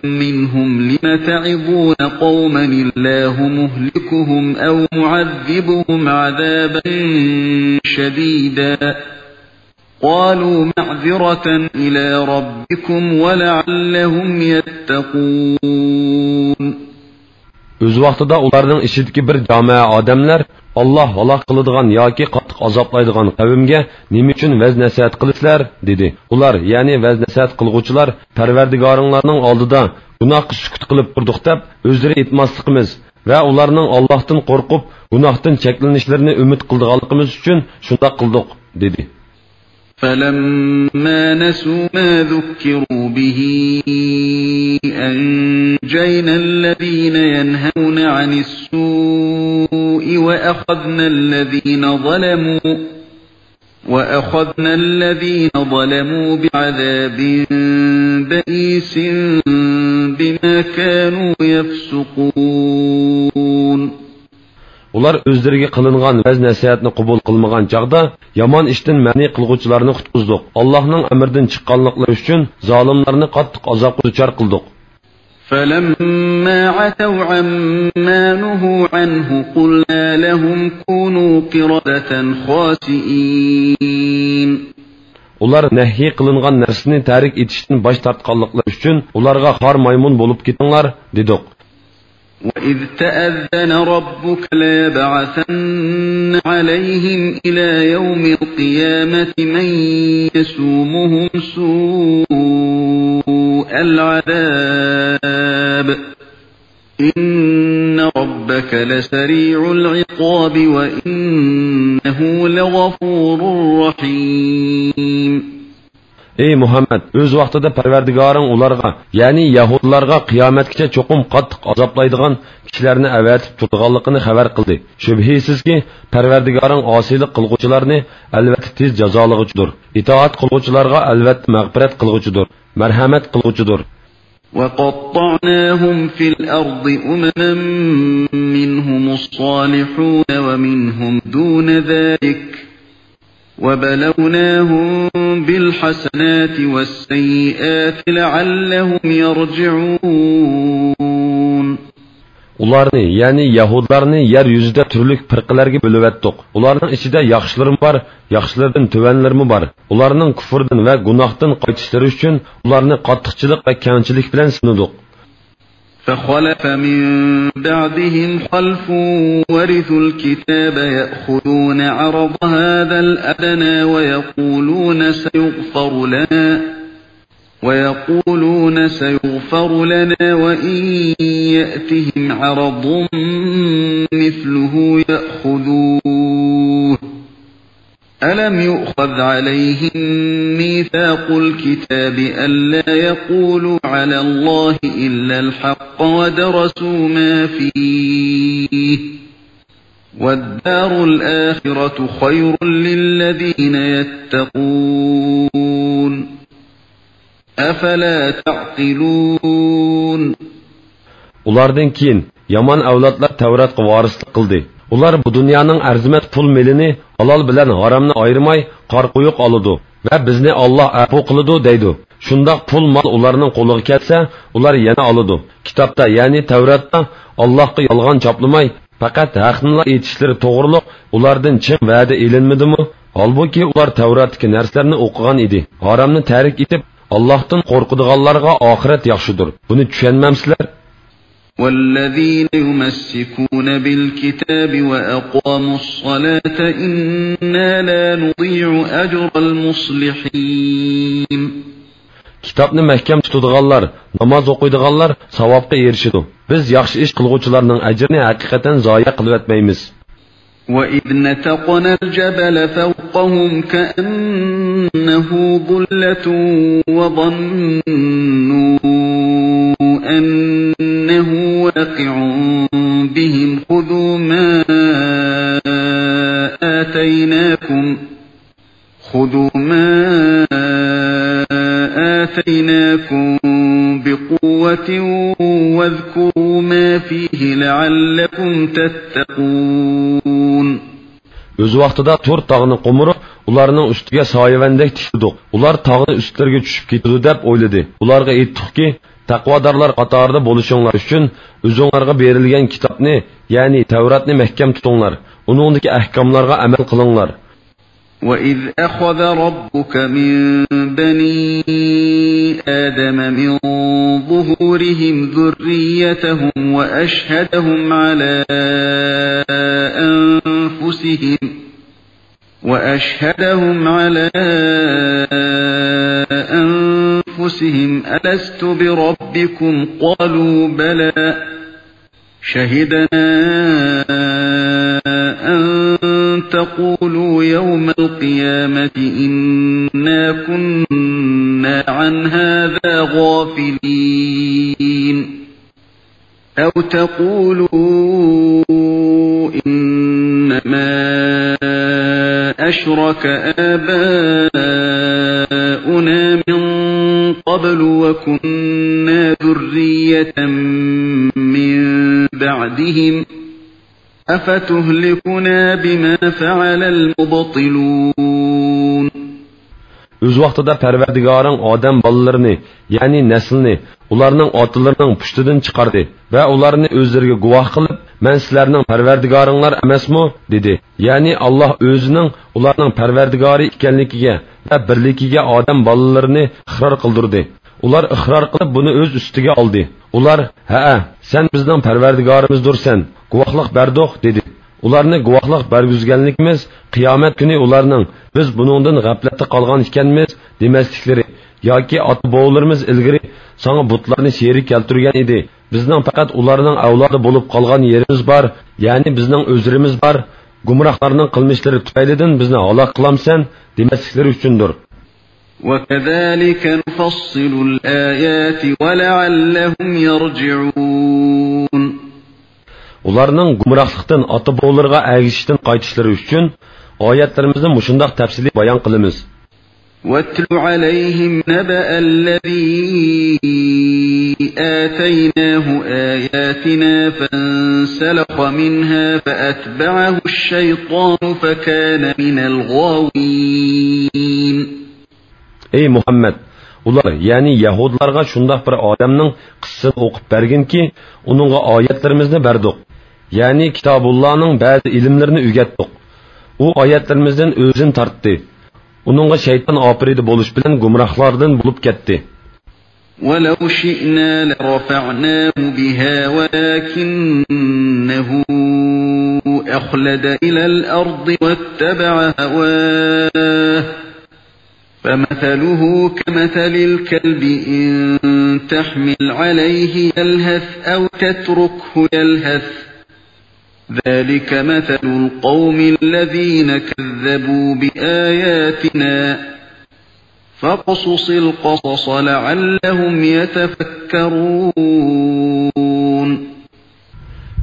منهم لم تعظون قوما الله مهلكهم أو معذبهم عذابا شديدا قالوا معذرة إلى ربكم ولعلهم يتقون. ئۆز ۋاقتىدا ئۇلارنىڭ ئىچىدىكى بىر جامائە ئادەملەر، «ئاللاھ ھالاك قىلىدىغان ياكى قاتتىق ئازابلايدىغان قەۋمگە نېمە ئۈچۈن ۋەز-نەسىھەت قىلىسىلەر؟» دېدى. ئۇلار، يەنى ۋەز-نەسىھەت قىلغۇچىلار، «پەرۋەردىگارىڭلارنىڭ ئالدىدا گۇناھقا سۈكۈت قىلىپ تۇردۇق» دەپ ئۆزلىرى ئېيتماسلىقىمىز ۋە ئۇلارنىڭ ئاللاھتىن قورقۇپ، گۇناھتىن چەكلىنىشلىرىنى ئۈمىد قىلىدىغانلىقىمىز ئۈچۈن شۇنداق قىلدۇق، دېدى. فلما نسوا ما ذكروا به أنجينا الذين ينهون عن السوء وأخذنا الذين ظلموا، وأخذنا الذين ظلموا بعذاب بئيس بما كانوا يفسقون. ئۇلار ئۆزلىرىگە قىلىنغان ۋەز-نەسىھەتنى قوبۇل قىلمىغان چاغدا، يامان ئىشتىن مەنئى قىلغۇچىلارنى قۇتقۇزدۇق. ئاللاھنىڭ ئەمرىدىن چىققانلىقلىرى ئۈچۈن زالىملارنى قاتتىق ئازابقا دۇچار قىلدۇق. فلما عتوا عما نهوا عنه قلنا لهم كونوا قردة خاسئين. ئۇلار نەھيى قىلىنغان نەرسىنى تەرك ئېتىشتىن باش تارتقانلىقلىرى ئۈچۈن، ئۇلارغا خار مايمۇن بولۇپ كېتىڭلار، دېدۇق. وإذ تأذن ربك ليبعثن عليهم إلى يوم القيامة من يسومهم سوء العذاب إن ربك لسريع العقاب وإنه لغفور رحيم. ئەي مۇھەممەد، ئۆز ۋاقتىدا پەرۋەردىگارىڭ ئۇلارغا، يەنى يەھۇدىيلارغا قىيامەتكىچە چوقۇم قاتتىق ئازابلايدىغان كىشىلەرنى ئەۋەتىپ تۇرىدىغانلىقىنى خەۋەر قىلدى. شۈبھىسىزكى، پەرۋەردىگارىڭ ئاسىيلىق قىلغۇچىلارنى ئەلۋەتتە تېز جازالىغۇچىدۇر. ئىتائەت قىلغۇچىلارغا ئەلۋەتتە مەغپىرەت قىلغۇچىدۇر، مەرھەمەت قىلغۇچىدۇر. وقطعناهم في الأرض أمما منهم الصالحون ومنهم دون ذلك وبلوناهم بالحسنات والسيئات لعلهم يرجعون. ئۇلارنى، يەنى يەھۇدىيلارنى يەر يۈزىدە تۈرلۈك پىرقىلەرگە بۆلۈۋەتتۇق. ئۇلارنىڭ ئىچىدە ياخشىلىرىمۇ بار، ياخشىلىرىدىن تۆۋەنلىرىمۇ بار. ئۇلارنىڭ كۇفرىدىن ۋە گۇناھتىن قايتىشلىرى ئۈچۈن ئۇلارنى قاتتىقچىلىق ۋە كەڭچىلىك بىلەن سىنىدۇق. فخلف من بعدهم خلف ورثوا الكتاب يأخذون عرض هذا الأدنى ويقولون سيغفر لنا ويقولون سيغفر لنا وإن يأتهم عرض مثله يأخذوه ألم يؤخذ عليهم ميثاق الكتاب ألا يقولوا على الله إلا الحق ودرسوا ما فيه والدار الآخرة خير للذين يتقون أفلا تعقلون. ئۇلاردىن كېيىن يامان ئەۋلادلار تەۋراتقا ۋارىسلىق قىلدى. ئۇلار بۇ دۇنيانىڭ ئەرزىمەت پۇل مېلىنى ھالال بىلەن ھارامنى ئايرىماي قارا قويۇق ئالىدۇ ۋە بىزنى ئاللاھ ئەپۇ قىلىدۇ دەيدۇ. شۇنداق پۇل مال ئۇلارنىڭ قولىغا كەلسە، ئۇلار يەنە ئالىدۇ. كىتابتا، يەنى تەۋراتتا ئاللاھقا يالغان چاپلىماي، پەقەت ھەقنىلا ئېيتىشلىرى توغرۇلۇق ئۇلاردىن چىڭ ۋەدە ئېلىنمىدىمۇ؟ ھالبۇكى، ئۇلار تەۋراتتىكى نەرسىلەرنى ئوقۇغان ئىدى. ھارامنى تەرك ئېتىپ، ئاللاھتىن قورقىدىغانلارغا ئاخىرەت ياخشىدۇر. بۇنى چۈشەنمەمسىلەر؟ والذين يمسكون بالكتاب وأقاموا الصلاة إنا لا نضيع أجر المصلحين. كىتابنى مەھكەم تۇتىدىغانلار، ناماز ئوقۇيدىغانلار ساۋابقا ئېرىشىدۇ. بىز ياخشى ئىش قىلغۇچىلارنىڭ ئەجرىنى ھەقىقەتەن زايە قىلىۋەتمەيمىز. وإذ نتقنا الجبل فوقهم كأنه ظلة وظنوا أنه واقع بهم خذوا ما آتيناكم خذوا ما آتيناكم بقوة واذكروا ما فيه لعلكم تتقون. ئۆز ۋاقتىدا تۇر تاغنى قومۇرۇپ، ئۇلارنىڭ ئۈستىگە سايىۋەندەك تىكلىدۇق. ئۇلار تاغنى ئۈستلىرىگە چۈشۈپ كېتىدۇ دەپ ئويلىدى. ئۇلارغا ئېيتتۇقكى، تەقۋادارلار قاتارىدا بولۇشۇڭلار ئۈچۈن ئۆزۈڭلارغا بېرىلگەن كىتابنى، يەنى تەۋراتنى مەھكەم تۇتۇڭلار. ئۇنىڭدىكى ئەھكاملارغا ئەمەل قىلىڭلار. وإذ أخذ ربك من بني آدم من ظهورهم ذريتهم وأشهدهم على أنفسهم وأشهدهم على أنفسهم ألست بربكم قالوا بلى شهدنا أن تقولوا يوم القيامة إنا كنا عن هذا غافلين. أو تقولوا إنما أشرك آباؤنا من قبل وكنا ذرية من بعدهم أفتهلكنا بما فعل المبطلون. ئۆز ۋاقتىدا پەرۋەردىگارىڭ ئادەم بالىلىرىنى، يەنى نەسلىنى، ئۇلارنىڭ ئاتىلىرىنىڭ پۇشتىدىن چىقاردى ۋە ئۇلارنى ئۆزلىرىگە گۇۋاھ قىلىپ، مەن سىلەرنىڭ پەرۋەردىگارىڭلار ئەمەسمۇ؟ دېدى. يەنى ئاللاھ ئۆزىنىڭ ئۇلارنىڭ پەرۋەردىگارى ئىكەنلىكىگە ۋە بىرلىكىگە ئادەم بالىلىرىنى ئىقرار قىلدۇردى. ئۇلار ئىقرار قىلىپ بۇنى ئۆز ئۈستىگە ئالدى. ئۇلار، ھەئە، سەن بىزنىڭ پەرۋەردىگارىمىزدۇرسەن، گۇۋاھلىق بەردۇق، دېدى. ئۇلارنى گۇۋاھلىق بەرگۈزگەنلىكىمىز، قىيامەت كۈنى ئۇلارنىڭ، بىز بۇنىڭدىن غەپلەتتە قالغان ئىكەنمىز، دېمەسلىكلىرى، ياكى ئاتا-بوۋىلىرىمىز ئىلگىرى ساڭا بۇتلارنى شېرىك كەلتۈرگەن ئىدى، بىزنىڭ پەقەت ئۇلارنىڭ ئەۋلادى بولۇپ قالغان يېرىمىز بار، يەنى بىزنىڭ ئۆزرىمىز بار، گۇمراھلارنىڭ قىلمىشلىرى تۈپەيلىدىن بىزنى ھالاك قىلامسەن؟ دېمەسلىكلىرى ئۈچۈندۇر. وكذلك نفصل الآيات ولعلهم يرجعون. ئۇلارنىڭ گۇمراھلىقتىن، ئاتا-بوۋىلىرىغا ئەگىشىشتىن قايتىشلىرى ئۈچۈن ئايەتلىرىمىزنى مۇشۇنداق تەپسىلىي بايان قىلىمىز. واتل عليهم نبأ الذي آتيناه آياتنا فانسلخ منها فأتبعه الشيطان فكان من الغاوين. ئەي مۇھەممەد، ئۇلار، يەنى يەھۇدلارغا شۇنداق بىر ئادەمنىڭ قىسسىسىنى ئوقۇپ بەرگىنكى، ئۇنىڭغا ئايەتلىرىمىزنى بەردۇق. يەنى كىتابۇللانىڭ بەزى ئىلىملىرىنى ئۆگەتتۇق. ئۇ ئايەتلىرىمىزدىن ئۆزىنى تارتتى. ئۇنىڭغا شەيتان ئاپىرىدە بولۇش بىلەن گۇمراھلاردىن بولۇپ كەتتى. ولو شئنا لرفعناه بها ولكنه أخلد إلى الأرض واتبع هواه فمثله كمثل الكلب إن تحمل عليه يلهث أو تتركه يلهث ذلك مثل القوم الذين كذبوا بآياتنا فاقصص القصص لعلهم يتفكرون.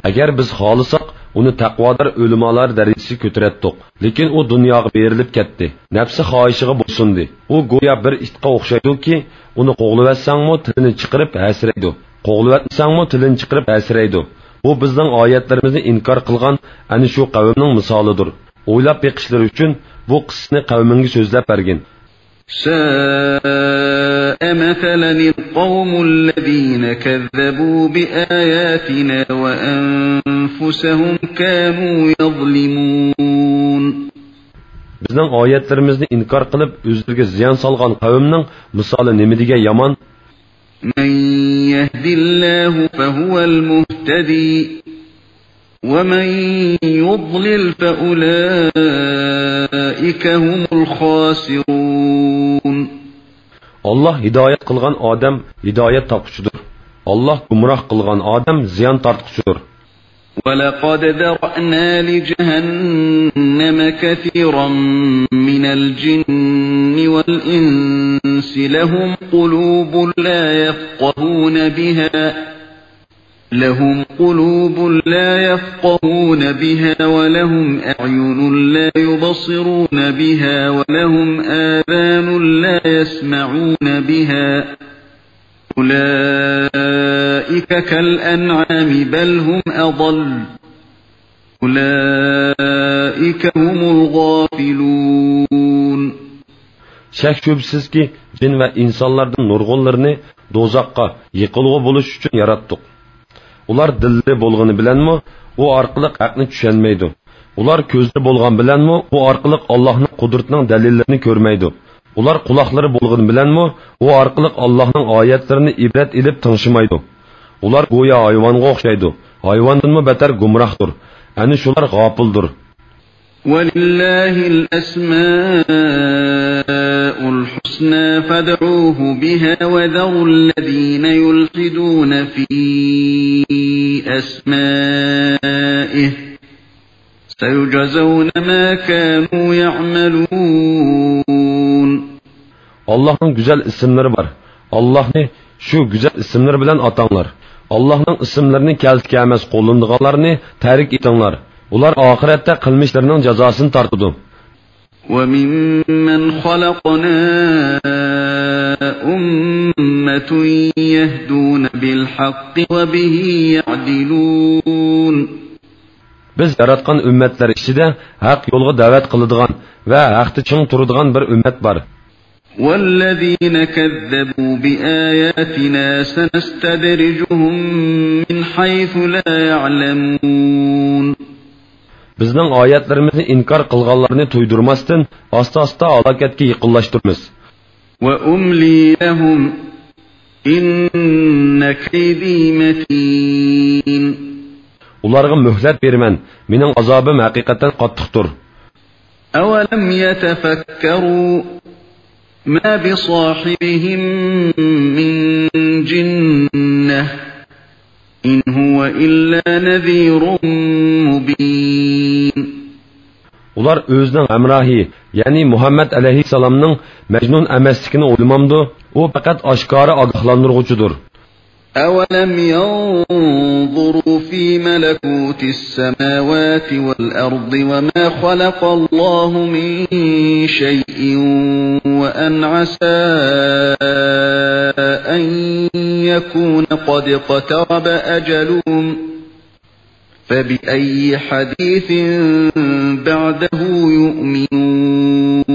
ئەگەر بىز خالىساق، ئۇنى تەقۋادار ئۆلىمالار دەرىجىسىگە كۆتۈرەتتۇق. لېكىن ئۇ دۇنياغا بېرىلىپ كەتتى. نەپسى خاھىشىغا بويسۇندى. ئۇ گويا بىر ئىتقا ئوخشايدۇكى، ئۇنى قوغلىۋەتسەڭمۇ تىلىنى چىقىرىپ ھەسىرەيدۇ. قوغلىۋەتمىسەڭمۇ تىلىنى چىقىرىپ ھەسىرەيدۇ. بۇ بىزنىڭ ئايەتلىرىمىزنى ئىنكار قىلغان ئەنە شۇ قەۋمنىڭ مىسالىدۇر. ئويلاپ بېقىشلىرى ئۈچۈن بۇ قىسسىنى قەۋمىڭگە سۆزلەپ بەرگىن. ساء مثلا القوم الذين كذبوا بآياتنا وأنفسهم كانوا يظلمون. بىزنىڭ ئايەتلىرىمىزنى ئىنكار قىلىپ، ئۆزلىرىگە زىيان سالغان قەۋمنىڭ مىسالى نېمىدېگەن يامان! من يهد الله فهو المهتدي ومن يضلل فأولئك هم الخاسرون. ئاللاھ ھىدايەت قىلغان ئادەم ھىدايەت تاپقۇچىدۇر. ئاللاھ گۇمراھ قىلغان ئادەم زىيان تارتقۇچىدۇر. ولقد ذرأنا لجهنم كثيرا من الجن والإنس لهم قلوب لا يفقهون بها لهم قلوب لا يفقهون بها ولهم أعين لا يبصرون بها ولهم آذان لا يسمعون بها أولئك كالأنعام بل هم أضل أولئك هم الغافلون. شەك-شۈبھىسىزكى، جىن ۋە ئىنسانلاردىن نۇرغۇنلىرىنى دوزاخقا، يېقىلغۇ بولۇش ئۈچۈن ياراتتۇق. ئۇلار دىللىرى بولغىنى بىلەنمۇ ئۇ ئارقىلىق ھەقنى چۈشەنمەيدۇ. ئۇلار كۆزلىرى بولغان بىلەنمۇ ئۇ ئارقىلىق ئاللاھنىڭ قۇدرىتىنىڭ دەلىللىرىنى كۆرمەيدۇ. ئۇلار قۇلاقلىرى بولغىنى بىلەنمۇ ئۇ ئارقىلىق ئاللاھنىڭ ئايەتلىرىنى ئىبرەت ئېلىپ تىڭشىمايدۇ. ئۇلار گويا ھايۋانغا ئوخشايدۇ. ھايۋاندىنمۇ بەتەر گۇمراھتۇر. ئەنە شۇلار غاپىلدۇر. ولله الأسماء الحسنى فادعوه بها وذروا الذين يلحدون في أسمائه سيجزون ما كانوا يعملون. ئاللاھنىڭ گۈزەل ئىسىملىرى بار. ئاللاھنى شۇ گۈزەل ئىسىملىرى بىلەن ئاتاڭلار. ئاللاھنىڭ ئىسىملىرىنى كەلسە-كەلمەس قوللىنىدىغانلارنى تەرك ئېتىڭلار. ئۇلار ئاخىرەتتە قىلمىشلىرىنىڭ جازاسىنى تارتىدۇ. وممن خلقنا أمة يهدون بالحق وبه يعدلون. بىز ياراتقان ئۈممەتلەر ئىچىدە ھەق يولغا دەۋەت قىلىدىغان ۋە ھەقتە چىڭ تۇرىدىغان بىر ئۈممەت بار. والذين كذبوا بآياتنا سنستدرجهم من حيث لا يعلمون. بىزنىڭ ئايەتلىرىمىزنى ئىنكار قىلغانلارنى تۇيدۇرماستىن، ئاستا-ئاستا ھالاكەتكە يېقىنلاشتۇرىمىز. وأملي لهم إن كيدي متين. ئۇلارغا مۆھلەت بېرىمەن، مېنىڭ ئازابىم ھەقىقەتەن قاتتىقتۇر. أولم يتفكروا ما بصاحبهم من جنة إن هو إلا نذير مبين. ئۇلار ئۆزىنىڭ ھەمراھى، يەنى مۇھەممەد ئەلەيھىسسالامنىڭ مەجنۇن ئەمەسلىكىنى ئويلىمامدۇ؟ ئۇ پەقەت ئاشكارا ئاگاھلاندۇرغۇچىدۇر. أولم ينظروا في ملكوت السماوات والأرض وما خلق الله من شيء وأن عسى أن يكون قد اقترب أجلهم فبأي حديث بعده يؤمنون.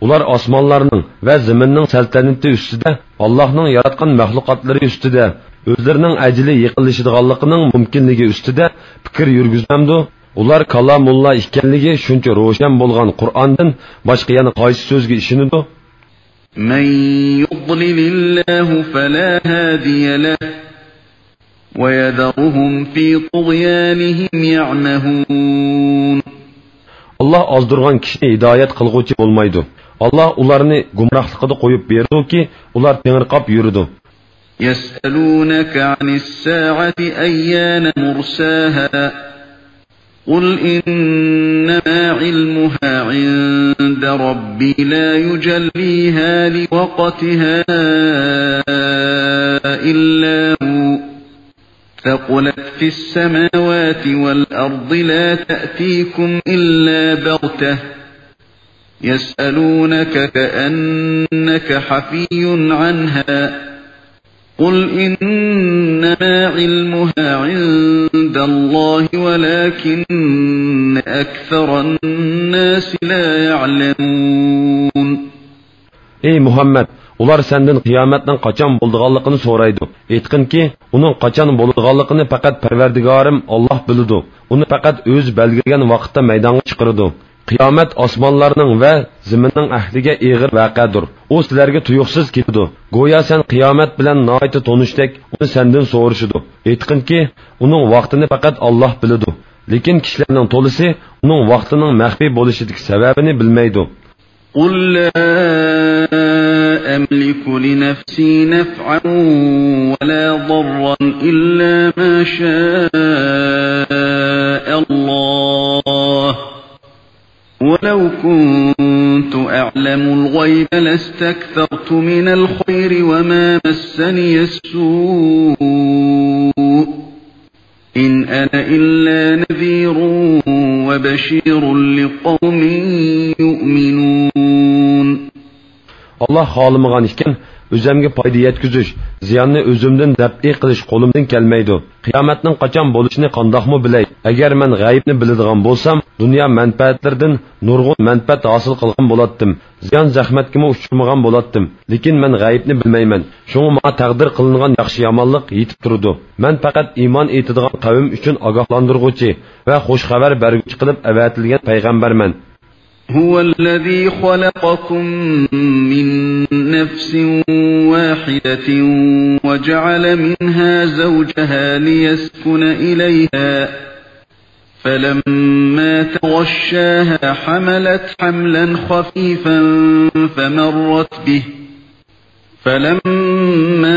ئۇلار ئاسمانلارنىڭ ۋە زېمىننىڭ سەلتەنىتى ئۈستىدە، ئاللاھنىڭ ياراتقان مەخلۇقاتلىرى ئۈستىدە، ئۆزلىرىنىڭ ئەجىلى يېقىنلىشىدىغانلىقىنىڭ مۇمكىنلىكى ئۈستىدە پىكىر يۈرگۈزمەمدۇ؟ ئۇلار كالامۇللا ئىكەنلىكى شۇنچە روشەن بولغان قۇرئاندىن باشقا يەنە قايسى سۆزگە ئىشىنىدۇ؟ من يضلل الله فلا هادي له ويذرهم في طغيانهم يعمهون. ئاللاھ ئازدۇرغان كىشىنى ھىدايەت قىلغۇچى بولمايدۇ. ئاللاھ ئۇلارنى گۇمراھلىقىدا قويۇپ بېرىدۇكى، ئۇلار تېڭىرقاپ يۈرىدۇ. يسألونك عن الساعة أيان مرساها قل إنما علمها عند ربي لا يجليها لوقتها إلا هو ثقلت في السماوات والأرض لا تأتيكم إلا بغتة يسألونك كأنك حفي عنها قل إنما علمها عند الله ولكن أكثر الناس لا يعلمون. ئەي مۇھەممەد، ئۇلار سەندىن قىيامەتنىڭ قاچان بولىدىغانلىقىنى سورايدۇ. ئېيتقىنكى، ئۇنىڭ قاچان بولىدىغانلىقىنى پەقەت پەرۋەردىگارىم ئاللاھ بىلىدۇ. ئۇنى پەقەت ئۆزى بەلگىلىگەن ۋاقىتتا مەيدانغا چىقىرىدۇ. قىيامەت ئاسمانلارنىڭ ۋە زېمىننىڭ ئەھلىگە ئېغىر ۋەقەدۇر. ئۇ سىلەرگە تۇيۇقسىز كېلىدۇ. گويا سەن قىيامەت بىلەن ناھايىتى تونۇشتەك ئۇنى سەندىن سورىشىدۇ. ئېيتقىنكى، ئۇنىڭ ۋاقتىنى پەقەت ئاللاھ بىلىدۇ. لېكىن كىشىلەرنىڭ تولىسى ئۇنىڭ ۋاقتىنىڭ مەخپىي بولۇشىدىكى سەۋەبىنى بىلمەيدۇ. قل لا أملك لنفسي نفعا ولا ضرا إلا ما شاء الله ولو كنت أعلم الغيب لاستكثرت من الخير وما مسني السوء إن أنا إلا نذير وبشير لقوم يؤمنون. ئاللاھ خالىمىغان ئىكەن، ئۆزەمگە پايدا يەتكۈزۈش، زىياننى ئۆزۈمدىن دەپئى قىلىش قولۇمدىن كەلمەيدۇ. قىيامەتنىڭ قاچان بولۇشىنى قانداقمۇ بىلەي؟ ئەگەر مەن غەيىبنى بىلىدىغان بولسام، دۇنيا مەنپەئەتلىرىدىن نۇرغۇن مەنپەئەت ھاسىل قىلغان بولاتتىم. زىيان-زەخمەتكىمۇ ئۇچرىمىغان بولاتتىم. لېكىن مەن غەيىبنى بىلمەيمەن. شۇڭا ماڭا تەقدىر قىلىنغان ياخشى-يامانلىق يېتىپ تۇرىدۇ. مەن پەقەت ئىمان ئېيتىدىغان قەۋم ئۈچۈن ئاگاھلاندۇرغۇچى ۋە خۇش خەۋەر بەرگۈچى قىلىپ ئەۋەتىلگەن پەيغەمبەرمەن. هو الذي خلقكم من نفس واحدة وجعل منها زوجها ليسكن إليها فلما تغشاها حملت حملا خفيفا فمرت به فلما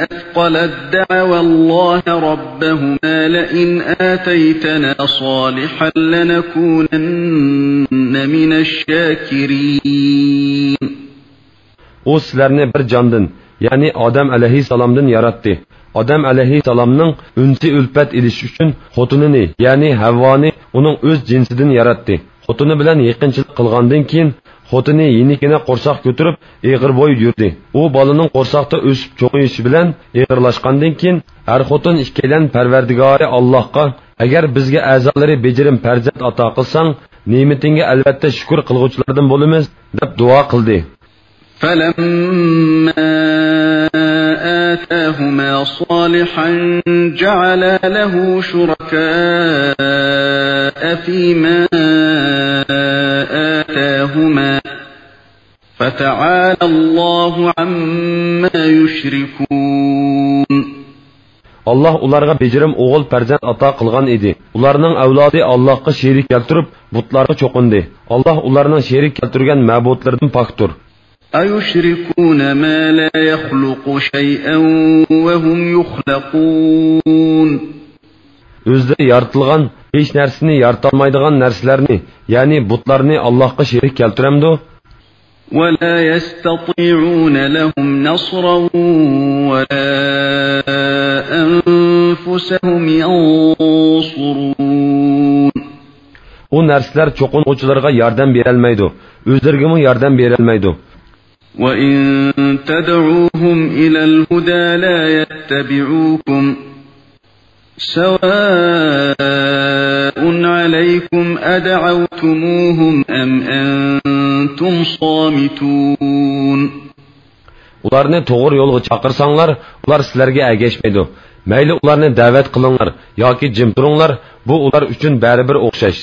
أثقلت دعوا الله ربهما لئن آتيتنا صالحا لنكونن من الشاكرين. ئۇ سىلەرنى بىر جاندىن، يەنى ئادەم ئەلەيھىسسالامدىن ياراتتى. ئادەم ئەلەيھىسسالامنىڭ ئۈنسى ئۈلپەت ئېلىش ئۈچۈن خوتۇنىنى، يەنى ھەۋۋانى ئۇنىڭ ئۆز جىنسىدىن ياراتتى. خوتۇنى بىلەن يېقىنچىلىق قىلغاندىن كېيىن، خوتۇنى يېنىكىنە قورساق كۆتۈرۈپ، ئېغىر بوي يۈردى. ئۇ بالىنىڭ قورساقتا ئۆسۈپ چوڭىيىشى بىلەن ئېغىرلاشقاندىن كېيىن، ئەر خوتۇن ئىككىيلەن پەرۋەردىگارى ئاللاھقا، ئەگەر بىزگە ئەزالىرى بېجىرىم پەرزەنت ئاتا قىلساڭ، نېمىتىڭگە ئەلۋەتتە شۈكۈر قىلغۇچىلاردىن بولىمىز، دەپ دۇئا قىلدى. فلما آتاهما صالحا جعلا له شركاء فيما آتاهما فتعالى الله عما يشركون. ئاللاھ ئۇلارغا بېجىرىم ئوغۇل پەرزەنت ئاتا قىلغان ئىدى. ئۇلارنىڭ ئەۋلادى ئاللاھقا شېرىك كەلتۈرۈپ، بۇتلارغا چوقۇندى. ئاللاھ ئۇلارنىڭ شېرىك كەلتۈرگەن مەبۇدلىرىدىن پاكتۇر. أيشركون ما لا يخلق شيئا وهم يخلقون. ئۆزلىرى يارىتىلغان، ھېچ نەرسىنى يارىتالمايدىغان نەرسىلەرنى، يەنى بۇتلارنى ئاللاھقا شېرىك كەلتۈرەمدۇ؟ ولا يستطيعون لهم نصرا ولا أنفسهم ينصرون. ئۇ نەرسىلەر چوقۇنغۇچىلارغا ياردەم بېرەلمەيدۇ، ئۆزلىرىگىمۇ ياردەم بېرەلمەيدۇ. وإن تدعوهم إلى الهدى لا يتبعوكم سواء عليكم أدعوتموهم أم أنتم صامتون. ئۇلارنى توغرا يولغا چاقىرساڭلار، ئۇلار سىلەرگە ئەگەشمەيدۇ. مەيلى ئۇلارنى دەۋەت قىلىڭلار ياكى جىم تۇرۇڭلار، بۇ ئۇلار ئۈچۈن بەرىبىر ئوخشاش.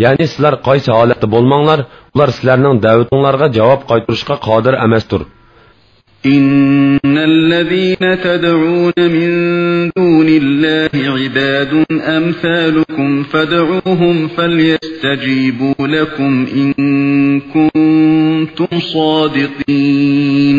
يەنى سىلەر قايسى ھالەتتە بولماڭلار، ئۇلار سىلەرنىڭ دەۋىتىڭلارغا جاۋاب قايتۇرۇشقا قادىر ئەمەستۇر. إن الذين تدعون من دون الله عباد أمثالكم فادعوهم فليستجيبوا لكم إن كنتم صادقين.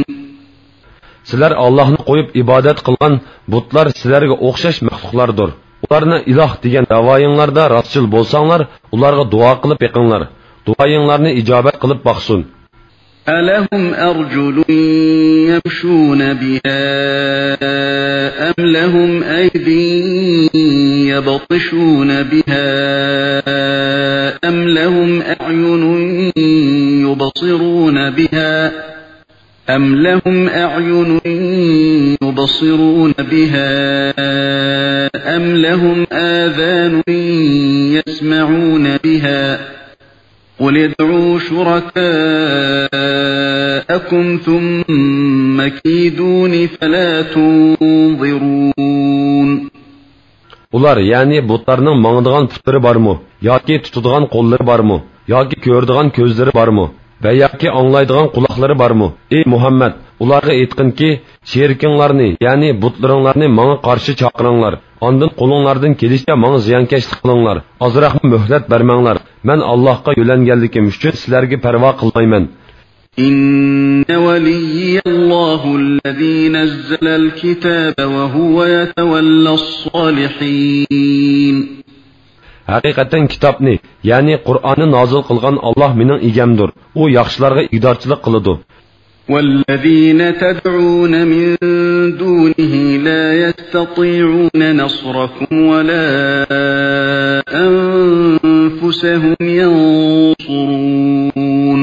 سىلەر ئاللاھنى قويۇپ ئىبادەت قىلغان بۇتلار سىلەرگە ئوخشاش مەخلۇقلاردۇر. ئۇلارنى ئىلاھ دېگەن داۋايىڭلاردا راستچىل بولساڭلار، ئۇلارغا دۇئا قىلىپ بېقىڭلار. دۇئايىڭلارنى ئىجابەت قىلىپ باقسۇن. ألهم أرجل يمشون بها أم لهم أيد يبطشون بها أم لهم أعين يبصرون بها أم لهم أعين يبصرون بها أم لهم آذان يسمعون بها قل ادعوا شركاءكم ثم كيدون فلا تنظرون. ئۇلار، يەنى بۇتلارنىڭ ماڭىدىغان پۇتلىرى بارمۇ؟ ياكى تۇتىدىغان قوللىرى بارمۇ؟ ياكى كۆرىدىغان كۆزلىرى بارمۇ؟ ۋە ياكى ئاڭلايدىغان قۇلاقلىرى بارمۇ؟ ئى مۇھەممەد، ئۇلارغا ئېيتقىنكى، شېرىكىڭلارنى، يەنى بۇتلىرىڭلارنى ماڭا قارشى چاقىرىڭلار. ئاندىن قولۇڭلاردىن كېلىشىچە ماڭا زىيانكەشلىك قىلىڭلار. ئازراقمۇ مۆھلەت بەرمەڭلار. مەن ئاللاھقا يۆلەنگەنلىكىم ئۈچۈن سىلەرگە پەرۋا قىلمايمەن. إن وليي الله الذي نزل الكتاب وهو يتولى الصالحين. ھەقىقەتەن كىتابنى، يەنى قۇرئاننى نازىل قىلغان ئاللاھ مېنىڭ ئىگەمدۇر. ئۇ ياخشىلارغا ئىگىدارچىلىق قىلىدۇ. والذين تدعون من دونه لا يستطيعون نصركم ولا أنفسهم ينصرون.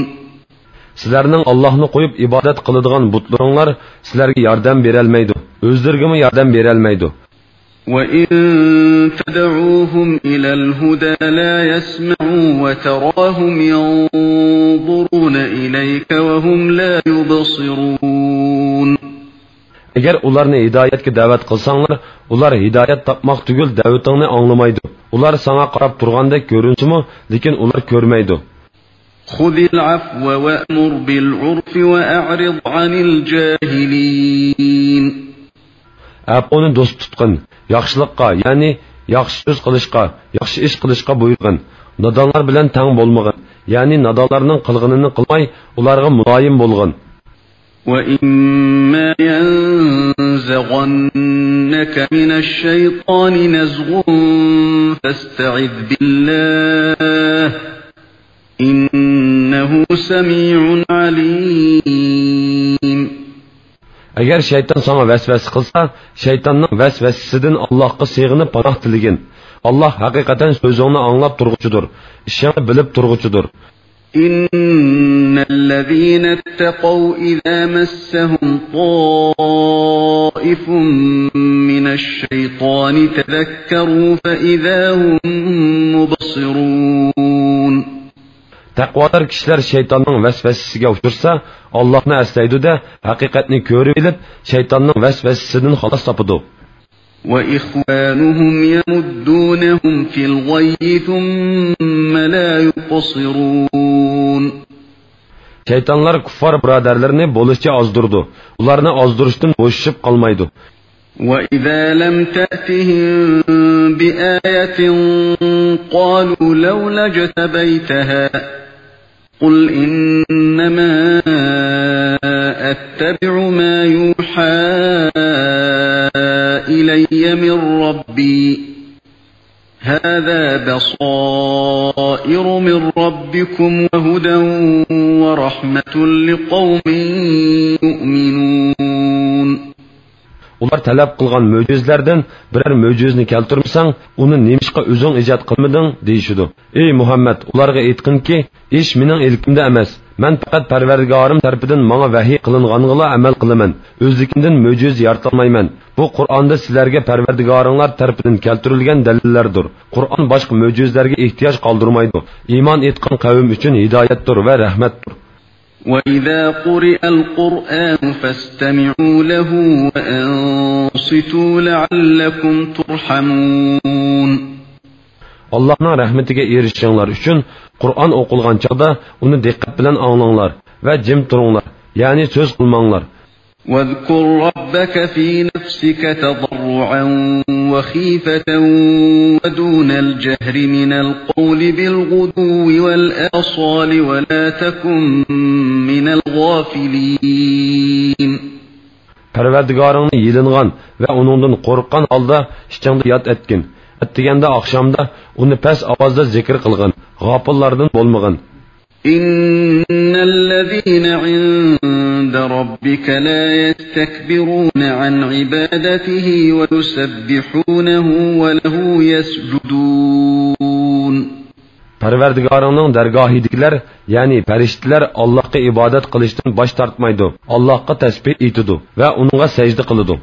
سىلەرنىڭ ئاللاھنى قويۇپ ئىبادەت قىلىدىغان بۇتلىرىڭلار سىلەرگە ياردەم بېرەلمەيدۇ، ئۆزلىرىگىمۇ ياردەم بېرەلمەيدۇ. وإن تدعوهم إلى الهدى لا يسمعوا وتراهم ينظرون إليك وهم لا يبصرون. ئەگەر ئۇلارنى ھىدايەتكە دەۋەت قىلساڭلار، ئۇلار ھىدايەت تاپماق تۈگۈل دەۋىتىڭنى ئاڭلىمايدۇ. ئۇلار ساڭا قاراپ تۇرغاندەك كۆرۈنسىمۇ، لېكىن ئۇلار كۆرمەيدۇ. خذ العفو وأمر بالعرف وأعرض عن الجاهلين. ئەپۇنى دوست تۇتقىن، ياخشىلىققا، يەنى ياخشى سۆز قىلىشقا، ياخشى ئىش قىلىشقا بۇيرۇغىن. نادانلار بىلەن تەڭ بولمىغىن، يەنى نادانلارنىڭ قىلغىنىنى قىلماي، ئۇلارغا مۇلايىم بولغىن. وإما ينزغنك من الشيطان نزغ فاستعذ بالله إنه سميع عليم. ئەگەر شەيتان ساڭا ۋەسۋەسە قىلسا، شەيتاننىڭ ۋەسۋەسىسىدىن ئاللاھقا سېغىنىپ پاناھ تىلىگىن. ئاللاھ ھەقىقەتەن سۆزۈڭنى ئاڭلاپ تۇرغۇچىدۇر، ئىشىڭنى بىلىپ تۇرغۇچىدۇر. إن الذين اتقوا إذا مسهم طائف من الشيطان تذكروا فإذا هم مبصرون. تەقۋادار كىشىلەر شەيتاننىڭ ۋەسۋەسىسىگە ئۇچرىسا، ئاللاھنى ئەسلەيدۇ-دە، ھەقىقەتنى كۆرۈۋېلىپ، شەيتاننىڭ ۋەسۋەسىسىدىن خالاس تاپىدۇ. وإخوانهم يمدونهم في الغي ثم لا يقصرون. شەيتانلار كۇففار بۇرادەرلىرىنى بولۇشىچە ئازدۇرىدۇ. ئۇلارنى ئازدۇرۇشتىن بوشىشىپ قالمايدۇ. وإذا لم تأتهم بآية قالوا لولا اجتبيتها قل إنما أتبع ما يوحى إلي من ربي هذا بصائر من ربكم وهدى ورحمة لقوم يؤمنون. ئۇلار تەلەپ قىلغان مۆجىزىلەردىن بىرەر مۆجىزىنى كەلتۈرمىسەڭ، ئۇنى نېمىشقا ئۆزۈڭ ئىجاد قىلمىدىڭ؟ دېيىشىدۇ. ئەي مۇھەممەد، ئۇلارغا ئېيتقىنكى، ئىش مېنىڭ ئىلكىمدە ئەمەس. مەن پەقەت پەرۋەردىگارىم تەرىپىدىن ماڭا ۋەھىي قىلىنغانغىلا ئەمەل قىلىمەن. ئۆزلۈكۈمدىن مۆجىزە يارىتالمايمەن. بۇ قۇرئاندا سىلەرگە پەرۋەردىگارىڭلار تەرىپىدىن كەلتۈرۈلگەن دەلىللەردۇر. قۇرئان باشقا مۆجىزىلەرگە ئېھتىياج قالدۇرمايدۇ. ئىمان ئېيتقان قەۋم ئۈچۈن ھىدايەتتۇر ۋە رەھمەتتۇر. وإذا قرئ القرآن فاستمعوا له وأنصتوا لعلكم ترحمون. ئاللاھنىڭ رەھمىتىگە ئېرىشىشىڭلار ئۈچۈن قۇرئان ئوقۇلغان چاغدا ئۇنى دىققەت بىلەن ئاڭلاڭلار ۋە جىم تۇرۇڭلار، يەنى سۆز قىلماڭلار. واذكر ربك في نفسك تضرعا وخيفة ودون الجهر من القول بالغدو والآصال ولا تكن من الغافلين. پەرۋەردىگارىڭنى يېلىنغان ۋە ئۇنىڭدىن قورققان ھالدا ئىچىڭدە ياد ئەتكىن. ئەتىگەندە، ئاخشامدا ئۇنى پەس ئاۋازدا زىكىر قىلغىن، غاپىللاردىن بولمىغىن. إن الذين عند ربك لا يستكبرون عن عبادته ويسبحونه وله يسجدون. پەرۋەردىگارىڭنىڭ دەرگاھىدىكىلەر، يەنى پەرىشتىلەر ئاللاھقا ئىبادەت قىلىشتىن باش تارتمايدۇ، ئاللاھقا تەسبىھ ئېيتىدۇ ۋە ئۇنىڭغا سەجدە قىلىدۇ.